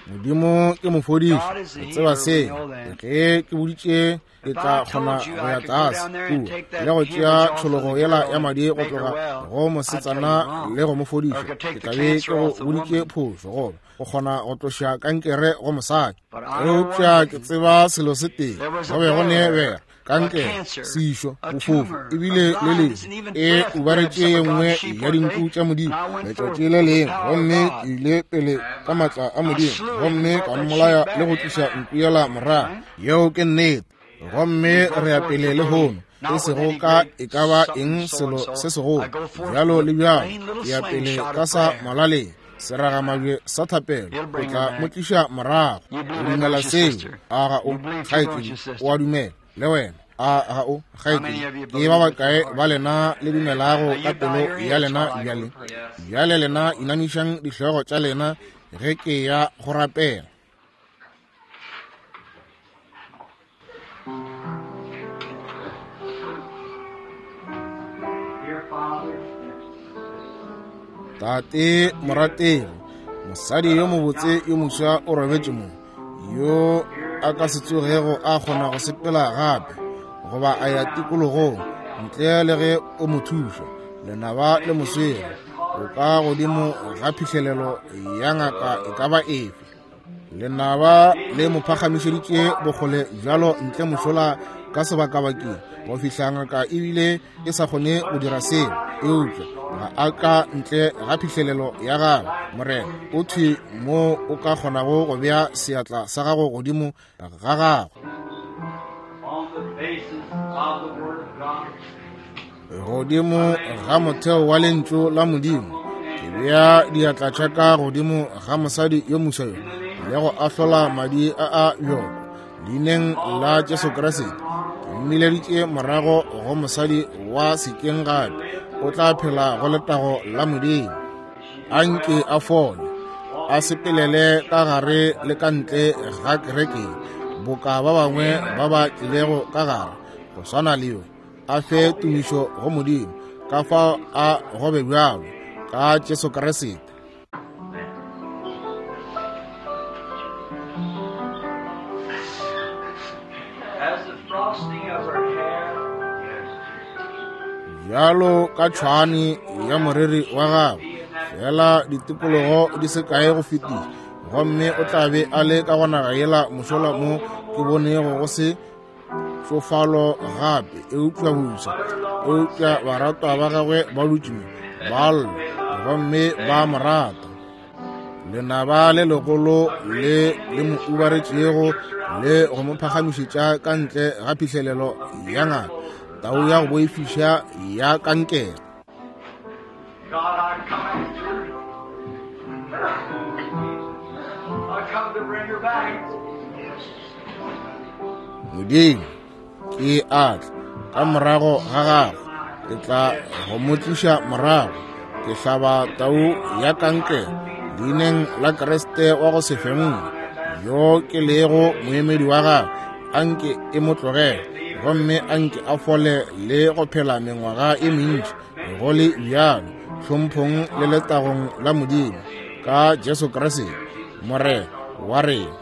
Modimo ke mofodiši, re tseba seo. Ge ke boditše ke tla kgona go ya tlase kua le go tšea tšhologo yela ya madi go tloga go mosetsana le go mo fodiša, ke tla be ke go boditše phošo, goba go kgona go tloša kankere go mosadi. Eupša ke tseba selo se tee, go be go ne bera, kankere, sešo, bofofu, ebile le lehu e ubaretše ye nngwe ya dinku tša Modimo letšatši le lengwe, gomme ke ile pele ka maatla a Modimo gomme ka mmolaya le go tliša nku yela morago. Yeo ke nnete. Gomme re ya pele lehono, e sego ka e ka ba eng selo se segolo bjalo le bjalo, ke ya pele ka sa molaleng seragamabje sa thapelo, o tla mo tliša morago. O dumela seo? A ga o, kgaetšedi? O a dumela le wena? A ga o, kgaetšedi? Ke ba bakae ba lena le dumelago ka pelo ya lena bjale? Bjale lena inamišang dihlogo tša lena ge ke ya go rapela. Tate morategi, mosadi yo mobotse yo moswa o robetše mo, yo a ka se tsogego a kgona go sepela gape goba a ya tikologong ntle le ge o mo thuša. Lenaba le mo swere, o ka godimo ga phihlelelo ya ngaka e ka ba efe. Lenaba le mo phagamišeditše bokgole bjalo ntle mošola ka sebakabakeng go fihla ngaka ebile e sa kgone go dira seo, eupša ga a ka ntle ga phihlelelo ya gagwe. Morena, o thwi mo o ka kgonago go bea seatla sa gago godimo ga gagwe. Godimo ga motheo wa lentšu la Modimo, ke bea diatla tša ka godimo ga mosadi yo moswa yo le go ahlola madi a a bjoko leineng la Jesu Kriste. Ke mmileditše morago go mosadi wa sekeng gape, o tla phela go letago la Modimo. A nke a fole, a sepelele ka gare le ka ntle ga kereke boka ba bangwe ba ba tlilego ka gare go swana le yo. A fe tumišo go Modimo ka fao a gobe bjalo ka Jesu Kriste. Bjalo ka tšhwane ya moriri wa gagwe, fela ditikologo di se kae go fetiša, gomme o tla be a le ka go naga yela mošola mo ke bonego go se tšofalo gape, eupša busa, eupša baratwa ba gagwe ba dutše mo ba lla gomme ba mo rata. Lenaba le legolo le le mo ubaretšego le go mo phagamišetša ka ntle ga phihlelelo ya ngaka, tau ya go boifiša ya kankere. Modimo, ke a tla ka morago ga gagwe, ke tla go mo tliša morago. Ke hlaba tau ya kankere leineng la Kriste wa go se fenngwe, yo ke lego moemedi wa gagwe. A nke e mo tlogele gomme a nke a fole le go phela mengwaga e mentši go le bjalo, tlhomphong le letagong la Modimo ka Jesu Kriste Morena wa rena.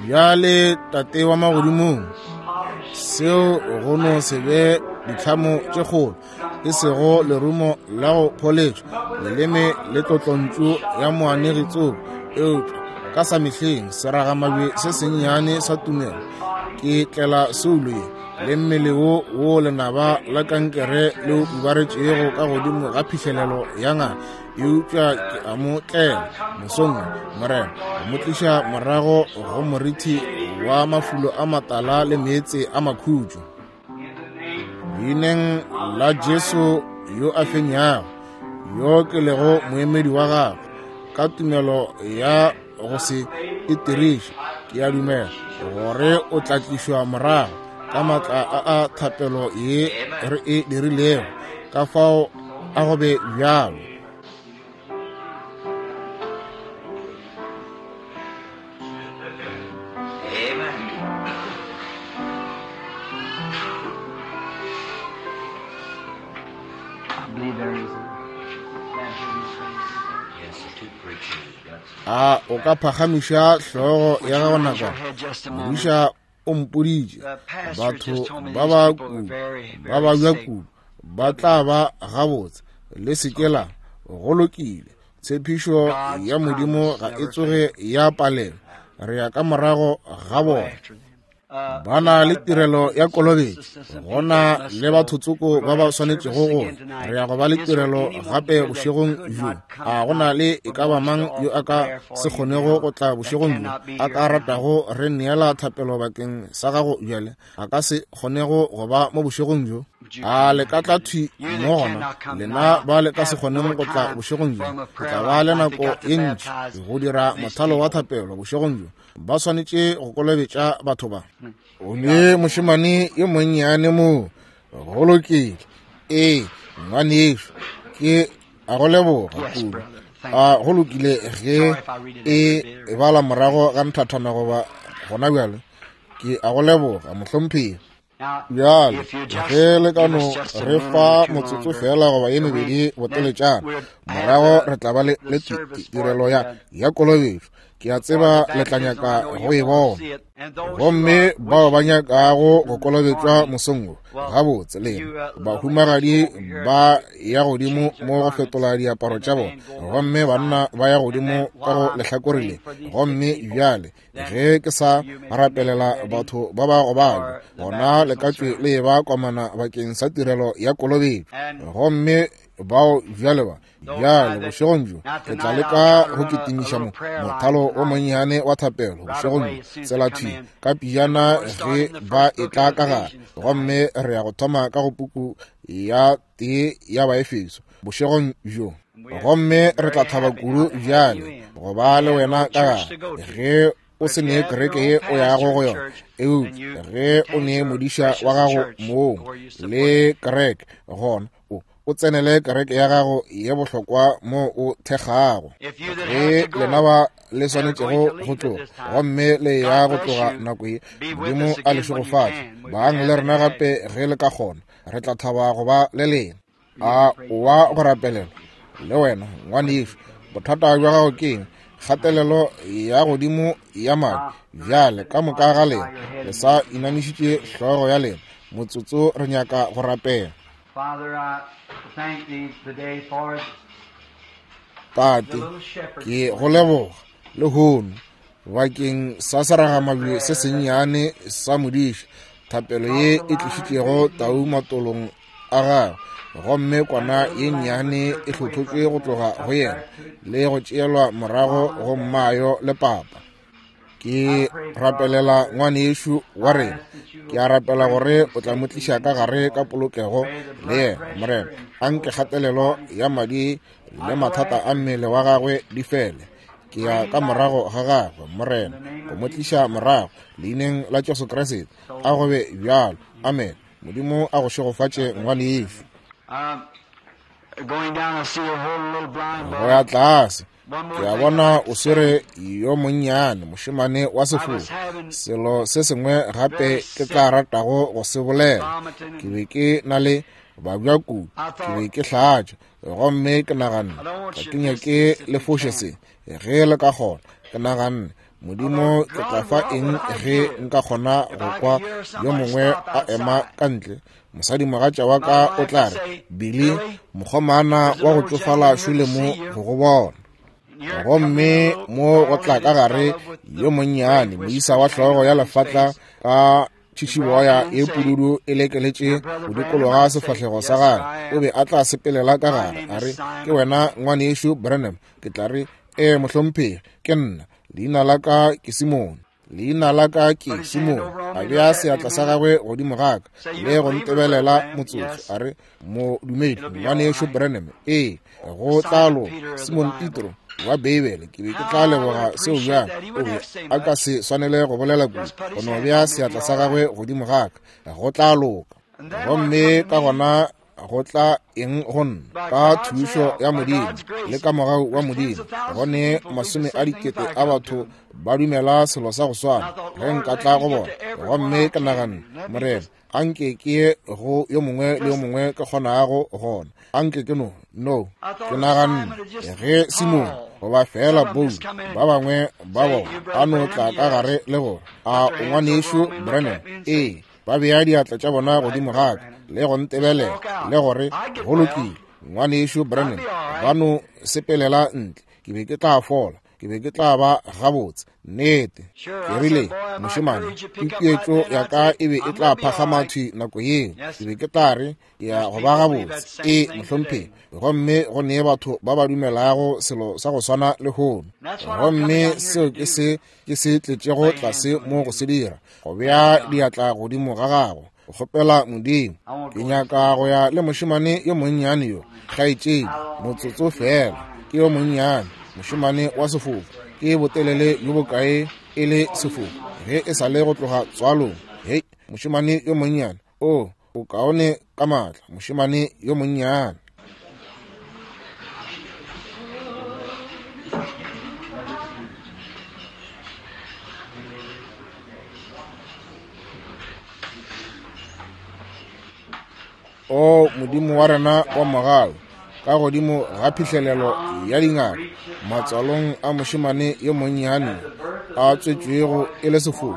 Bjale Tate wa magodimong, seo go no se be ditlhamo tše kgolo, e sego lerumo la go pholetšwa, leleme le tlotlontšu ya moanegi tsoko, eupša ka sa mehleng seragamabje se sennyane sa tumelo, ke tlela soulo ye le mmele wo wo lenaba la kankere le o ubaretšego ka godimo ga phihlelelo ya ngaka, eupša ke a mo tlela mosong Morena, go mo tliša morago go morithi wa mafulo a matala le meetse a makhutšo. Leineng la Jesu yo a fenyago, yo ke lego moemedi wa gagwe, ka tumelo ya go se itiriše, ke a dumela gore o tla tlišwa morago ka maatla a a thapelo ye re e dirilego. Ka fao a go be bjalo. A o ka phagamiša hlogo ya gago nakwana? Modiša o mpoditše batho ba ba kudu ba babja kudu ba tla ba gabotse. Le se ke la go lokile. Tshepišo ya Modimo ga e tsoge ya palelwa. Re ya ka morago ga bona. Ba na le tirelo ya kolobetšo, go na le batho tsoko ba ba swanetšego go ya. Re ya go ba le tirelo gape bošegong bjo. A go na le e ka ba mang yo a ka se kgonego go tla bošegong bjo, a ka ratago re neela thapelo bakeng sa gago bjale, a ka se kgonego go ba mo bošegong bjo? A le ka tla thwi mo gona, lena ba le ka se kgoneng go tla bošegong bjo? Ke tla ba le nako ye ntši go dira mothalo wa thapelo bošegong bjo. Ba swanetše go kolobetša batho ba. O ne mošemane yo monnyane mo. Go lokile. Ee, ngwanešu, ke a go leboga kudu. A go lokile ge e bala morago ga nthathana goba gona bjale. Ke a go leboga, mohlomphegi. Bjale ge le ka no re fa motsotso fela goba ye mebedi boteletšana, morago re tla ba le, le tirelo ya, ya kolobetšo. Ke a tseba le tla nyaka go e bona. Gomme bao ba nyakago go kolobetšwa mosong wo, gabotse lena bahumagadi ba ya godimo mo go fetola diaparo tša bona, gomme banna ba ya godimo ka go lehlakore le. Gomme bjale ge ke sa rapelela batho ba ba gobalwa, gona le ka tšwe le ba komana bakeng sa tirelo ya kolobetšo. Gomme bao bjale ba bjale bošegong bjo re tla leka go kitimiša mo mothalo o monnyane wa thapelo bošegong bjo, tsela thwi ka pijana ge ba etla ka gare. Gomme re ya go thoma ka go puku ya tee ya Baefeso bošegong bjo. Gomme re tla thaba kudu bjale go ba le wena ka gare ge o se ne kereke ye o yago go yona, eupša ge o ne modiša wa gago moo le kereke, gona o o tsenele kereke ya gago ye bohlokwa mo o thekgago. Ge lena ba le swanetšego go tloga, gomme le ya go tloga nako ye, Modimo a le šegofatše. Bang le rena gape ge le ka kgona, re tla thaba go ba le lena. A wa go rapelela le wena ngwanešu, bothata bja gago ke eng? Kgatelelo ya godimo ya madi. Bjale ka moka ga lena le sa inamišitše hlogo ya lena motsotso, re nyaka go rapela. Tate, ke go leboga lehono bakeng sa seragamabje se sennyane sa modiša, thapelo ye e tlišitšego tau matolong a gagwe, gomme kwana ye nnyane e hlotlotšwe go tloga go yena le go tšeelwa morago go mmayo le papa. Ke rapelela ngwanešu wa rena. Ke a rapela gore o tla mo tliša ka gare ka polokego le yena, Morena. Anke kgatelelo ya madi le mathata a mmele wa gagwe di fele. Ke ya ka morago ga gagwe, Morena, go mo tliša morago leineng la Jesu Kriste. A go be bjalo. Amen. Modimo a go šegofatše ngwanešu. Go ya tlase, ke a bona o swere yo monnyane mošemane wa sefofu. Selo se sengwe gape ke tla ratago go se bolela, ke be ke na le babja kudu, ke be ke hlatša, gomme ke naganne ga ke nyake le foše se ge le ka kgona. Ke naganne, Modimo, ke tla fa eng ge nka kgona go kwa yo mongwe a ema ka ntle? Mosadimogatša wa ka o tla re, Billy, mokgomana wa go tšofala šole mo go go bona. Gomme mo go tla ka gare yo monnyane moisa wa hlogo ya lefatla ka tšhitšhiboya ye pududu e lekeletše go dikologa sefahlego sa gagwe. O be a tla sepelela ka gare a re, ke wena ngwanešu Branham? Ke tla re, ee mohlomphegi, ke nna. Leina la ka ke Simone. Leina la ka ke Simone. A bea seatla sa gagwe godimo ga ka le go ntebelela motsotso, a re, modumedi ngwanešu Branham? Ee, go tla loka. Simon Petro wa Beibele. Ke be ke tla leboga seo bjang. O be a ka se swanele go bolela kudu, go no bea seatla sa gagwe godimo ga ka, go tla loka. Gomme ka gona go tla eng go nna? Ka thušo ya Modimo le ka mogau wa Modimo, go ne masome a dikete a batho ba dumela selo sa go swana ge nka tla go bona. Gomme ke naganne, Morena, anke ke ye go yo mongwe le yo mongwe ke kgonago gona. Anke ke no no ke naganne ge Simone goba fela Paul ba bangwe ba bona a no tla ka gare le gore, a o ngwanešu Branham? Ee. Ba bea diatla tša bona godimo ga ka le go ntebelela le gore, go lokile ngwanešu Branham. Ba no sepelela ntle. Ke be ke tla fola, ke be ke tla ba gabotse. Nnete, ke rile, mošemane, tutuetšo ya ka e be e tla phagama thwi nako yeo. Ke be ke tla re, ke ya go ba gabotse. Ee, mohlomphegi. Gomme go ne batho ba ba dumelago selo sa go swana lehono. Gomme seo ke se ke se tletšego tlase mo go se dira, go bea diatla godimo ga gago, go kgopela Modimo. Ke nyaka go ya le mošemane yo monnyane yo, kgaetšedi, motsotso fela. Ke yo monnyane, mošemane wa sefofu. Ke botelele bjo bokae e le sefofu ge e sa le go tloga tswalong? Hei, mošemane yo monnyane, o o kaone ka maatla, mošemane yo monnyane. O Modimo wa rena wa mogau, ka godimo ga phihlelelo ya dingaka matswalong a mošemane yo monnyane a tswetšwego e le sefofu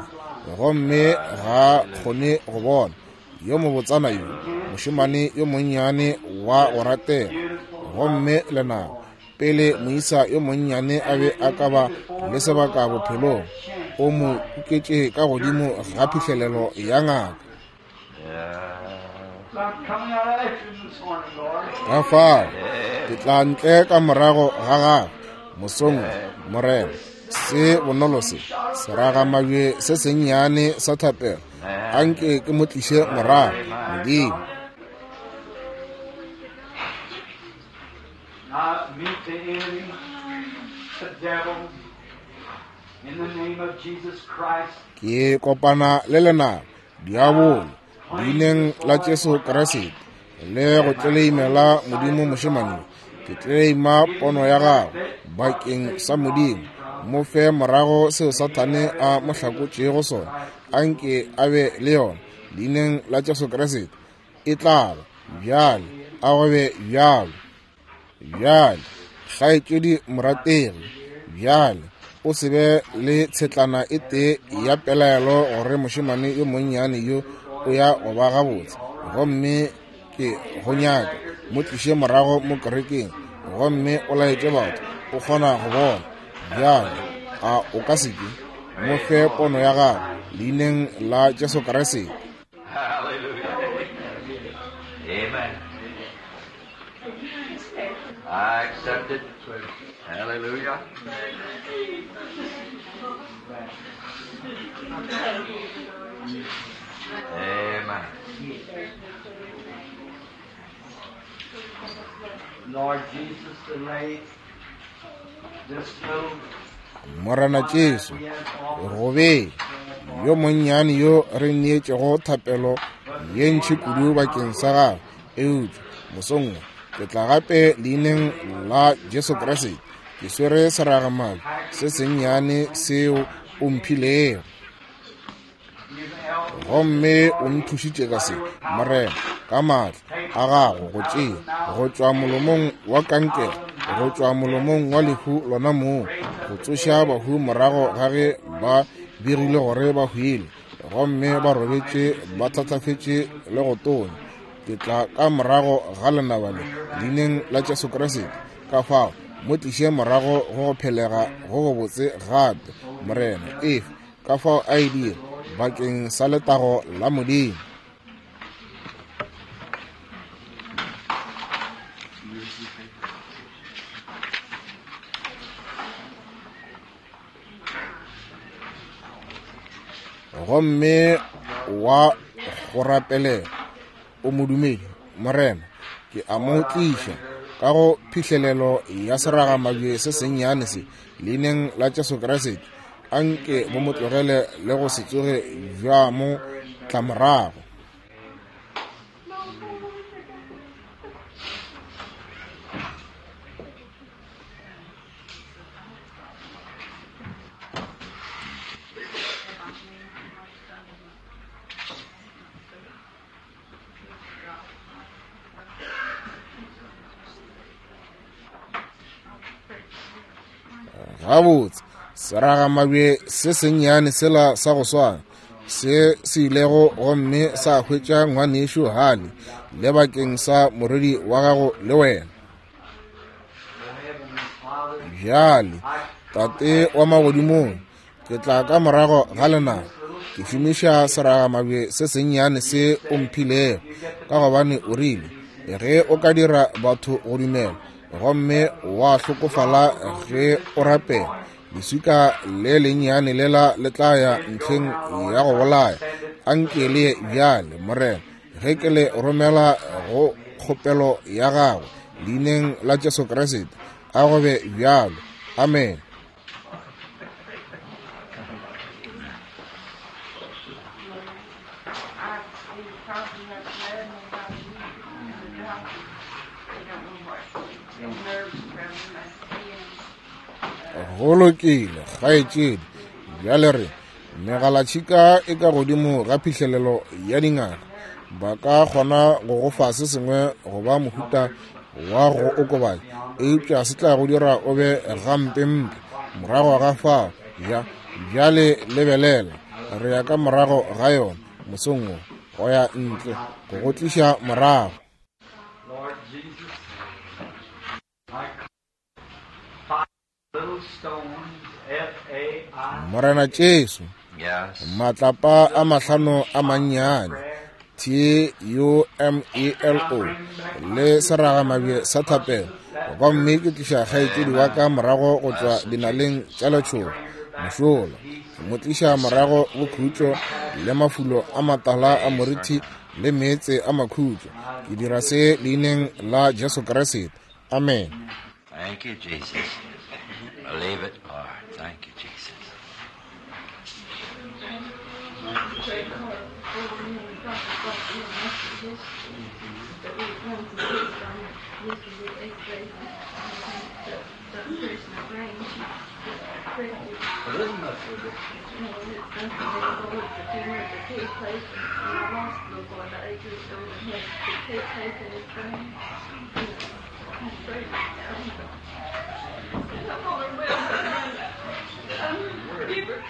gomme ga kgone go bona, yo mobotsana yo mošemane yo monnyane wa go ratega, gomme lenaba pele moisa yo monnyane a be a ka ba le sebaka bophelong, o mo kuketše ka godimo ga phihlelelo ya ngaka. Ka fao ke tla ntle ka morago ga gagwe mosong, Morena, se bonolo se seragamabje se sennyane sa thapelo, anke ke mo tliše morago, Modimo. Ke kopana le lenaba diabolo leineng la Jesu Kriste le go tleleimela Modimo mošemane. Ke tleleima pono ya gago bakeng sa Modimo. Mo fe morago seo Sathane a mo hlakotšego sona, anke a be le yona leineng la Jesu Kriste. E tla ba bjale, a go be bjalo. Bjale kgaetšedi morategi, bjale o se be le tshetlana e tee ya pelaelo gore mošemane yo monnyane yo o ya go ba gabotse, gomme ke go nyaka mo tliše morago mo kerekeng gomme o laetše batho o kgona go bona. Bjale a o ka se ke mo fe pono ya gago leineng la Jesu Kriste. Amen. I accept it. Hallelujah. Amen. Lord Jesus, to lay this little Morena Jesu, go be yo monnyane yo re neetšego thapelo ye ntši kudu bakeng sa gagwe, eupša mosong ke tla gape leineng la Jesu Kriste. Ke swere seragamabje se sennyane seo o mphilego, gomme o nthušitše ka se, Morena, ka maatla a gago go tšea go tšwa molomong wa kankere, go tšwa molomong wa lehu lona moo, go tsoša bahu morago ga ge ba begile gore ba hwile gomme ba robetše ba thatafetše le go tonya. Ke tla ka morago ga lenaba le leineng la Jesu Kriste. Ka fao mo tliše morago go go phelega go go botse gape, Morena, efe ka fao a e dira bakeng sa letago la Modimo. Gomme wa go rapelela o modumedi, Morena, ke a mo tliša ka go phihlelelo ya seragamabje se sennyane se leineng la Jesu Kriste. Anke bo mo tlogele le go se tsoge bja mo tla morago. Gabotse seragamabje se sennyane sela sa go swana se se ilego gomme sa hwetša ngwanešu Hale le bakeng sa morwedi wa gago le wena. Bjale Tate wa magodimong, ke tla ka morago ga lenaba ke šomiša seragamabje se sennyane se o mphilego, ka gobane o rile ge o ka dira batho go dumela gomme wa hlokofala ge o rapela, leswika le lennyane lela le tla ya ntlheng ya go bolaya. Anke le bjale, Morena, ge ke le romela go kgopelo ya gagwe leineng la Jesu Kriste, a go be bjalo. Amen. Go lokile, kgaetšedi. Bjale re megalatšhika e ka godimo ga phihlelelo ya dingaka. Ba ka kgona go go fa se sengwe go ba mohuta wa go okobatša, eupša se tla go dira o be gampempe morago ga fao. Ja, bjale lebelela, re ya ka morago ga yona mosong wo, go ya ntle go go tliša morago. Morena Jesu, matlapa a mahlano a mannyane, T U M E L O, le seragamabje sa thapelo, gomme ke tliša kgaetšedi wa ka morago go tšwa dinaleng tša letšhogo mošola, ke mo tliša morago go khutšo le mafulo a matala a morithi le meetse a makhutšo. Ke dira se leineng la Jesu Kriste. Amen. Thank you, Jesus. Believe it, Lord. Thank you, Jesus.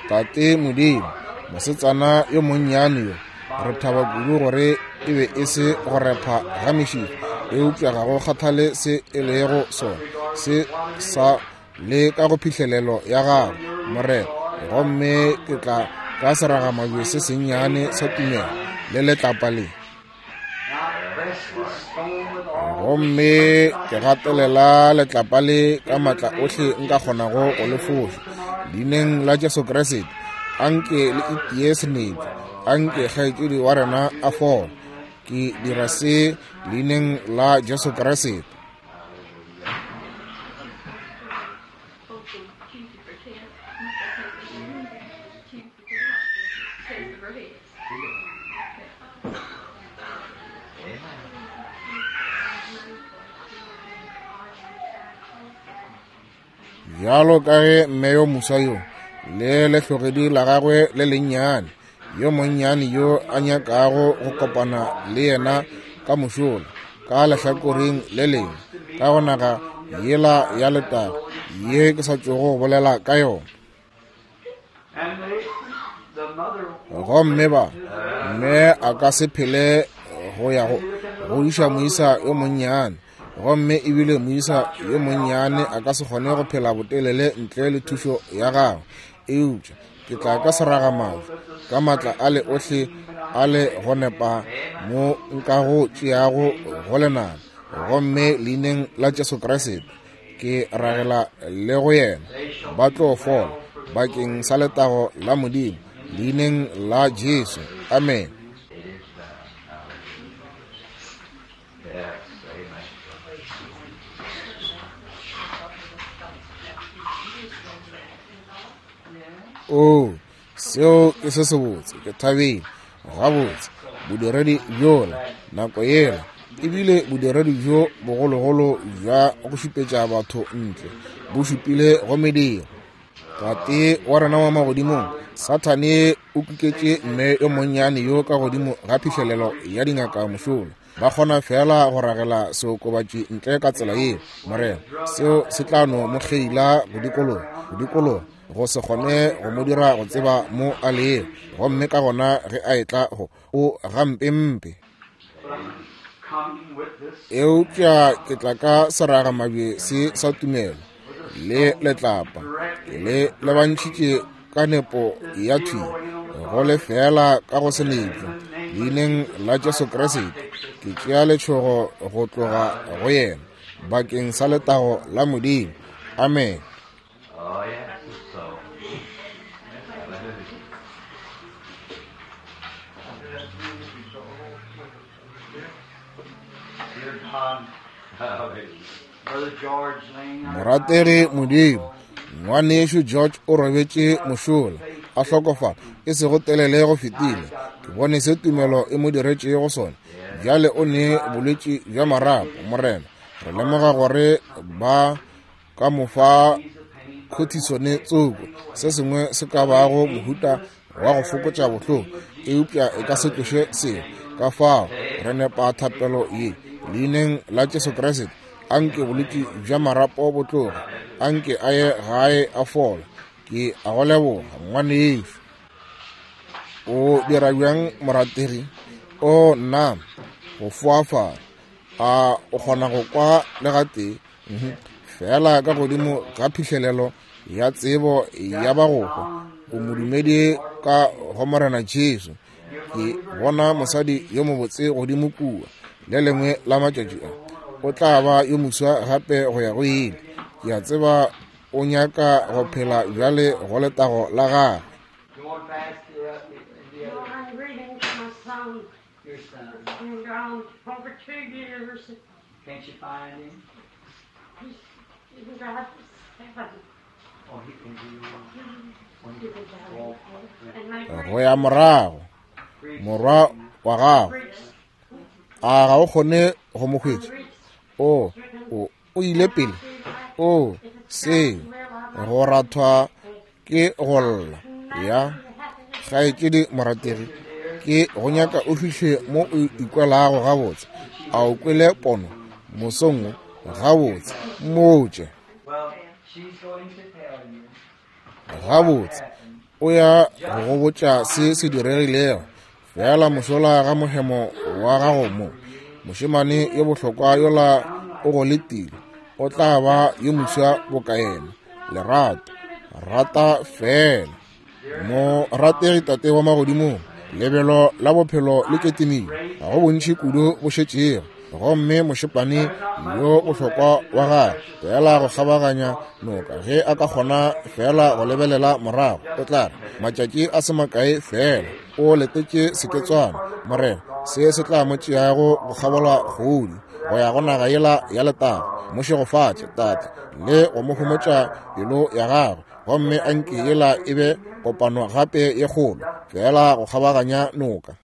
Tate Modimo, mosetsana yo monnyane yo, re thaba kudu gore e be e se go repha ga mešifa, eupša ga go kgathale se e lego sona, se sa le ka go phihlelelo ya gago, Morena. Gomme ke tla ka seragamabje se sennyane sa tumelo le letlapa le, gomme ke gatelela letlapa le ka matla ohle nka kgonago go le foša. Leineng la Jesu Kriste, anke le itie senetšo, anke kgaetšedi wa rena a fole. Ke dira se leineng la Jesu Kriste. Bjalo ka ge mme yo moswa yo le lehlogedi la gagwe le lennyane, yo monnyane yo a nyakago go kopana le yena ka mošola, ka lehlakoreng le lengwe, ka go naga yela ya letago ye ke sa tšogo go bolela ka yona. Gomme ba mme a ka se phele go ya go go iša moisa yo monnyane, gomme ebile moisa yo monnyane a ka se kgone go phela botelele ntle le thušo ya gagwe. Eupša ke tla ka seragamabje ka matla a le ohle a le go nepa mo nka go tšeago go lenaba, gomme leineng la Jesu Kriste ke ragela le go yena, ba tlo fola bakeng sa letago la Modimo, leineng la Jesu. Amen. Oh, seo ke se sebotse, ke thabile gabotse. Bodiredi bjola nako yela ebile bodiredi bjo bogologolo bja go šupetša batho ntle bo šupile go mediro. Tate wa rena wa magodimong, Sathane o kuketše mme yo monnyane yo ka godimo ga phihlelelo ya dingaka mošola. Ba kgona fela go ragela seokobatši ntle ka tsela yeo, Morena. Seo se tla no mo kgeila go dikologa, go dikologa, go se kgone go mo dira go tseba mo a lego. Gomme ka gona ge a etla go o gampempe. Eupša ke tla ka seragamabje se sa tumelo le letlapa, ke le lebantšhitše ka nepo ya thwi, go le fela ka go senetšo. Leineng la Jesu Kriste, ke tšea letšhogo go tloga go yena bakeng sa letago la Modimo. Amen. Morategi Modimo, ngwanešu George o robetše mošola a hlokofala e sego telele go fetile. Ke bone se tumelo e mo diretšego sona. Bjale o ne bolwetši bja marapo, Morena. Re lemoga gore ba ka mo fa cortisone tsoko, se sengwe se ka bago mohuta wa go fokotša bohloko, eupša e ka se tloše seo. Ka fao re nepa thapelo ye leineng la Jesu Kriste. Anke bolwetši bja marapo bo tloge, anke a ye gae a fola. Ke a go leboga ngwanešu. O dira bjang morategi? O nna go foafala. A o kgona go kwa le gatee? Fela ka godimo ga phihlelelo ya tsebo ya ba go hwa, o modumedi ka go Morena Jesu. Ke bona mosadi yo mobotse godimo kua. Le lengwe la matšatši a o tla ba yo moswa gape go ya go ile. Ke a tseba o nyaka go phela bjale go letago la gagwe. Go ya morago morwa wa gago, a ga o kgone go mo hwetša? O o o ile pele. O se go rathwa ke go lla ya kgaetšedi morategi. Ke go nyaka o fihle mo o ikwelago gabotse. A o kwele pono mosong wo? Gabotse, mmotše. Gabotse, o ya go go botša se se diregilego. Fela mošola ga mohemo wa gago mo, mošemane yo bohlokwa yola o go letile. O tla ba yo moswa boka yena. Lerato, rata fela. Morategi Tate wa magodimong, lebelo la bophelo le ketimile, ga go bontši kudu bo šetšego. Gomme mošepane yo bohlokwa wa gagwe fela go kgabaganya noka, ge a ka kgona fela go lebelela morago, o tla re matšatši a se makae fela o letetše seketswana. Morena, se se tla mo tšeago go kgabola kgodi go ya go naga yela ya letago. Mo šegofatše Tate le go mo homotša pelo ya gagwe, gomme anke yela e be kopano gape ye kgolo fela go kgabaganya noka.